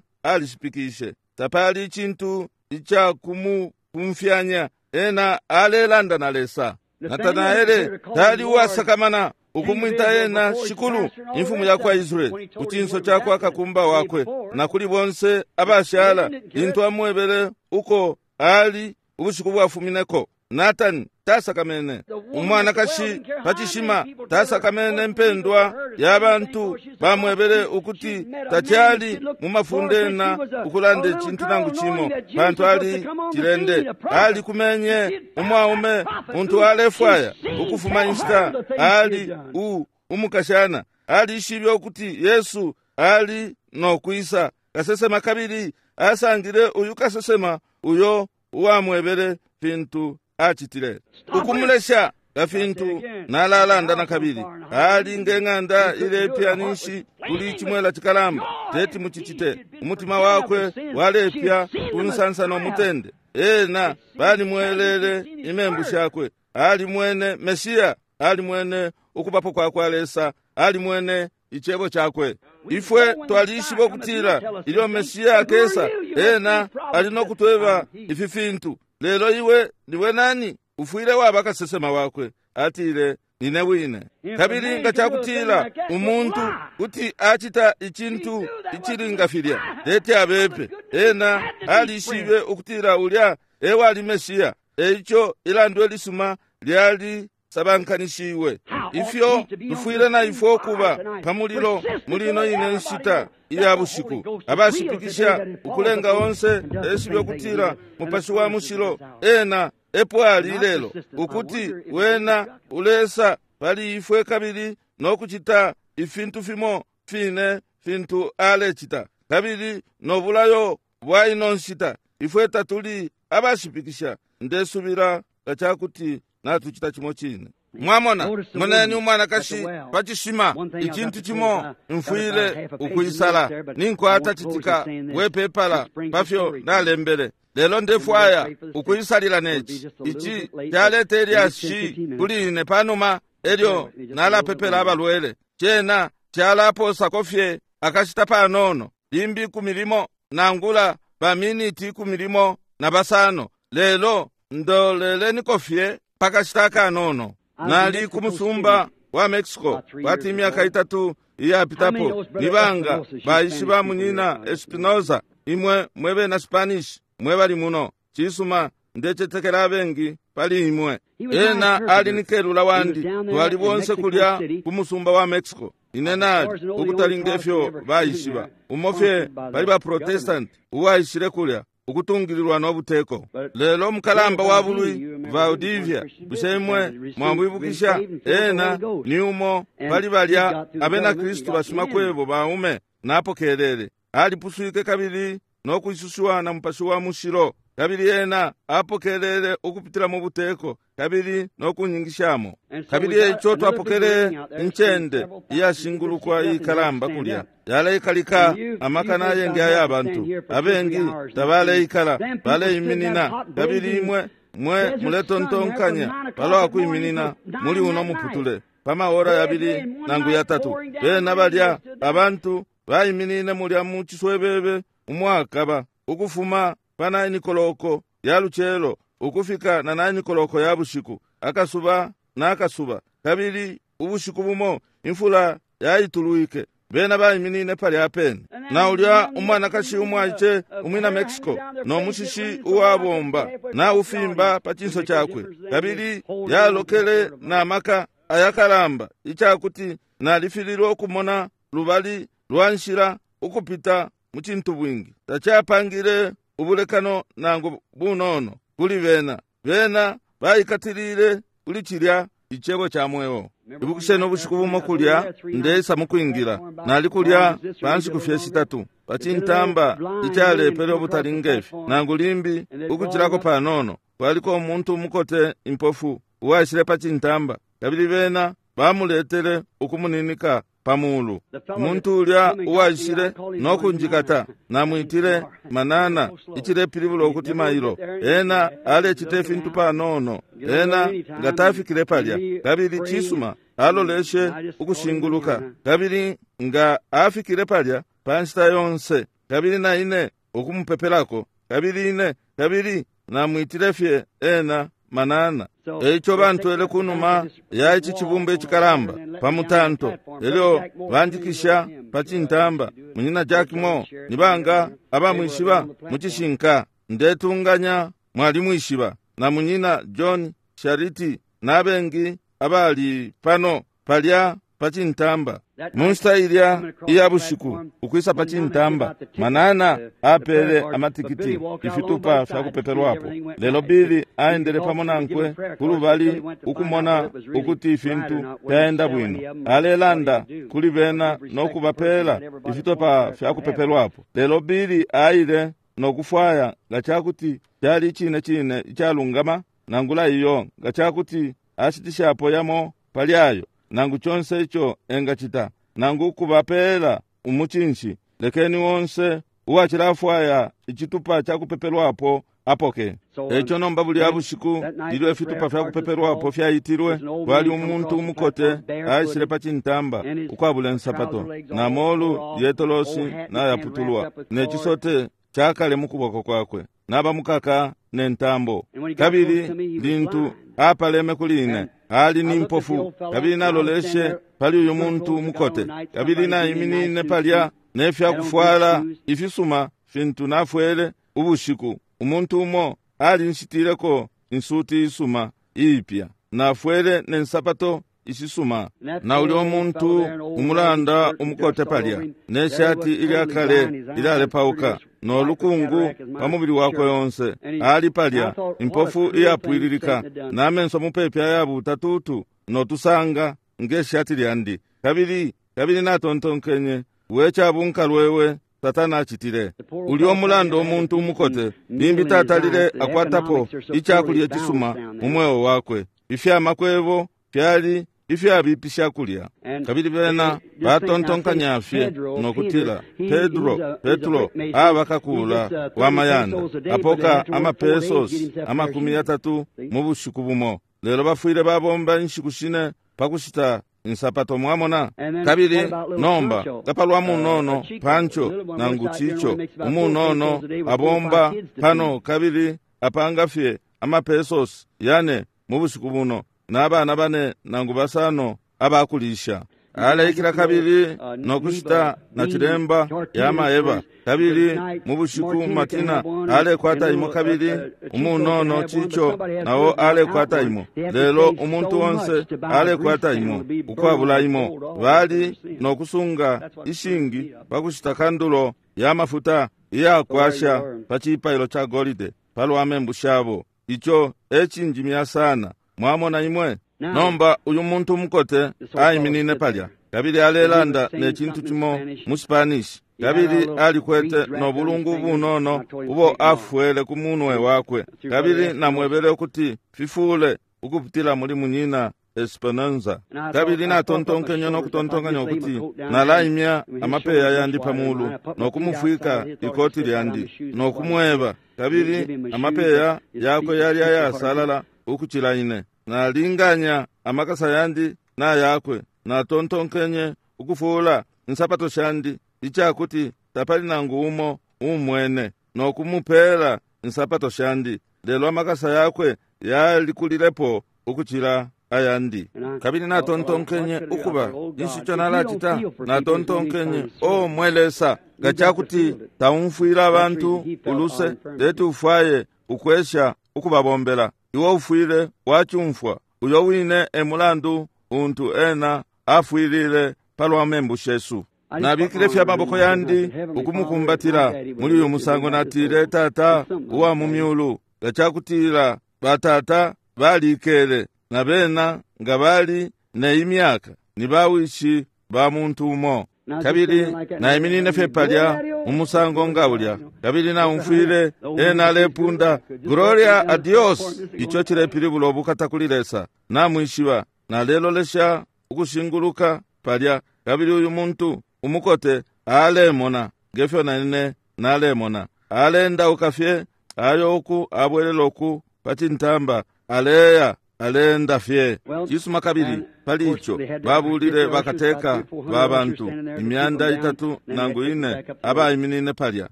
alishipikishe. Tapali icintu icakumupumfyanya. Ena alelanda na Lesa. Natanaele tali uwasakamana ukumwita ena Shikulu, imfumu ya kwa Israeli, ku cinso cakwa kakumba wakwe na kuli bonse abashala, lintu amwebele uko ali ubushiku bwafumineko. Natani tasakamene. Umwanakashi pa cishima tasakamene mpendwa ya bantu bamwebele ukuti tacali mu mafunde na ukulanda icintu nangu cimo, pantu ali cilende. Ali kumenye umwaume muntu alefwaya ukufuma inshita ali u umukashana. Alishibe ukuti Yesu ali no kwisa kasesema, kabili asangile uyu kasesema uyo uwamwebele fintu acitile. Ukumulesha kafintu nalalanda na kabili. Ali ngeng'anda ilepya ninshi kuli chimwela chikalamba, teti muchichite. Umutima wakwe walepya kunsansa no mutende. Ena balimwelele imembu shakwe. Ali mwene Mesiya, ali mwene ukubapo kwa kwa Lesa, ali mwene icebo chakwe. Ifwe twalishiba ukutila ilyo Mesiya akesa, ena ali no kutweba ifi fintu. Lelo iwe niwe nani? Ufwile waba kasesema wakwe. Atile, nine wine. Kabili nga cakutila umuntu kuti acita icintu icilinga filya, teti abepe. Ena alishibe ukutila ulya ewali Mesiya. Eico ilandwe lisuma lyali sabankanishiwe. Ifyo tufwile na ifwe ukuba pa mulilo muli ino ine nshita iya bushiku, abashipikisha ukulenga onse eshibe ukutila Mupashi wa Mushilo ena epo ali lelo, ukuti wena ulesa pali ifwe kabili no kucita ifintu fimo fine fintu alecita, kabili no bulayo bwa ino nshita. Ifwe tatuli abashipikisha. Ndesubila nga cakuti natucita cimo cine. Mwamona, moneni umwanakashi pa cishima, icintu cimo mfwile ukwisala. Ninkwata citika wepepala pafyo nalembele, lelo ndefwaya ukwisalila neci. Ici caleta ilyashi kuli ine panuma elyo nalapepela abalwele. Cena calaposako fye akashita panono, limbi ikumi limo nangula baminiti ikumi limo na basano, lelo ndoleleniko fye pakashita akanono. Nali ku musumba wa Mexico kwati imyaka itatu iyapitapo. Nibanga baishiba munyina Espinoza, imwe mwebe na Spanish mwe bali muno. Cisuma, ndecetekela abengi pali imwe. Ena ali ni kelula wandi. Twali bonse kulya ku musumba wa Mexico. Ine nali ukutali ngefyo baishiba umo fye bali ba Protestant uwaishile kulya ukutungililwa no buteko. Lelo mukalamba wa bulwi Valdivia, bushe imwe mwamwibukisha? Ena ni umo pali balya abena Kristu bashimakwebo baume napokelele. Alipuswike kabili no kwisushiwa na Mupashi wa Mushilo, kabili ena apokelele ukupitila mu buteko kabili no kunyingishamo. Kabili eico twapokele incende iyashingulukwa ikalamba kulya, yaleikalika amakana ayengi aya bantu. Abengi tabaleikala, baleiminina. Kabili imwe mwe muletontonkanya palwa kwiminina muli uno muputule pa maora yabili nangu yatatu. Bena balya abantu baiminine mulya mu ciswebebe umwakaba ukufuma pa nine koloko ya lucelo ukufika na nine koloko ya bushiku, akasuba na akasuba. Kabili ubushiku bumo imfula yaitulwike, bena baiminine palya pene. Na ulya umwanakashi umwaice umwina Mexico no mushishi uwabomba na ufimba pa cinso cakwe, kabili yalokele na maka ayakalamba icakuti nalifililwe ukumona lubali lwa nshila ukupita mu cintu bwingi. Tacapangile ubulekano nangu bunono kuli bena. Bena baikatilile kuli cilya icebo ca mweo. Ibukisheni ubushiku bumo kulya ndeisa mukwingila, nali kulya pa nshiku fye shitatu pa cintamba icalepele ubutali ngefi, nangu limbi ukucilako panono. Kwaliko umuntu umukote impofu uwaishile pa cintamba, kabili bena bamuletele ukumuninika pa mulu. Umuntu ulya uwaishile no kunjikata, namwitile Manana, icilepilibula ukuti mailo. Ena alecita ifintu panono, ena nga tafikile palya, kabili cisuma aloleshe ukushinguluka, kabili nga afikile palya pa nshita yonse, kabili na ine ukumupepelako, kabili ine kabili namwitile fye ena Manana. Eico bantwele kunuma ya ici cibumba icikalamba pa mutanto, elyo banjikisha pa cintamba. Munyina Jack Moore, ni banga abamwishiba mu cishinka? Ndetunganya mwalimwishiba. Na munyina John Shariti n'abengi abali pano palya pa cintamba. Mu nshita ilya iya bushiku ukwisa pa cintamba, Manana apele amatikiti ifitupa fya kupepelwapo, lelo Bili aendele pamo nankwe kulubali ukumona ukuti ifintu fyaenda bwino. Alelanda kuli bena no kubapela ifitupa fya kupepelwapo, lelo Bili aile no kufwaya nga cakuti cali icine cine icalungama nangula iyo, nga cakuti ashitishapo yamo pali ayo, nangu conse ico engacita, nangu kubapela umucinshi. Lekeni wonse uwacilafwaya icitupa ca kupepelwapo apoke. Eico nomba bulya bushiku ilyo ifitupa fya kupepelwapo fyaitilwe, kwali umuntu umukote aishile pa cintamba ukwabula insapato, na molu yetolosi nayaputulwa, ne cisote cakale mu kuboko kwakwe, nabamukaka ne ntambo. Kabili lintu apaleme kuli ine, ali ni mpofu, kabili naloleshe pali uyu muntu mukote, kabili naiminine palya ne fyakufwala ifisuma fintu nafwele ubushiku. Umuntu umo alinshitileko insuti isuma iipya, nafwele ne nsapato ishisuma. Na ulya umuntu umulanda umukote palya ne shati ilya kale ilyalepauka no lukungu pa mubili wakwe yonse, ali palya impofu iyapwililika, na menso mupepi ayabuta tutu no tusanga nge shati lyandi. Kabili kabili natontonkenye, we cabunkalwewe Satana acitile. Ulya umulanda umuntu umukote limbi tatalile akwatapo icakulya cisuma mu mweo wakwe. Ifyamakwebo fyali ifyabipisha kulya. Kabili bena batontonkanya fye no kutila Pedro, Petro aba kakula wa mayanda, apoka amapesos amakumi yatatu mu bushiku bumo, lelo bafwile babomba inshiku shine pa kushita insapato, mwamona. Kabili nomba kapalwa munono Pancho nangu Chicho umunono abomba pano, kabili apanga fye amapesos yane mu bushiku buno, n'abana bane nangu basano abakulisha. Aleikila kabili no kushita na chilemba ya maeba. Kabili mu bushiku Matina alekwata imo, kabili umunono Chicho nawo alekwata imo, lelo umuntu wonse alekwata imo ukwabula imo. Bali no kusunga ishingi pa kushita kandulo ya mafuta iyakwasha pa cipailo ca golide palwa membu shabo. Ico e cinjimya sana, mwamona imwe. Nomba uyu muntu umukote aiminine palya, kabili alelanda ne cintu cimo mu Spanish, kabili alikwete no bulungu bunono ubo afwele ku munwe wakwe, kabili namwebele ukuti fifule ukupitila muli munyina Esperanza. Kabili natontonkenye no kutontonkanya ukuti nalaimya amapeya yandi pa mulu no kumufwika ikoti lyandi no kumweba, kabili amapeya yakwe yali ayasalala ukucila ine. Nalinganya amakasa yandi na yakwe, natontonkenye ukufula insapato shandi icakuti tapali nangu umo umwene, no kumupela insapato shandi. lelo amakasa yakwe yalikulilepo ukucila ayandi. Kabili natontonkenye ukuba inshi nalacita, natontonkenye o mwe Lesa, nga cakuti taumfwila abantu uluse, teti ufwaye ukwesha ukubabombela. Iwe ufwile wacumfwa. Uyo wine e mulandu untu ena afwilile palwa membu shesu. Nabikile fye amaboko yandi ukumukumbatila muli uyu musango. Natile, Tata uwa mu myulu, nga cakutila batata balikele na bena nga bali ne imyaka ni bawishi ba muntu umo. Kabili naiminine fye palya mu musango nga ulya, kabili naumfwile ena alepunda Gloria a Dios. Ico cilepilibula ubukata kuli Lesa. Namwishiba, nalelolesha ukushinguluka palya, kabili uyu muntu umukote alemona ngefyo nanine nalemona. Alendauka fye ayo uku abwelela uku pacintamba, aleya alenda fye. Cisuma, kabili pali ico babulile bakateka ba bantu imyanda itatu nangu ine abaiminine palya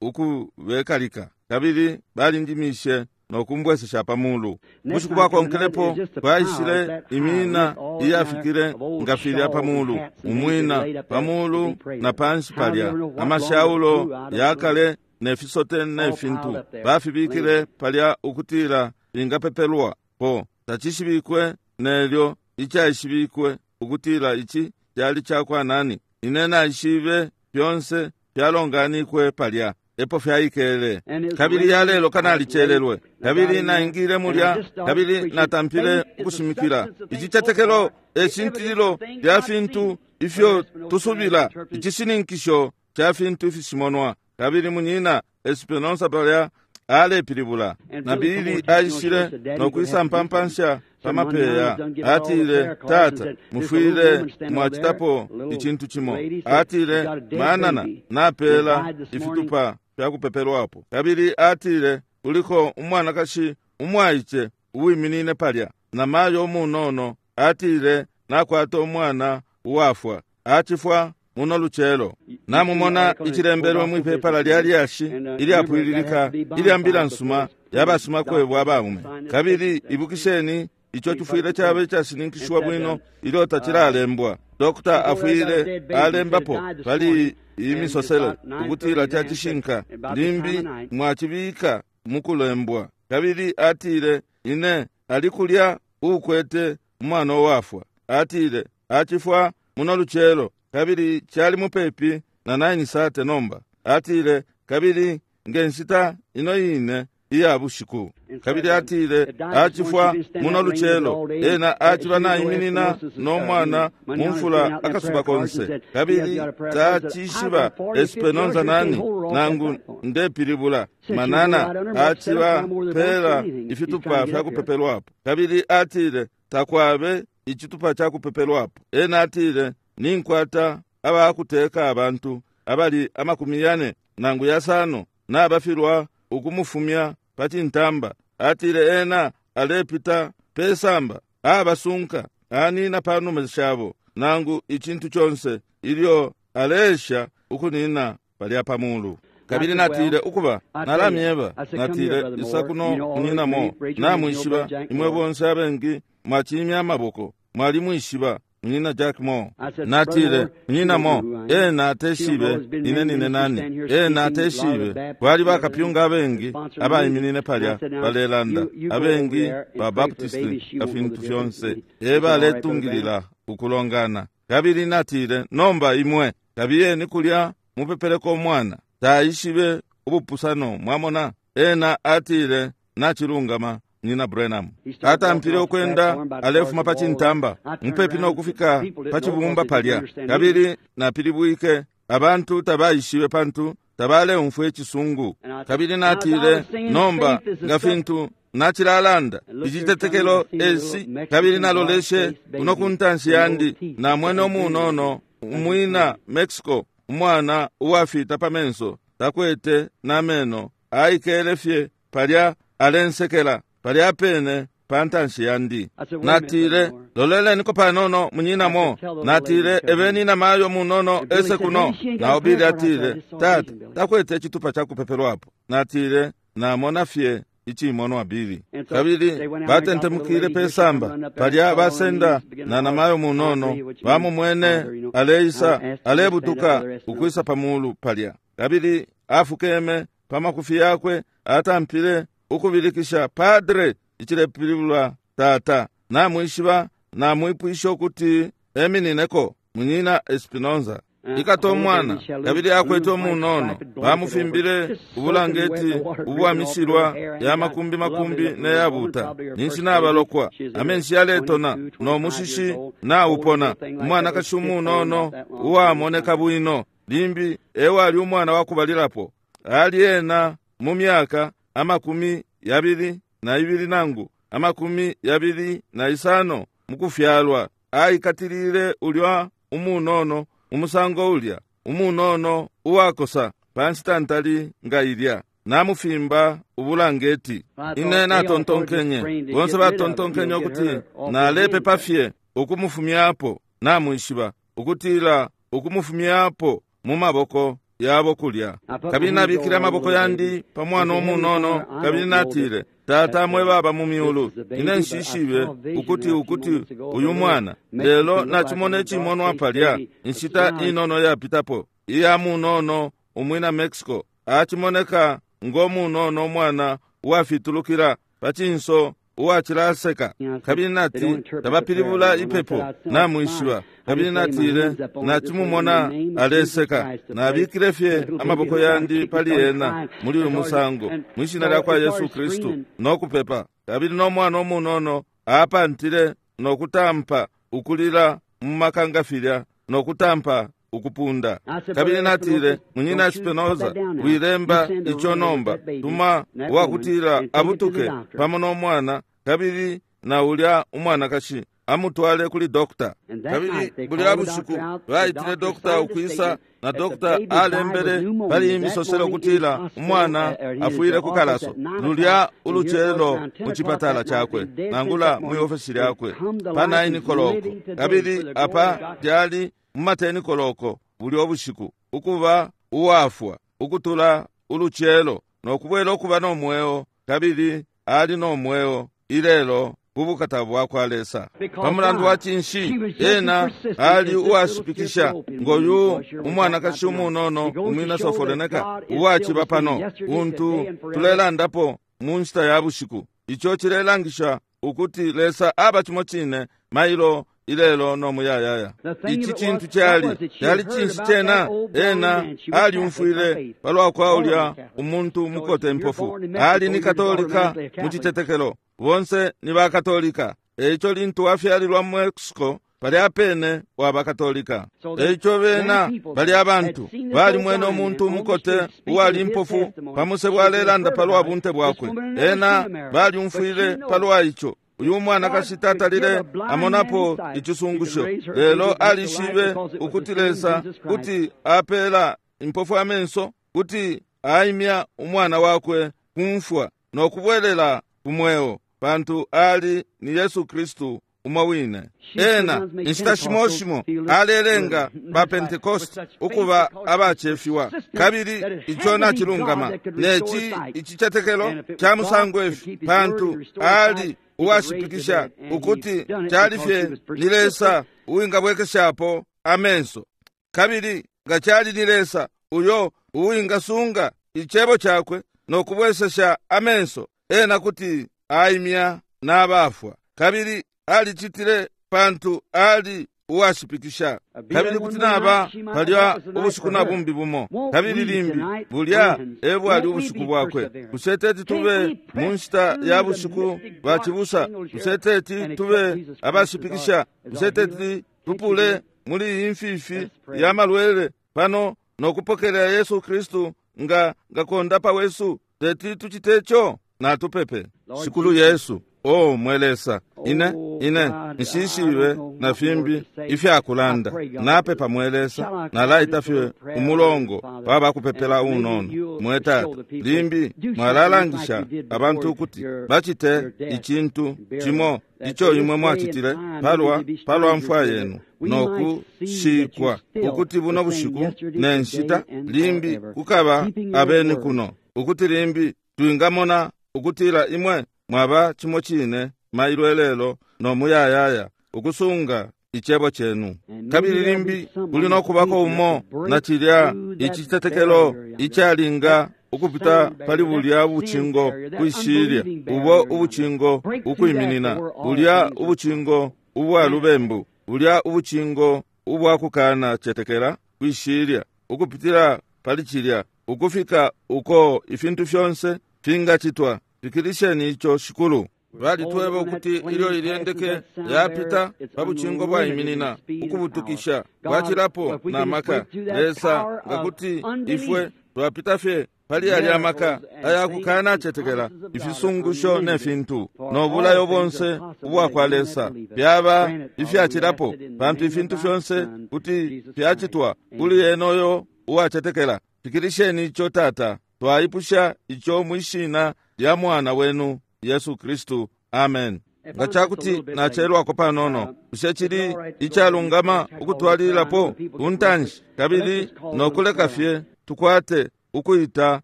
ukubekalika, kabili balinjimishe nokumbwesesha pamulu. Bushiku bwakonkelepo kwaishile imina iyafikile nga filya pamulu, umwina pamulu na panshi palya, amashaulo yakale ne fisote ne fintu bafibikile palya ukutila ingapepelwa po. Tacishibikwe nelyo icaishibikwe ukutila ici cali cakwa nani. Ine naishibe fyonse fyalonganikwe palya epo fyaikele. Kabili yalelo kanalicelelwe, kabili naingile mulya, kabili natampile ukushimikila. Icicetekelo e shintililo lya fintu ifyo tusubila, icishininkisho ca fintu ifishimonwa. Kabili munyina Espinosa palya alepilibula, na Bili aishile nokwisa mpampansha pamapeya. Atile, Tata, mufwile mwacitapo icintu cimo. Atile, manana napela ifitupa fyakupepelwapo. Kabili atile, kuliko umwanakashi umwaice uwiminine palya na mayo umunono. Atile, nakwata umwana uwafwa, acifwa muno lucelo. Namumona icilembelwe mwipepala lya lyashi ilyapwililika ilya mbila nsuma yabashimakwebo abaume. Kabili ibukisheni, ico cifwile caba icashininkishiwa bwino ilyo tacilalembwa. Dokta afwile alembapo pali iyi misosele ukutila cacishinka, limbi mwacibika mukulembwa. Kabili atile, ine ali kulya uukwete umwana uwafwa. Atile, acifwa muno lucelo, kabili cali mupepi na nine sate nomba. Atile, kabili ngenshita ino ine iya bushiku. Kabili atile, acifwa muno lucelo, ena aciba naiminina no mwana mumfula akasuba konse. Kabili tacishiba Espinosa nani nangu ndepilibula manana aciba pela ifitupa fyakupepelwapo. Kabili atile, takwabe icitupa cakupepelwapo. Ena atile, ninkwata abakuteka abantu abali amakumi yane nangu yasano nabafilwa ukumufumya pacintamba. Atile, ena alepita pesamba abasunka anina panuma shabo nangu icintu conse ilyo alesha ukunina palya pamulu. Kabili natile, ukuba nalamyeba. Natile, isa kuno munyinamo, namwishiba imwe bonse abengi mwacimya amaboko, mwalimwishiba munyina Jack Moore. Natile, munyina Moore, ena ateshibe ine nine nani, ena ateshibe. Kwali bakapyunga abengi abaiminine palya balelanda, abengi ba Baptisti na fintu fyonse, e baletungilila ukulongana. Kabili natile, nomba imwe kabiyeni kulya mupepeleko umwana. Taishibe ubupusano, mwamona. Ena atile, nachilungama Nina Branham. Atampile ukwenda alefuma pacintamba mupepi nokufika pacibumba palya. Kabili napilibwike, abantu tabaishibe pantu tabaleumfwa icisungu. Kabili natile, nomba nga fintu nacilalanda icitetekelo esi. Kabili naloleshe kuno kuntanshi yandi, namwene umunono umwina Mexico, umwana uwafita pamenso, takwete nameno, aikele fye palya alensekela palya pene pantanshi yandi. Natile, loleleniko panono munyinamo. Natile, ebeni namayo munono ese kuno. Nao Bili atile, tata takwete icitupa cakupepelwapo. Natile, namona fye icimonwa bili. Kabili batentemukile pe samba palya basenda na namayo munono bamumwene aleisa alebutuka ukwisa pamulu palya. Kabili afukeme pamakufi yakwe atampile ukubilikisha padre, icilepilibula tata. Namwishiba namwipwisha ukuti eminineko munyina Espinoza. Ikato mwana kabili akwete umunono bamufimbile ubulangeti ubwamishilwa ya makumbi makumbi neyabuta ninshi nabalokwa amenshi yaletona no mushishi naupona. Umwana kashi umunono uwamoneka bwino limbi ewali umwana wakubalilapo ali ena mu myaka amakumi yabili na ibili nangu amakumi yabili na isano mukufyalwa. Aikatilile ulya umunono umusango ulya umunono uwakosa panshita ntali nga ilya namufimba ubulangeti. Ine natontonkenye bonse batontonkenye ukuti nalepepa fye ukumufumyapo. Namwishiba ukutila ukumufumyapo mu maboko yabo kulya. Kabili nabikile amaboko yandi pa mwana umunono kabili natile, Tata mwe baba mu myulu, ine nshishibe ukuti ukuti uyu mwana lelo nachimona icimonwa palya inshita inono yapitapo iya munono umwina Mexico achimoneka ngo munono umwana uwafitulukila pacinso uwacilaseka. Kabili nati tabapilibula ipepo namwishiba. Kabili natile nachimumona aleseka nabikile fye amaboko yandi pali ena muli uyu musango mwishina lya kwa Yesu Kristu nokupepa. Kabili no mwana umunono apantile nokutampa ukulila mu makanga filya nokutampa ukupunda. Kabili natile munyina Espinoza wilemba ico nomba tuma uwakutila abutuke pamo no mwana kabili na ulya umwanakashi amutwale kuli dokta. Kabili bulya bushiku baitile dokta ukwisa na dokta alembele pali imisoselo kutila umwana afwile ku kalaso lulya ulucelo mu chipatala chakwe nangula mu ofesi lyakwe pa nine koloko. Kabili apa lyali mumateni koloko bulya obushiku ukuba uwafwa ukutula ulucelo nokubwela okuba nomweo. Kabili ali nomweo ilelo kubukata bwakwa Lesa. Pamulandu wa cinshi ena ali uwashipikisha ngoyu umwanakashi umunono umwina Soforeneka uwaciba pano untu tulelandapo mu nshita ya bushiku. Ico cilelangisha ukuti Lesa aba cimo cine mailo ilelo no muyayaya. Ici cintu cali cali cinshi cena ena aliumfwile palwa kwa ulya umuntu mukote mpofu. Ali ni Katolika mu citetekelo, bonse ni ba Katolika. Eico lintu wafyalilwa mu Mexico palya pene waba Katolika. Eico bena bali abantu balimwene umuntu mukote uwali mpofu pamusebo alelanda palwa bunte bwakwe. Ena baliumfwile palwa ico. Uyu mwanakashi tatalile amonapo icisungusho, lelo alishibe ukuti Lesa kuti apela impofu amenso, kuti aimya umwana wakwe kumfwa nokubwelela kumweo, pantu ali ni Yesu Kristu umo wine. Ena inshita shimo shimo alelenga ba Pentecost ukuba abacefiwa, kabili ico nacilungama neci icicetekelo ca musango ifi, pantu ali uwashipikisha ukuti cali fye ni Lesa uwingabwekeshapo amenso. Kabili nga cali ni Lesa uyo uwingasunga icebo cakwe nokubwesesha amenso, ena kuti aimya n'abafwa. Kabili alicitile pantu ali uwashipikisha. Kabili kuti naba palya ubushiku na bumbi bumo, kabili limbi bulya ebwali ubushiku bwakwe. Bushe teti tube mu nshita ya bushiku bacibusa? Bushe teti tube abashipikisha? Bushe teti tupule muli iyi mfifi ya malwele pano nokupokelela Yesu Kristu nga ngakondapa wesu? Teti tucite ico? Natupepe. Shikulu Yesu, o mwe Lesa, ine ine nshishibe na fimbi ifyakulanda. Napepa mwe Lesa, nalaita fye umulongo wabakupepela unono. Mwe Tata, limbi mwalalangisha abantu ukuti bacite icintu cimo ico imwe mwacitile palwa palwa mfwa yenu nokushikwa, ukuti buno bushiku ne nshita limbi kukaba abeni kuno, ukuti limbi twingamona ukutila imwe mwaba cimo cine mailo lelo no muyayaya ukusunga icebo chenu. Kabili limbi kuli nokubako umo na cilya icitetekelo icalinga ukupita pali bulya ubucingo kwishilya, ubo ubucingo ukwiminina, bulya ubucingo ubwa lubembu, bulya ubucingo ubwa kukana cetekela kwishilya, ukupitila pali cilya ukufika uko ifintu fyonse fingacitwa. Fikilisheni ico Shikulu. Balitweba ukuti ilyo ilyendeke yapita pa bucingo bwaiminina ukubutukisha bwacilapo na maka. Lesa ngakuti ifwe twapita fye pali yalya maka ayakukana cetekela ifisungusho ne fintu no bulayo bonse ubwa kwa Lesa byaba ifyacilapo, pantu ifintu fyonse kuti fyacitwa kuli enoyo uwacetekela. Fikilisheni ico Tata, twaipusha ico mwishina lya mwana wenu Yesu Kristu. Amen. Nga cakuti nacelwako panono, bushe cili icalungama ukutwalililapo kuntanshi kabili nokuleka fye tukwate ukuita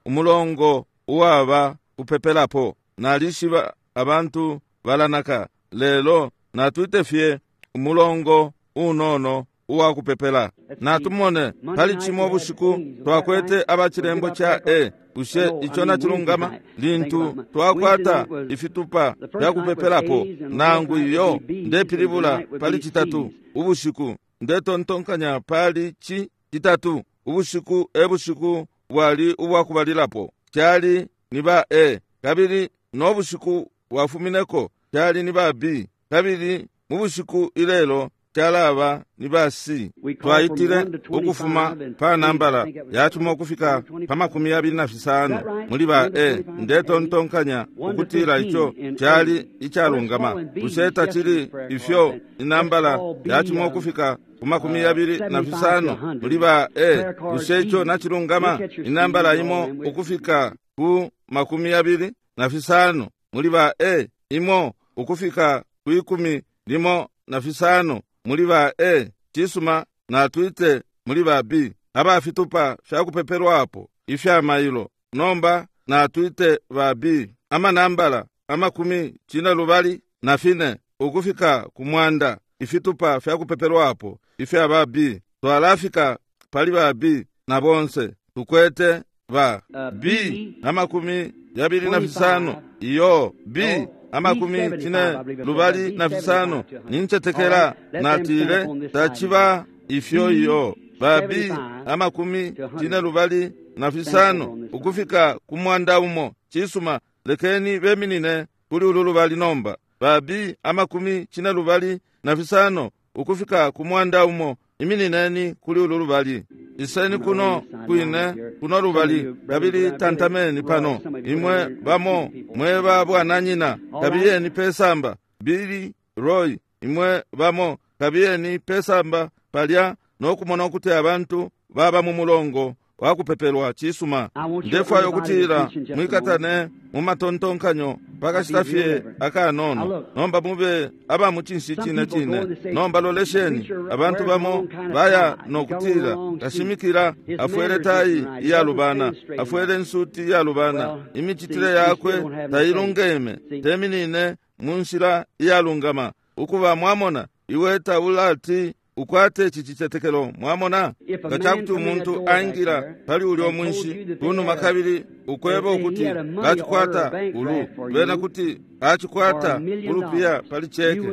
umulongo uwaba kupepelapo? Nalishiba abantu balanaka, lelo natwite fye umulongo unono uwa kupepela. Natumone pali cimo bushiku twakwete abachilembo cha E. Bushe ico nachilungama? Lintu twakwata ifitupa vya kupepelapo nangu iyo ndepilibula pali citatu ubushiku, ndetontonkanya pali ci citatu ubushiku e bushiku bwali ubwakubalilapo cali ni ba A, kabili no bushiku bwafumineko cali ni ba B, kabili mu bushiku ilelo calaba ni ba C. Twaitile ukufuma pa nambala yacuma ukufika pa makumi yabili na fisano muli ba A. Ndetontonkanya ukutila ico cali icalungama. Bushe tacili ifyo inambala yacuma ukufika ku makumi yabili na fisano muli ba A? Bushe ico nacilungama? Inambala imo ukufika ku makumi yabili na fisano muli ba A, imo ukufika ku ikumi limo na fisano muli ba A. Cisuma, natwite muli ba B abafitupa fyakupepelwapo ifya mailo. Nomba natwite ba B amanambala amakumi cine lubali na fine ukufika ku mwanda ifitupa fyakupepelwapo ifya ba B. Twalafika pali ba B na bonse tukwete ba B amakumi yabili na fisano, iyo B amakumi cine lubali na fisano. Nincetekela natile tachiba ifyo iyo ba B amakumi cine lubali na fisano ukufika ku mwanda umo. Cisuma, lekeni beminine kuli ulu lubali nomba. Ba B amakumi cine lubali na fisano ukufika ku mwanda umo, iminineni kuli ulu lubali. Iseni kuno kwine kuno lubali, kabili tantameni pano. Imwe bamo mweba bwananyina, kabiyeni pesamba. Billy Roy, imwe bamo kabiyeni pesamba palya nokumona ukuti abantu baba mu mulongo wakupepelwa. Cisuma, ndefwayo kutila mwikatane mu matontonkanyo pakashita fye akanono. Nomba mube aba mucinshi cine cine. Nomba lolesheni, abantu bamo baya nokutila kashimikila afwele tayi iyalubana, afwele nsuti iyalubana, imicitile yakwe tailungeme, teminine mu nshila iyalungama. Ukuba mwamona, iwe taulati ukwate ici cicetekelo. Mwamona, nga cakuti umuntu aingila pali ulyo mwinshi kunuma kabili ukweba ukuti acikwata ulu, lwena kuti acikwata ulupiya pali cheke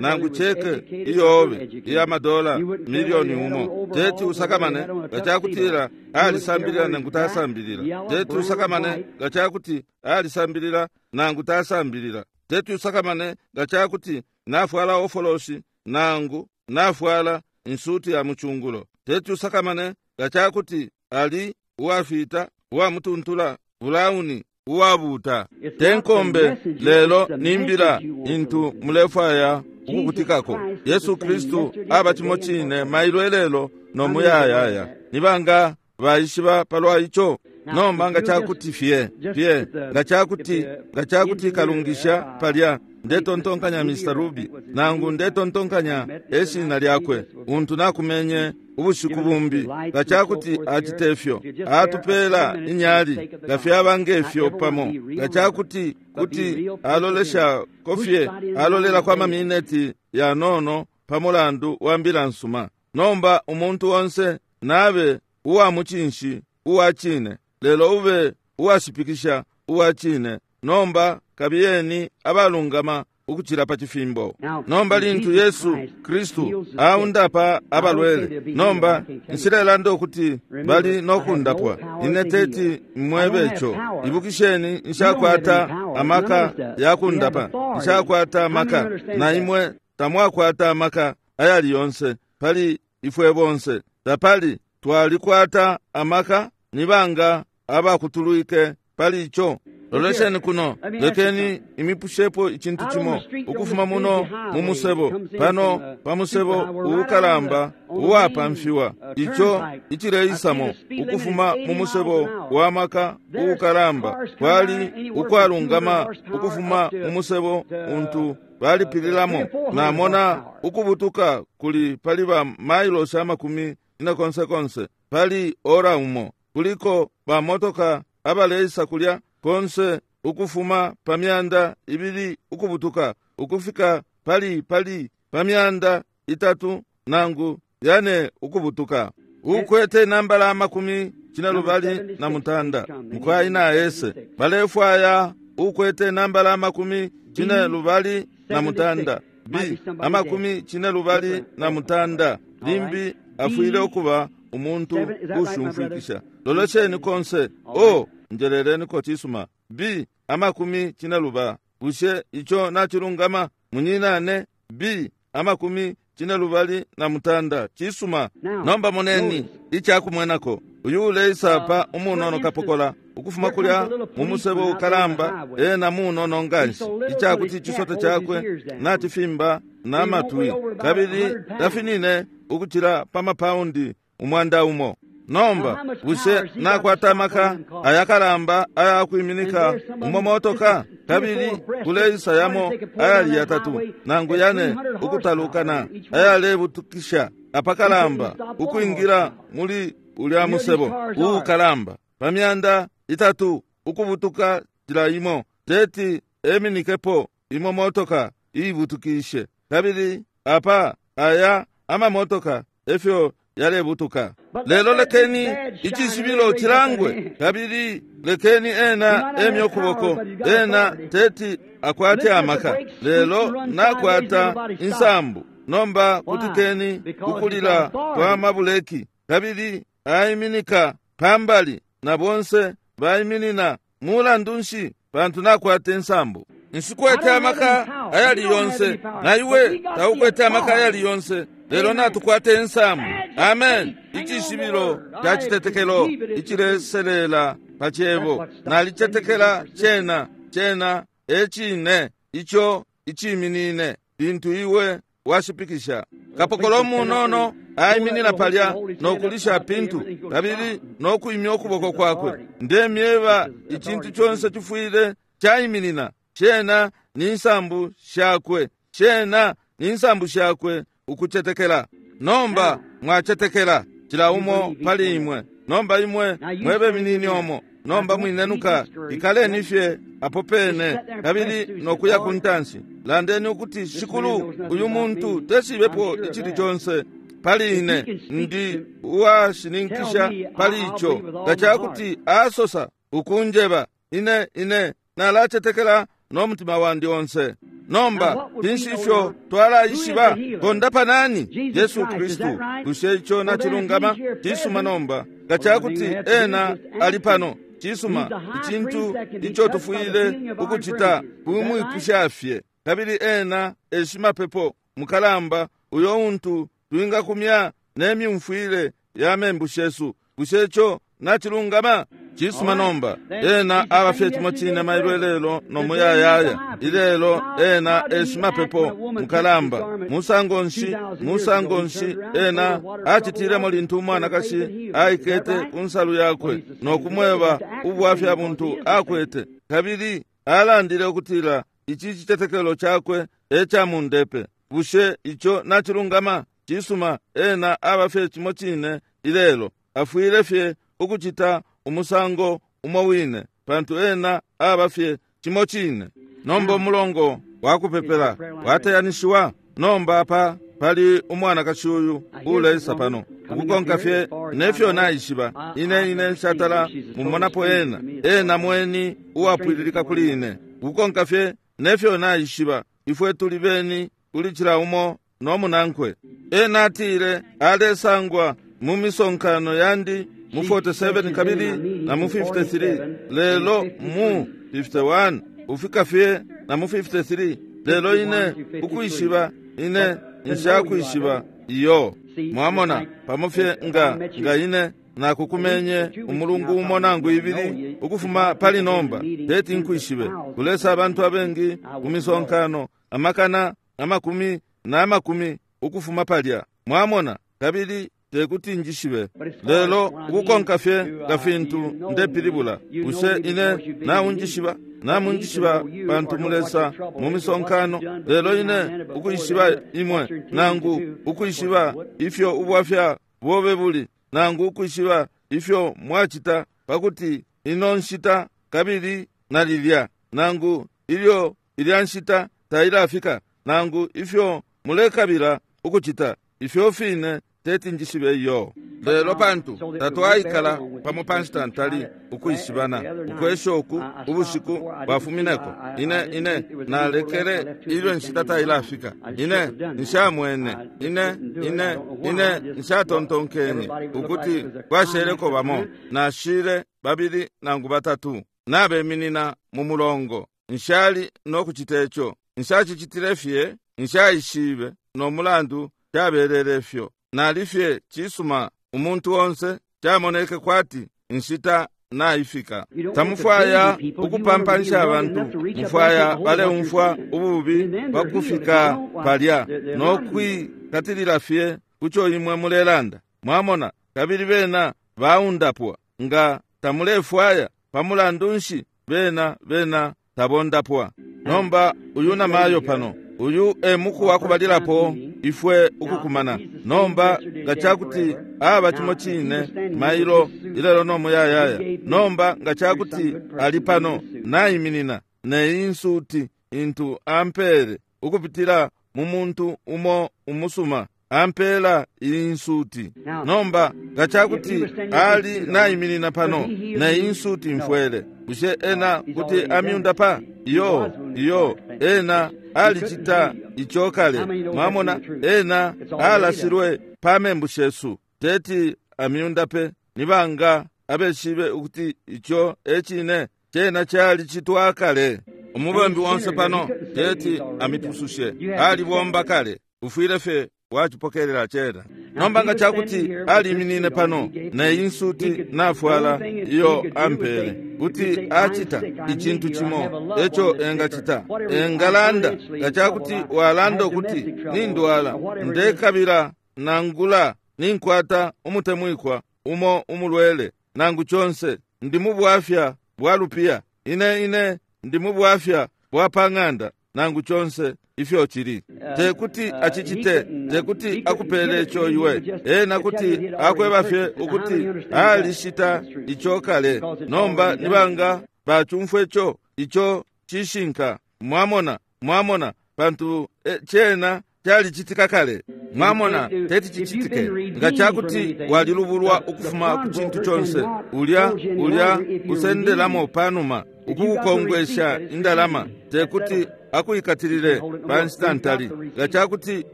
nangu cheke iyobe iya madola milioni umo, teti usakamane nga cakutila alisambilila nangu tasambilila. Teti usakamane nga cakuti alisambilila nangu tasambilila. Teti usakamane nga cakuti nafwala ofoloshi nangu nafwala insuti ya muchungulo. Teti usakamane nga cakuti ali uwafita, uwamutuntula, bulauni, uwabuta. Tenkombe lelo nimbila intu mulefwaya ukukutikako. Yesu Kristu aba cimo cine mailo elelo no muyayaya. Nibanga baishiba palwa ico? Nomba nga cakuti fye fye nga cakuti nga cakuti kalungisha palya, ndetontonkanya Mister Ruby, nangu ndetontonkanya eshina lyakwe, untu nakumenye ubushiku bumbi, nga cakuti acite fyo atupela inyali nga fyaba ngefyo pamo, nga cakuti kuti alolesha kofye alolela kwa mamineti yanono pa mulandu wa mbila nsuma. Nomba umuntu onse nabe uwa mucinshi uwa cine, lelo ube uwashipikisha uwa cine. Nomba kabiyeni abalungama ukucila pa cifimbo. Nomba lintu Yesu Kristu aundapa abalwele, nomba nshilelanda ukuti bali nokundapwa, ine teti mwebe ico. Ibukisheni, nshakwata amaka yakundapa, nshakwata amaka, na imwe tamwakwata amaka ayali yonse. Pali ifwe bonse tapali twalikwata amaka. Nibanga abakutulwike pali ico? Lolesheni kuno, lekeni imipushepo icintu cimo. Ukufuma muno mu musebo pano pa musebo uukalamba uwapamfiwa, ico icileisamo ukufuma mu musebo wa maka uukalamba, kwali ukwalungama ukufuma mu musebo untu balipililamo, namona ukubutuka kuli pali ba mailosi amakumi ine konse konse pali ora umo. Kuliko bamotoka abaleisa kulya konse ukufuma pa myanda ibili ukubutuka ukufika pali pali pa myanda itatu nangu yane ukubutuka. Ukwete nambala amakumi cine lubali na mutanda, mukwai na ese balefwaya ukwete nambala amakumi cine lubali na mutanda, B amakumi cine lubali na mutanda. Limbi afwile ukuba umuntu ushumfwikisha. Lolesheni konse. O njeleleniko. Cisuma. B amakumi cine luba. Bushe ico nacilungama, munyinane? B amakumi cine lubali na mutanda. Cisuma. Nomba moneni icakumwenako. Uyu uleisa pa umunono kapokola ukufuma kulya mu musebo ukalamba, ena munono nganshi icakuti icisote cakwe nacifimba n'amatwi, kabili tafinine ukucila pa mapaundi umwanda umo. Nomba bushe nakwata amaka ayakalamba ayakwiminika umo motoka? Kabili kuleisa yamo ayali yatatu nangu yane ukutalukana ayalebutukisha apakalamba ukwingila muli ulya musebo uukalamba pa myanda itatu ukubutuka cila imo. Teti eminikepo imo motoka iibutukishe. Kabili apa aya amamotoka efyo yalebutuka. Lelo lekeni icishibilo cilangwe, kabili lekeni ena emye ukuboko. Ena teti akwate amaka, lelo nakwata insambu. Nomba kutikeni kukulila kwa mabuleki, kabili aiminika pambali na bonse baiminina. Mulandu nshi? Pantu nakwata insambu. Nshikwete amaka ayali yonse, na iwe taukwete amaka ayali yonse, lelo natukwata insambu. Amen. Icishibilo ca citetekelo icileselela pa cebo. Nalicetekela cena. Cena ecine ico iciminine lintu iwe washipikisha. Kapokola umunono aiminina palya nokulisha pintu kabili nokuimya ukuboko kwakwe. Ndemyeba, icintu conse cifwile caiminina. Cena ni nsambu shakwe, cena ni nsambu shakwe ukucetekela. Nomba mwacetekela cila umo pali imwe. Nomba imwe mwebe minini omo, nomba mwinenuka, ikaleni fye apo pene kabili nokuya ku ntanshi. Landeni ukuti, "Shikulu, uyu muntu teshibepo icili conse pali ine. Ndi uwashininkisha pali ico. Nga cakuti asosa ukunjeba ine, ine nalacetekela n'omutima wandi onse." Nomba finshi ifyo twalaishiba? Kondapa nani? Yesu Kristu. Bushe ico nacilungama? Cisuma. Nomba nga cakuti ena ali pano, cisuma, icintu ico tufwile ukucita kumwipusha fye. Kabili ena eshimapepo mukalamba uyo untu twingakumya ne myumfwile ya membu shesu. Bushe ico nacilungama? Cisuma nomba, ena aba fye cimo cine mailo ilelo no muyayaya. Ilelo ena e shimapepo mukalamba. Musango nshi, musango nshi ena acitilemo lintu umwanakashi aikete ku nsalu yakwe no kumweba ubwafya buntu akwete, kabili alandile ukutila ici citetekelo cakwe e ca mundepe. Bushe ico nacilungama? Cisuma, ena aba fye cimo cine ilelo. Afwile fye ukucita umusango umo wine, pantu ena aba fye cimo cine. Nomba umulongo wakupepela wateyanishiwa. Nomba apa pali umwanakashi uyu uleisa pano ukukonka fye nefyo naishiba. Ine ine nshatala mumonapo ena, ena mweni uwapwililika kuli ine. Ukukonka fye nefyo naishiba, ifwe tuli beni kuli cila umo no munankwe. Ena atile alesangwa mu misonkano yandi mu forty-seven kabili na mu fifty-three, lelo mu fifty-one ufika fye na mu fifty-three. Lelo ine ukwishiba, ine nshakwishiba iyo. Mwamona, pamo fye nga nga ine nakukumenye umulungu umo nangu ibili ukufuma pali nomba, teti nkwishibe. Kulesa abantu abengi ku misonkano, amakana amakumi na amakumi ukufuma palya. Mwamona, kabili tekuti njishibe. Lelo ukukonka fye nga fintu ndepilibula, bushe ine naunjishiba? Namunjishiba pantu mulesa mu misonkano. Lelo ine ukwishiba imwe, nangu ukwishiba ifyo ubwafya bobe buli, nangu ukwishiba ifyo mwacita pakuti ino nshita kabili na lilya, nangu ilyo ilya nshita tailafika, nangu ifyo mulekabila ukucita, ifyo fine teti njishibe iyo. Lelo pantu tatwaikala pamo pa nshita ntali ukwishibana, ukwesha uku ubushiku bwafumineko, ine ine nalekele ilyo nshita tailafika. Ine nshamwene, ine ine ine nshatontonkenye ukuti kwasheleko bamo. Nashile babili nangu batatu nabeminina mu mulongo. Nshali no kucita ico, nshacicitile fye, nshaishibe no mulandu cabelele fyo. Nalifye cisuma umuntu onse camoneke kwati nshita naifika. Tamufwaya ukupampanisha abantu, mufwaya baleumfwa ububi pakufika palya no kwikatilila fye kuco imwe mulelanda. Mwamona, kabili bena baundapwa. Nga tamulefwaya, pamulandu nshi bena bena tabondapwa. Nomba uyu namayo pano, uyu e muku wakubalilapo ifwe ukukumana. Nomba nga cakuti aba cimo cine mailo ilelo no muyayaya. Nomba nga cakuti ali pano naiminina neyi nsuti intu ampere ukupitila mu muntu umo umusuma ampela iyi nsuti. Nomba nga cakuti ali naiminina pano neyi nsuti mfwele, bushe ena kuti amyundapa? Iyo, iyo, ena alicita ico kale. Mwamona, ena alashilwe pa membu shesu, teti amyundape. Nibanga abeshibe ukuti ico ecine cena calicitwa kale. Umubembi onse pano teti amipusushe, alibomba kale, ufwile fye wacipokelela cena. Nomba nga cakuti aliminine pano neyi nsuti nafwala iyo ampele, kuti acita icintu cimo eco engacita. Engalanda nga cakuti walanda ukuti nindwala, ndekabila nangula ninkwata umutemwikwa umo umulwele, nangu conse, ndi mu bwafya bwa lupiya, ine ine ndi mu bwafya bwa pang'anda, nangu conse ifyo cili. Tekuti acicite, tekuti akupele ico iwe. Ena kuti akweba fye ukuti alishita ico kale. Nomba nibanga bacumfwe ico, ico cishinka. Mwamona, mwamona, pantu e, cena calicitika kale. Mwamona, teti cicitike. Nga cakuti walilubulwa ukufuma ku cintu conse, ulya ulya usendelamo panuma ukukukongwesha indalama, tekuti akuikatilile pa nshita ntali. Nga cakuti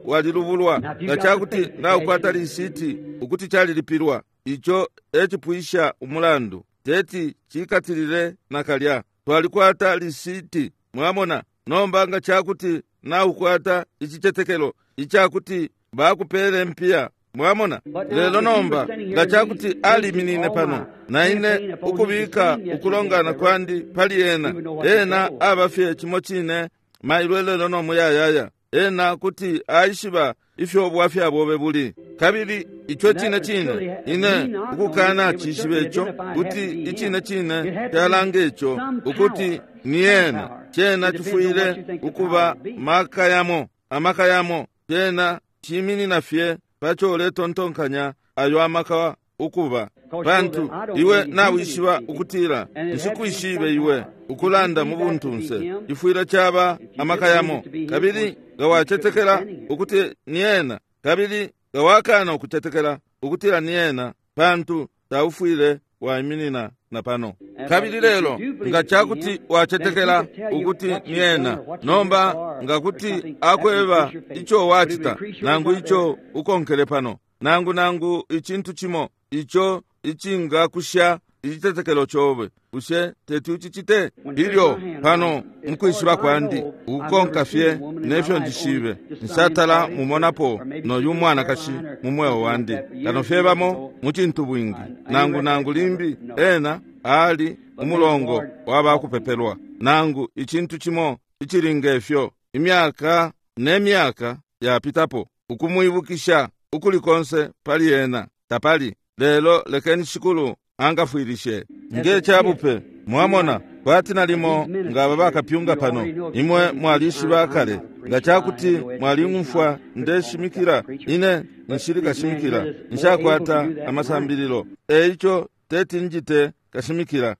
walilubulwa, nga cakuti naukwata lisiti ukuti calilipilwa, ico ecipwisha umulandu, teti cikatilile nakalya. Twalikwata lisiti. Mwamona, nomba nga cakuti naukwata icicetekelo icakuti bakupele mpiya Mwamona? Lelo nomba nga cakuti aliminine pano na ine ukubika ukulongana kwandi pali ena, ena aba fye cimo cine mailo lelo no muyayaya. Ena kuti aishiba ifyo ubwafya bobe buli. Kabili ico cine cine ine ukukana cishibe ico, kuti icine cine calanga ico ukuti ni ena. Cena cifwile ukuba maka yamo, amaka yamo. Cena ciminina fye paco uletontonkanya ayo amaka ukuba, pantu iwe nawishiba ukutila nshikwishibe iwe ukulanda mu buntunse. Ifwile caba amaka yamo. Kabili nga wacetekela ukuti ni ena, kabili nga wakana ukucetekela ukutila ni ena, pantu taufwile waiminina na pano. Kabili lelo nga cakuti wacetekela ukuti ni ena, nomba nga kuti akweba ico wacita nangu ico ukonkele pano, nangu nangu icintu cimo ico icingakusha icitetekelo cobe, bushe teti ucicite? Ilyo pano mukwishiba kwandi ukukonka fye nefyo ndishibe, nshatala mumonapo noyu mwanakashi mu mweo wandi, kano fye bamo mu cintu bwingi, nangu nangu limbi ena ali umulongo wabakupepelwa, nangu icintu cimo icili ngefyo, imyaka ne myaka yapitapo, ukumwibukisha ukuli konse pali ena tapali. Lelo lekeni Shikulu angafwilishe nge cabupe. Mwamona, kwati nalimo nga bakapyunga pano, imwe mwalishiba kale nga cakuti mwaling'umfwa ndeshimikila. Ine nshili kashimikila, nshakwata amasambililo, eico teti njite kashimikila.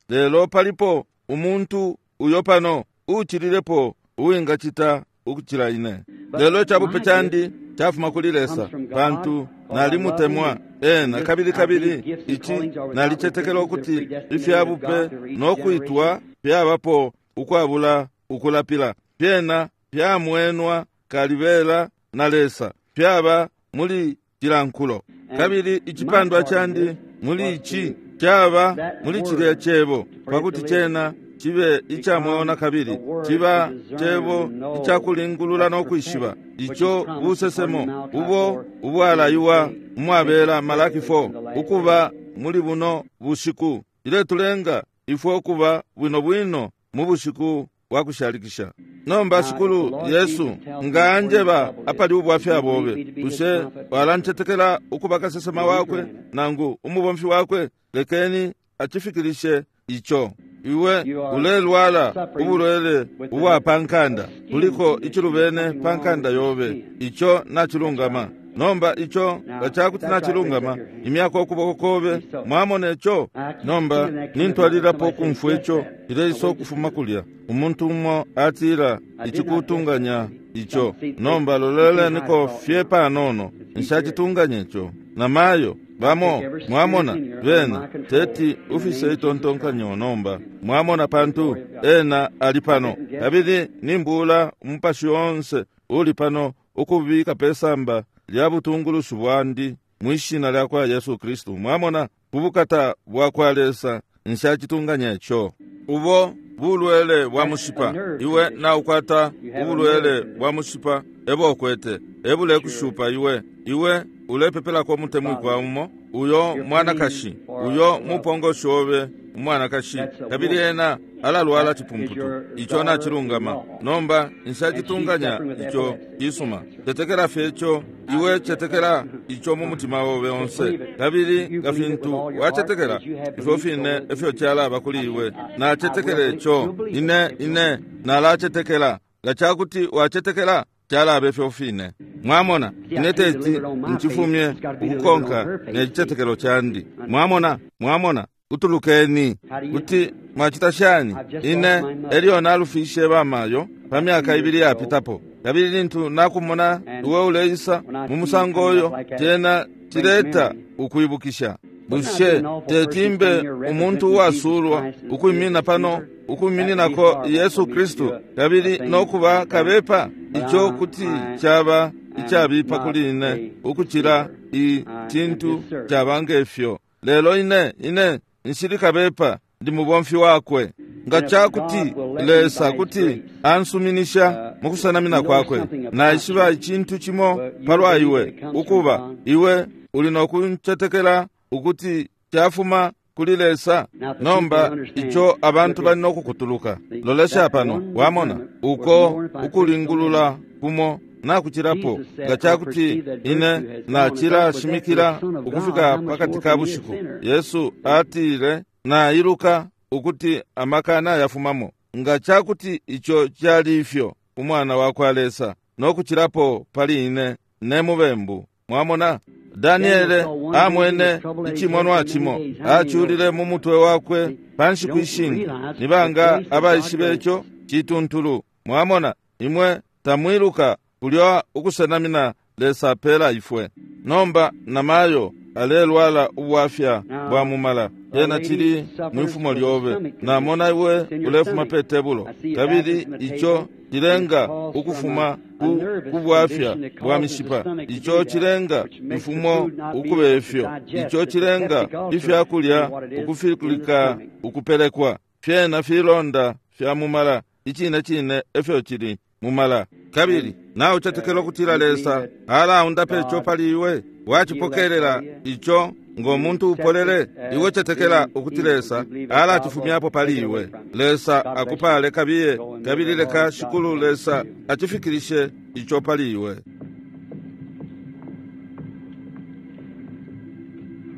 Lelo palipo umuntu uyo pano uucililepo uwingacita ukucila ine. Lelo icabupe candi cafuma kuli Lesa, pantu nalimutemwa ena. Kabili kabili ici nalicetekela ukuti ifyabupe nokwitwa fyabapo ukwabula ukulapila, fyena fyamwenwa kalibela na Lesa, fyaba muli cilankulo. Kabili icipandwa candi muli ici caba muli cilya cebo, pakuti cena cibe ica mweo na kabili ciba cebo icakulingulula no kwishiba, ico busesemo ubo ubwalaiwa umwabela Malaki four ukuba muli buno bushiku. Iletulenga ifwe ukuba bwino bwino mu bushiku bwa kushalikisha. Nomba Shikulu Yesu nga anjeba apali ubwafya bobe, bushe walancetekela ukuba kasesema wakwe nangu umubomfi wakwe? Lekeni acifikilishe ico. Iwe ulelwala ubulwele ubwa pankanda, kuliko icilubene pankanda yobe, ico nacilungama. Nomba ico nga cakuti nacilungama, imyako ukuboko kobe. Mwamona ico? Nomba nintwalililapo ukumfwa ico cileisa ukufuma kulya. Umuntu umo atila icikutunganya ico. Nomba loleleniko fye panono, nshacitunganya ico. Namayo bamo mwamona bena teti ufise itontonkanyo nomba. Mwamona, pantu ena ali pano, kabili nimbula umupashi onse uli pano ukubika pesamba lya butungulushi bwandi mwishina lya kwa Yesu Kristu. Mwamona, kubukata bwa kwa Lesa nshacitunganya ico. Ubo bulwele bwa mushipa, iwe naukwata ubulwele bwa mushipa ebo ukwete, ebulekushupa iwe. Iwe ulepepelako umutemwikwa umo, uyo mwanakashi, uyo mupongoshi obe umwanakashi, kabili ena alalwala cipumputu. Ico nacilungama. Nomba nshacitunganya ico cisuma. Cetekela fye ico. Iwe cetekela ico mu mutima obe onse, kabili nga fintu wacetekela, ifyo fine efyo calaba kuli iwe. Nacetekela ico. Ine ine nalacetekela. Nga cakuti wacetekela, calaba ifyo fine. Mwamona, ine teti nchifumye ukukonka ne cicetekelo candi. Mwamona, mwamona, utulukeni. Kuti mwacita shani? Ine elyo nalufishe bamayo pa myaka ibili yapitapo, kabili lintu nakumona iwe uleisa mu musango uyo, cena cileta ukwibukisha. Bushe tetimbe umuntu uwasulwa ukwimina pano ukwimininako Yesu Kristu kabili nokuba kabepa? Ico kuti caba icabipa kuli ine ukucila icintu caba ngefyo. Lelo ine ine nshili kabepa, ndi mubomfi wakwe. Nga cakuti Lesa kuti ansuminisha mukusenamina kwakwe, naishiba icintu cimo palwa iwe, ukuba iwe uli nokuncetekela ukuti cafuma kuli Lesa. Nomba ico abantu bali nokukutuluka. Lolesha pano, wamona uko ukulingulula kumo nakucilapo. Nga cakuti ine nacilashimikila ukufika pakati ka bushiku, Yesu atile, nailuka ukuti amaka nayafumamo. Nga cakuti ico cali ifyo umwana wa kwa Lesa, nokucilapo pali ine ne mubembu. Mwamona, Daniele amwene icimonwa cimo, aculile mu mutwe wakwe pa nshiku ishingi. Nibanga abaishibe ico cituntulu? Mwamona, imwe tamwiluka kulya ukusenamina Lesa apela ifwe. Nomba namayo alelwala ubwafya bwa mumala, yena cili mwifumo lyobe. Namona iwe ulefuma pe tebulo, kabili ico cilenga ukufuma ku kubwafya bwa mishipa. Ico cilenga ifumo ukube ifyo. Ico cilenga ifyakulya ukufikulika ukupelekwa. Fyena filonda fya mumala, icine cine efyo cili mumala. Kabili nawe ucetekela ukutila Lesa alaundape ico pali iwe, wacipokelela ico ngo muntu upolele. Iwe cetekela ukuti Lesa alacifumyapo pali iwe. Lesa akupale kabiye, kabili leka shikulu Lesa acifikirishe ico pali iwe.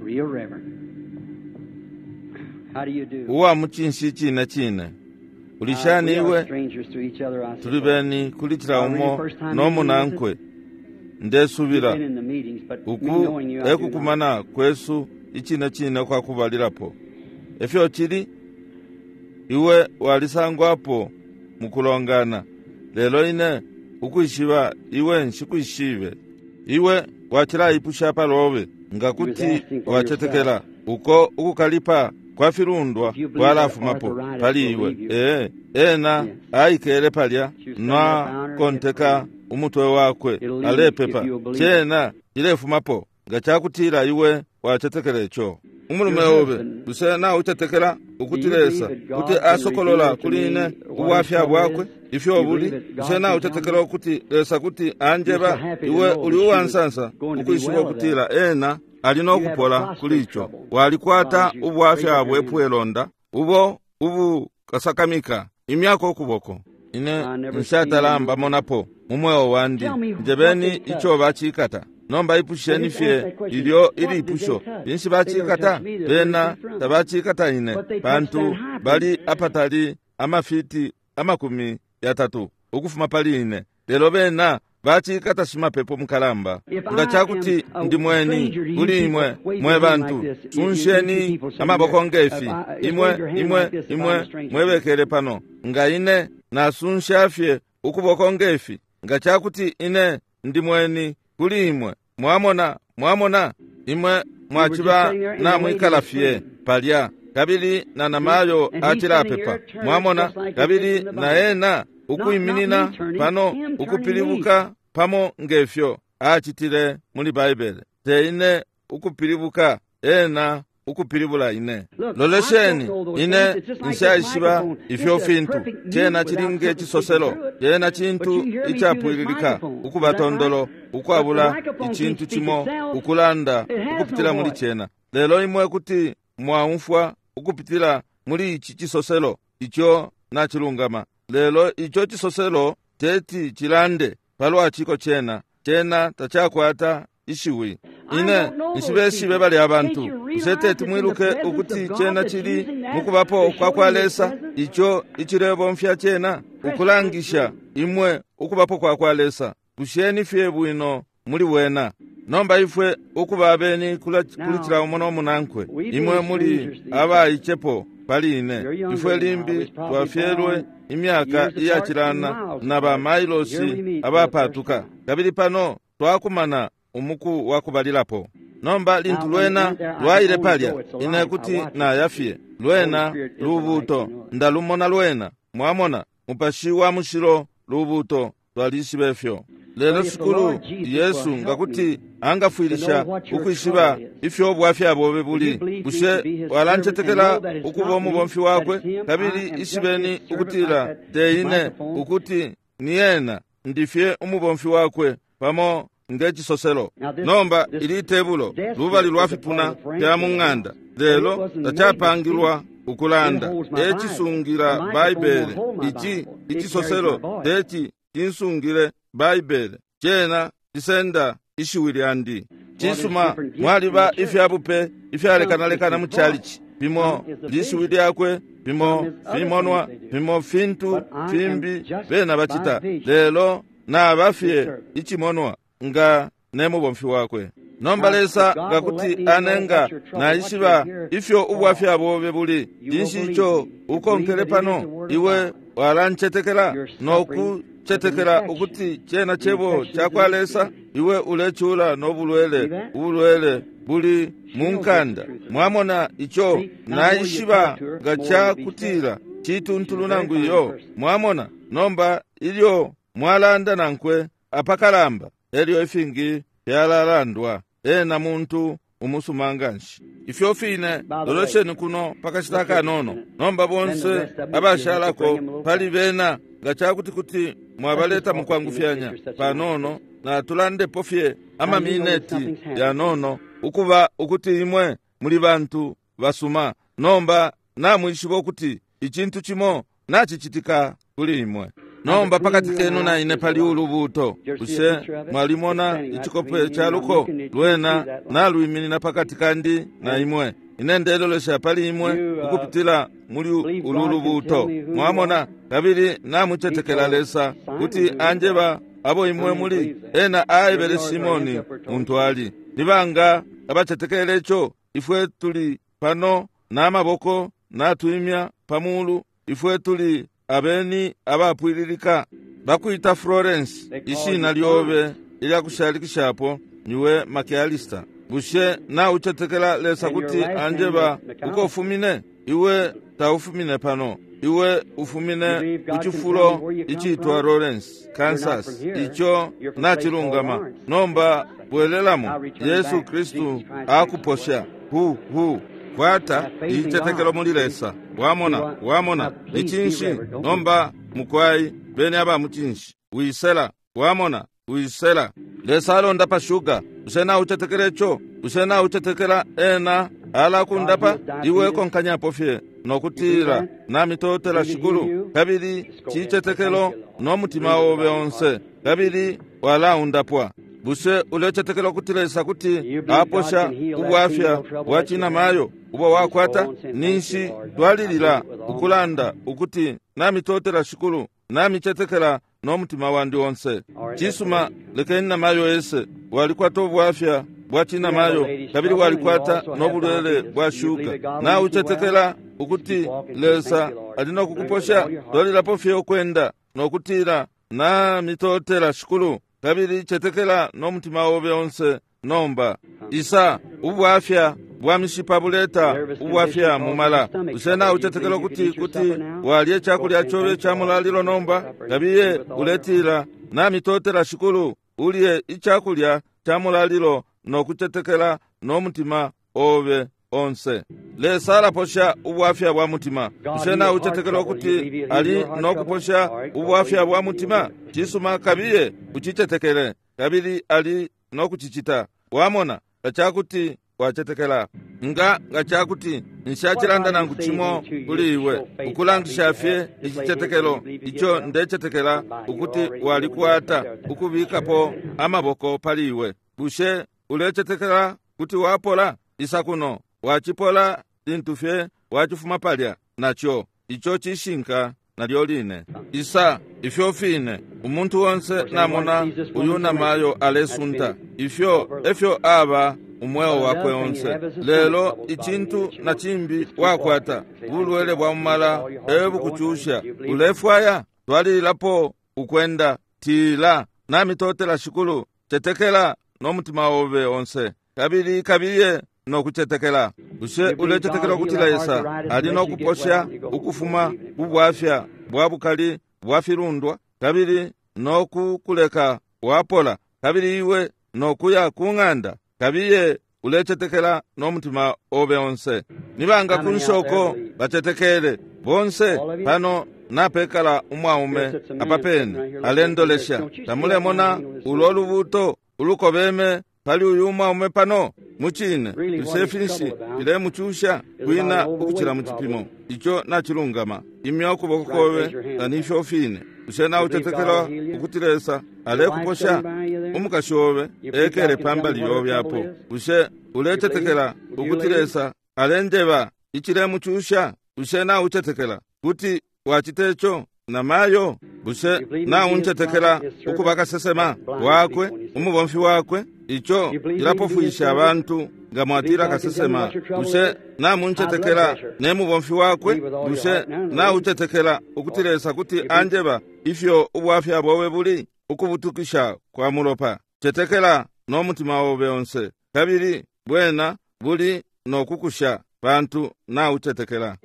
Real reverend. How do you do? Uwa mucinshi cine cine. Ulishani Uh, we are iwe? strangers to each other, I Tuli suppose. beni kuli cila umo n'omunankwe. Ndesubila Been in the meetings, but me uku knowing you, I do not. ekukumana kwesu icine cine kwakubalilapo. Efyo cili, iwe walisangwapo mukulongana, lelo ine ukwishiba iwe nshikwishibe. Iwe wacilaipusha palobe nga kuti wacetekela uko ukukalipa kwa filundwa kwalafumapo pali iwe. Ee, ena aikele palya nakonteka umutwe wakwe alepepa, cena cilefumapo nga cakutila iwe wacetekela ico. Umulume obe, bushe naucetekela ukuti Lesa kuti asokolola kuli ine ubwafya bwakwe ifyo buli? Bushe naucetekela ukuti Lesa kuti anjeba? Iwe uli uwansansa ukwishiba ukutila ena ali nokupola kuli ico. Walikwata ubwafya bwepwelonda ubo ubukasakamika imyaka ukuboko. Ine nshatalamba monapo mu mweo wandi. Njebeni ico bacikata. Nomba ipusheni fye ilyo ilipusho, binshi bacikata? Bena tabacikata ine, pantu bali apatali amafiti amakumi yatatu ukufuma pali ine, lelo bena bacikata shimapepo mukalamba. Nga cakuti ndi mweni kuli imwe mwe bantu, sunsheni amaboko ngefi. Imwe imwe imwe mwebekele pano. Nga ine nasunsha fye ukuboko ngefi, nga cakuti ine ndi mweni kuli imwe, mwamona, mwamona, imwe mwaciba namwikala fye palya. Kabili na namayo acilapepa, mwamona, kabili na ena ukwiminina pano ukupilibuka pamo ngefyo acitile muli Baibele. Te ine ukupilibuka, ena ukupilibula ine. Lolesheni, ine nshaishiba ifyo fintu. Cena chili nge cisoselo, cena cintu icapwililika ukuba tondolo, ukwabula icintu cimo ukulanda ukupitila muli cena. Lelo imwe kuti mwaumfwa ukupitila muli ici cisoselo, ico nacilungama. Lelo ico cisoselo teti cilande palwa ciko cena, cena tacakwata ishiwi. Ine nshibeshibe bali abantu. Bushe teti mwiluke ukuti cena cili mukubapo kwa kwa Lesa, ico icilebomfya cena ukulangisha imwe ukubapo kwa kwa Lesa? Busheni fye bwino muli wena. Nomba ifwe ukuba abeni kuli cila umo n'omunankwe, imwe muli abaicepo pali ine. Ifwe limbi twafyelwe imyaka iyacilana na ba mailosi abapatuka, kabili pano twakumana umuku wa kubalilapo. Nomba lintu lwena lwaile palya, ine kuti nayafye lwena lubuto, ndalumona lwena. Mwamona, Mupashi wa Mushilo lubuto, twalishibe fyo. Lelo Shikulu Yesu nga kuti angafwilisha ukwishiba ifyo ubwafya bobe buli, bushe walancetekela ukuba umubomfi wakwe? Kabili ishibeni ukutila te ine, ukuti ni ena, ndifye umubomfi wakwe pamo nge cisoselo. Nomba ili tebulo lubali lwa fipuna fya mu ng'anda, lelo tacapangilwa ukulanda, ecisungira Baibele. Ici icisoselo teci cinsungile Baibele, cena cisenda ishiwi lyandi. Cisuma, mwaliba ifyabupe ifyalekanalekana mu chalichi, bimo lishiwi lyakwe, bimo fimonwa, bimo fintu fimbi bena bacita, lelo naba fye icimonwa nga ne mubomfi wakwe. Nomba Lesa nga kuti anenga naishiba ifyo ubwafya bobe buli, cinshi ico ukonkele pano? Iwe walancetekela nokucetekela ukuti cena cebo cakwa Lesa? Iwe ulecula nobulwele, ubulwele buli mu nkanda. Mwamona ico naishiba nga cakutila cituntulu nangu iyo. Mwamona nomba ilyo mwalanda nankwe apakalamba, elyo ifingi fyalalandwa. Ena muntu umusuma nganshi. Ifyo fine lolesheni kuno pakashita kanono. Nomba bonse abashalako pali bena nga cakuti kuti mwabaleta mukwangufyanya panono, natulandepo fye amamineti yanono, ukuba ukuti imwe muli bantu basuma. Nomba namwishiba ukuti icintu cimo nacicitika kuli imwe. Nomba pakati kenu na ine pali ulubuto. Bushe mwalimona icikope ca luko? Lwena nalwiminina pakati kandi na imwe. Ine ndelolesha pali imwe ukupitila muli ulu lubuto. Mwamona, kabili namucetekela Lesa kuti anjeba abo imwe muli. Ena aebele Simoni muntu ali. Nibanga abacetekele ico? Ifwe tuli pano n'amaboko natwimya pamulu. Ifwe tuli abeni abapwililika. Bakwita Florence, ishina lyobe ilya kushalikishapo niwe McAllister. Bushe naucetekela Lesa kuti anjeba uko ufumine? Iwe taufumine pano, iwe ufumine ku cifulo icitwa Lawrence, Kansas. Ico nacilungama. Nomba bwelelamo, Yesu Kristu akuposha. Hu hu kwata icetekelo muli Lesa. Wamona, wamona icinshi? Nomba mukwai beni aba mucinshi. Wisela, wamona, wisela. Lesa alonda pa shuga. Bushe naucetekela ico? Bushe naucetekela ena alakundapa? Iwe konkanyapo fye nokutila namitotela Shikulu, kabili cicetekelo no mutima obe onse, kabili walaundapwa. Bushe ulecetekela ukuti Lesa kuti aposha ubwafya bwa cinamayo ubo wakwata? Ninshi twalilila ukulanda ukuti namitotela Shikulu, namicetekela no mutima wandi onse. Cisuma, lekeni namayo ese. Walikwata ubwafya bwa cinamayo, kabili walikwata nobulwele bwa shuka. Naucetekela ukuti Lesa ali nokukuposha? Twalilapo fye ukwenda nokutila namitotela Shikulu, kabili cetekela no mutima obe onse. Nomba isa, ubwafya bwa mishipa buleta ubwafya mumala. Bushe naucetekela ukuti kuti walye cakulya cobe ca mulalilo nomba? Kabiye uletila namitotela Shikulu, ulye icakulya ca mulalilo nokucetekela no mutima obe onse. Lesa alaposha ubwafya bwa mutima. Bushe naucetekela ukuti ali nokuposha ubwafya bwa mutima? Cisuma, kabiye ucicetekele, kabili ali nokucicita. Wamona nga cakuti wacetekela. Nga nga cakuti nshacilanda nangu cimo kuli iwe, ukulangisha fye icicetekelo ico ndecetekela ukuti walikwata, ukubikapo amaboko pali iwe. Bushe ulecetekela kuti wapola? Isa kuno, wacipola lintu fye wacifuma palya naco. Ico cishinka nalyo line. Isa, ifyo fine umuntu onse namona uyu namayo alesunta, ifyo efyo aba umweo wakwe onse. Lelo icintu na cimbi wakwata bulwele bwa mumala ebukucusha. Ulefwaya twalililapo ukwenda, tila namitotela Shikulu, cetekela no mutima obe onse, kabili kabiye nokucetekela. Bushe ulecetekela ukuti Lesa ali nokuposha ukufuma kubwafya bwa bukali bwa filundwa, kabili nokukuleka wapola kabili iwe nokuya ku ng'anda kabiye ulecetekela n'omutima obe onse. Nibanga ku nshoko bacetekele bonse pano napekala umwaume apapene alendolesha. Tamulemona ulo lubuto ulukobeme pali uyu mwaume pano muchine tusefinshi filemuchusha kwina ukuchila muchipimo icho nachilungama. Imya ukuboko kobe tanifyo fine. Ushe nautetekela ukuti Lesa alekuposha umukashi obe ekele pambali yobyapo. Ushe uletetekela ukuti Lesa alenjeba ichilemuchusha. Ushe nautetekela kuti wachitecho na mayo. Bushe nauntetekela ukuba kasesema wakwe umubomfi wakwe. Icho ilapofuyisha abantu nga mwatila kasesema. Bushe namuntetekela ne mubomfi wakwe. Bushe nautetekela ukuti Lesa kuti anjeba ifyo ubwafya bobe buli ukubutukisha kwa mulopa. Tetekela n'omutima obe onse kabili bwena buli nokukusha bantu nautetekela.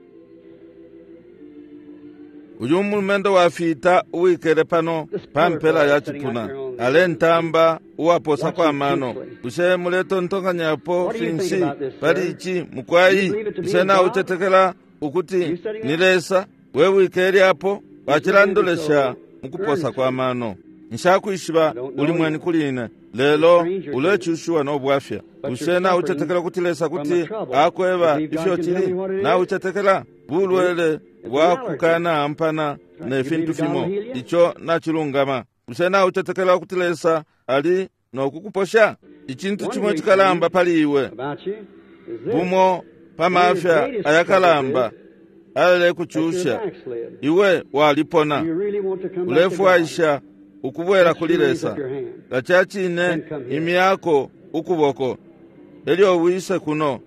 Uyu mulumendo wafita uwikele pano pampela ya chipuna alentamba uwaposa kwa mano. Bushe muletontonkanyapo finshi pali ichi mukwayi? Bushe nautetekela ukuti ni Lesa we wikele apo wachilandolesha mukuposa kwa mano? Nshakwishiba uli mweni kuli ine lelo ulechushiwa n'obwafya. Bushe nautetekela kuti Lesa kuti akweba ifyo chili? Nautetekela bulwele bwakukana ampana ne fintu fimo icho nachilungama. Bushe nautetekela kuti Lesa ali nokukuposha? Ichintu chimwe chikalamba pali iwe bumo pamafya ayakalamba alekuchusha iwe walipona ulefwaisha ukubwera kuli Lesa. Lachachine imyako ukuboko elyo wise kuno.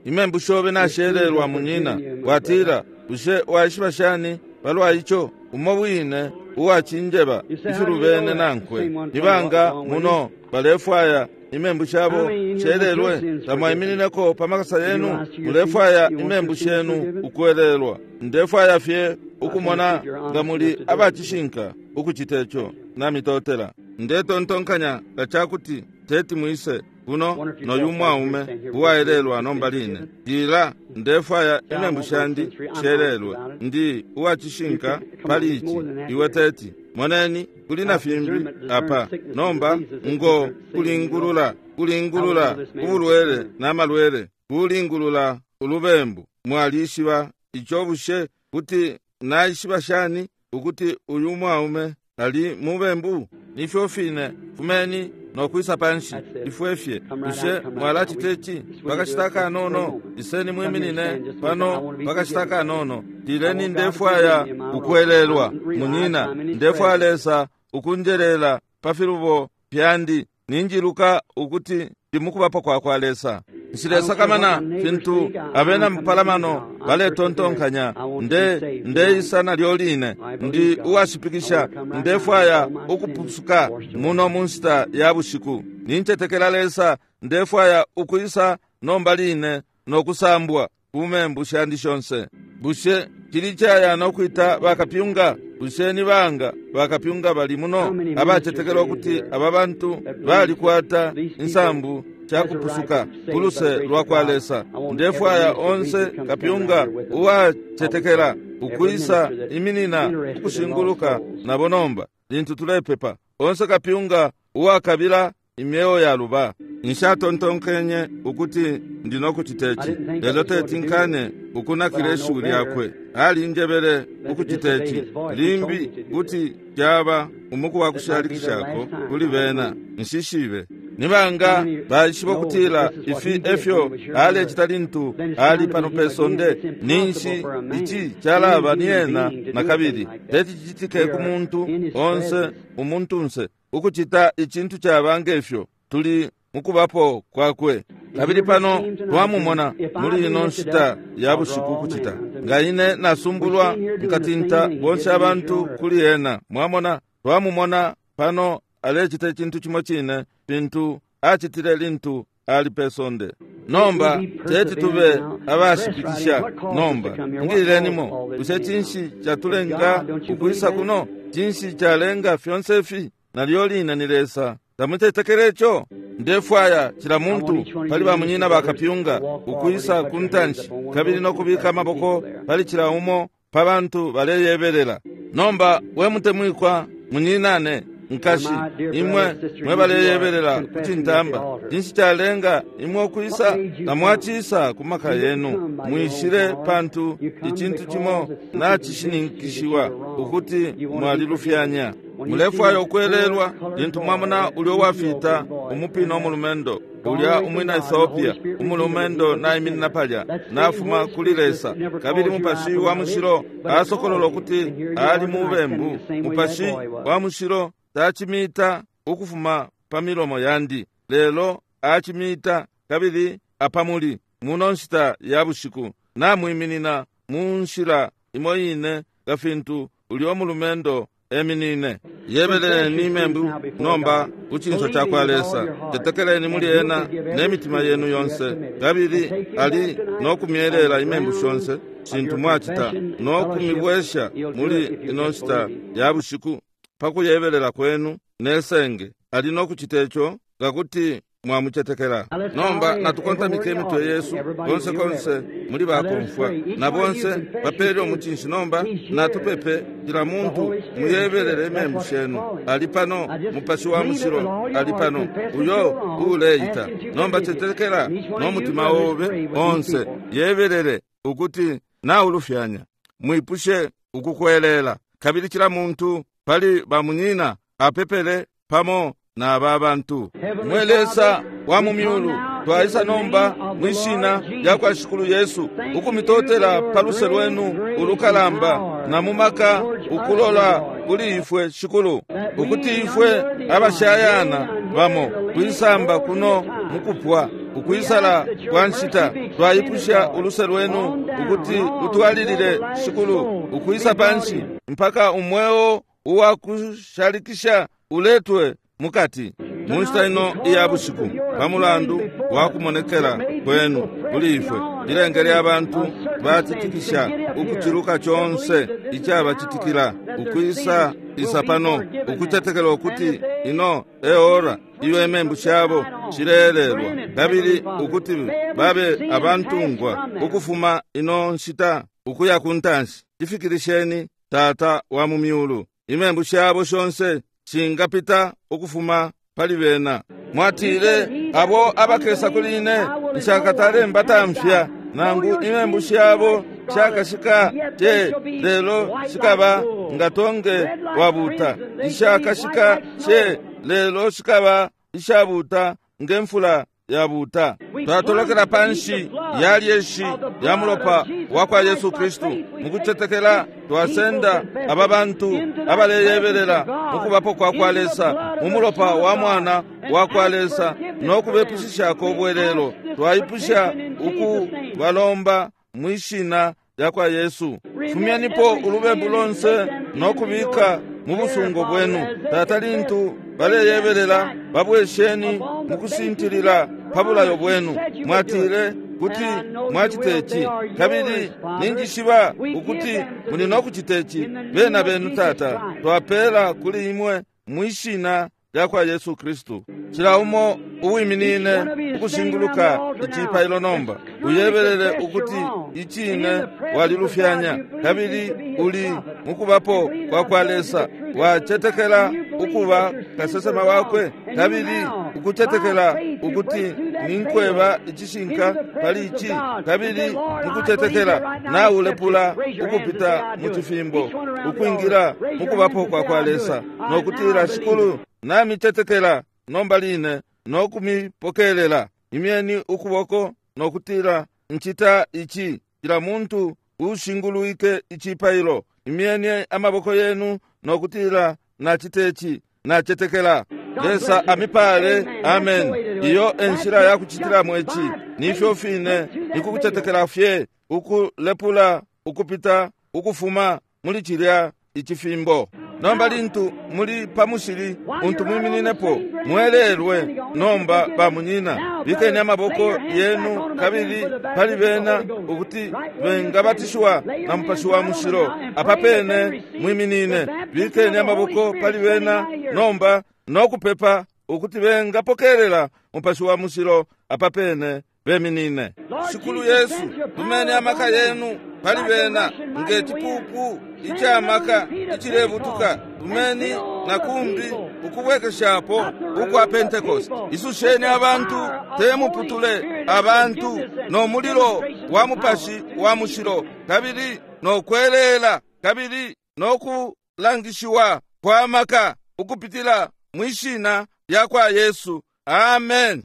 Imembu shobe nashererwa munyina watila bushe waishiba shani palwa icho? Umo wine uwachinjeba ifilubene nankwe nibanga muno balefwaya imembu shabo shererwe. Tamwaiminineko pamakasa yenu mulefwaya imembu shenu ukwelelwa. Ndefwaya fye ukumona nga muli abachishinka ukuchitecho namitotela. Ndetontonkanya ngachakuti teti mwise kuno noyu mwaume uwaelelwa nomba line. Tila ndefwaya imembu shandi sherelwe ndi uwachishinka pali ichi iwe teti. Moneni kuli na fimbi apa nomba ngo kulingulula kulingulula ubulwele n'amalwele kulingulula ulubembu. Mwalishiba icho? Bushe kuti naishiba shani ukuti uyu mwaume ali mubembu? Nifyo fine fumeni nokwisa panshi ifwefye. Bushe mwalachitechi pakashita kanono? Iseni mwiminine pano pakashita kanono. Tileni ndefwaya ukwelelwa munyina, ndefwaya Lesa ukunjelela pa filubo pyandi. Ninjiluka ukuti ndimukubapo kwa kwa Lesa. Nshilesakamana fintu abena mupalamano baletontonkanya. Nde ndeisa nalyo line ndi uwashipikisha. Ndefwaya ukupusuka muno mu nshita ya bushiku. Nincetekela Lesa. Ndefwaya ukwisa nomba line nokusambwa kumembu shandi shonse. Bushe chili chaya nokwita bakapyunga? Bushe ni banga bakapyunga bali muno abacetekela ukuti aba bantu balikwata insambu chakupusuka kuluse lwa kwa Lesa? Ndefwaya onse kapyunga uwacetekela ukwisa iminina ukushinguluka nabo nomba lintu tulepepa. Onse kapyunga uwakabila imyeo ya luba. Nshatontonkenye ukuti ndinokuchitechi lelo teti nkane ukunakila ishiwi lyakwe. Alinjebele ukuchitechi limbi kuti kyaba umuku wa kushalikishako kuli bena. Nshishibe nibanga baishiba ukutila ifi efyo alecita lintu ali pano pesonde. Ninshi ichi kyalaba ni ena na kabili. Teti chichitike ku muntu onse umuntunse ukuchita ichintu kyaba ngefyo. Tuli mukubapo kwakwe kabili pano twamumona muli ino nshita ya bushiku kuchita nga ine nasumbulwa nkatinta bonse abantu kuli ena. Mwamona twamumona pano alecita ichintu chimo chine pintu achitile lintu ali pesonde. Nomba teti tube abashipikisha nomba ngililenimo. Bushe chinshi chatulenga ukwisa kuno? Chinshi chalenga fyonse ifi? nalyo line ni Lesa. Tamutetekele ico? Ndefwaya cila muntu pali bamunyina bakapyunga ukwisa ku ntanshi kabili nokubika amaboko pali cila umo pa bantu baleyebelela. Nomba we mutemwikwa munyinane nkashi, imwe mwe baleyebelela ku cintamba, cinshi calenga imwe ukwisa? Tamwacisa ku maka yenu, mwishile pantu icintu cimo nacishininkishiwa ukuti mwalilufyanya. Mulefwaya ukwelelwa lintu mwamona ulyo wafita umupina umulumendo ulya umwina Ethiopia, umulumendo naiminina palya nafuma kuli Lesa, kabili Mupashi wa Mushilo asokolola ukuti ali mubembu. Mupashi wa Mushilo tacimita ukufuma pa milomo yandi, lelo acimita kabili apamuli muno nshita ya bushiku namwiminina mu nshila imo ine nga fintu ulya umulumendo eminine. Yebeleleni imembu nomba ku cinso cakwa Lesa, tetekeleni muli ena ne mitima yenu yonse, kabili ali nokumyelela imembu shonse shintu mwacita nokumibwesha muli ino nshita ya bushiku pa kuyebelela kwenu nesenge. Ali nokucita ico nga kuti mwamucetekela. Nomba natukontamike imitwe yesu konse konse muli bakomfwa na bonse bapele umucinshi. Nomba natupepe cila muntu muyebelele imembu shenu. Ali pano Mupashi wa Mushilo, ali pano uyo uleita. Nomba cetekela no mutima obe onse, yebelele ukuti naulufyanya, mwipushe ukukwelela. Kabili cila muntu pali bamunyina apepele pamo na aba bantu. Mwe Lesa wa mu myulu, twaisa nomba mwishina lya kwa Shikulu Yesu ukumitotela pa luse lwenu ulukalamba na mu maka ukulola kuli ifwe Shikulu, ukuti ifwe abashayana bamo kwisamba kuno mukupwa ukwisala kwa nshita. Twaipusha uluse lwenu ukuti utwalilile Shikulu ukwisa panshi mpaka umweo uwakushalikisha uletwe mukati mu nshita ino iya bushiku pa mulandu wa kumonekela kwenu kuli ifwe. Lilengele abantu batitikisha ukuciluka conse icabacitikila ukwisa isa pano ukutetekela ukuti ino e ora iyo imembu shabo shilelelwa, kabili ukuti babe abantungwa ukufuma ino nshita ukuya ku ntanshi. Cifikilisheni Tata wa mu myulu, imembu shabo shonse shingapita ukufuma pali bena. Mwatile abo abakesa kuli ine nshakatale mbatamfya, nangu imembu shabo shakashika te, lelo shikaba nga tonge wabuta. Ishakashika she, lelo shikaba ishabuta ngemfula yabuta. Twatolokela panshi ya lyeshi ya mulopa wa kwa Yesu Kristu mukucetekela. Twasenda aba bantu abaleyebelela mukubapo kwa kwa Lesa mu mulopa wa mwana wa kwa Lesa nokubepushishako ubwelelo. Twaipusha ukubalomba mwishina lya kwa Yesu. Fumyenipo ulubembu lonse nokubika mu busungo bwenu. Tata, lintu baleyebelela babwesheni mukusintilila pa bulayo bwenu. Mwatile kuti mwacita ici, kabili ninjishiba ukuti muli nokucita ici. Bena benu Tata, twapela kuli imwe mwishina lya kwa Yesu Kristu. Cila umo uwiminine ukushinguluka icipailo nomba uyebelele ukuti icine walilufyanya, kabili uli mukubapo kwa kwa Lesa. Wacetekela ukuba kasesema wakwe, kabili ukucetekela ukuti ninkweba icishinka pali ici, kabili mukucetekela naulepula ukupita mu cifimbo ukwingila mukubapo kwa kwa Lesa nokutila, Shikulu, namicetekela nomba line nokumipokelela. Imyeni ukuboko nokutila, ncita ici. Cila muntu ushingulwike icipailo, imyeni amaboko yenu nokutila, nacita ici, nacetekela. Lesa amipale. Amen. Iyo enshila yakucitilamo ici nifyo fine nikukucetekela fye ukulepula ukupita ukufuma muli cilya icifimbo. Nomba lintu muli pa mushili untu mwimininepo, mwelelwe nomba bamunyina. Bikeni amaboko yenu kabili pali bena ukuti bengabatishiwa na Mupashi wa Mushilo. Apa pene mwiminine, bikeni amaboko pali bena nomba nokupepa ukuti bengapokelela Mupashi wa Mushilo. Apa pene beminine. Shikulu Yesu, tumeni amaka yenu pali bena nge cipupu icamaka icilebutuka. Tumeni na kumbi ukubwekeshapo ukwa Pentecost. Isusheni abantu, te muputule abantu no mulilo wa Mupashi wa Mushilo, kabili no kwelela, kabili no kulangishiwa kwa maka ukupitila mwishina lya kwa Yesu. Amen.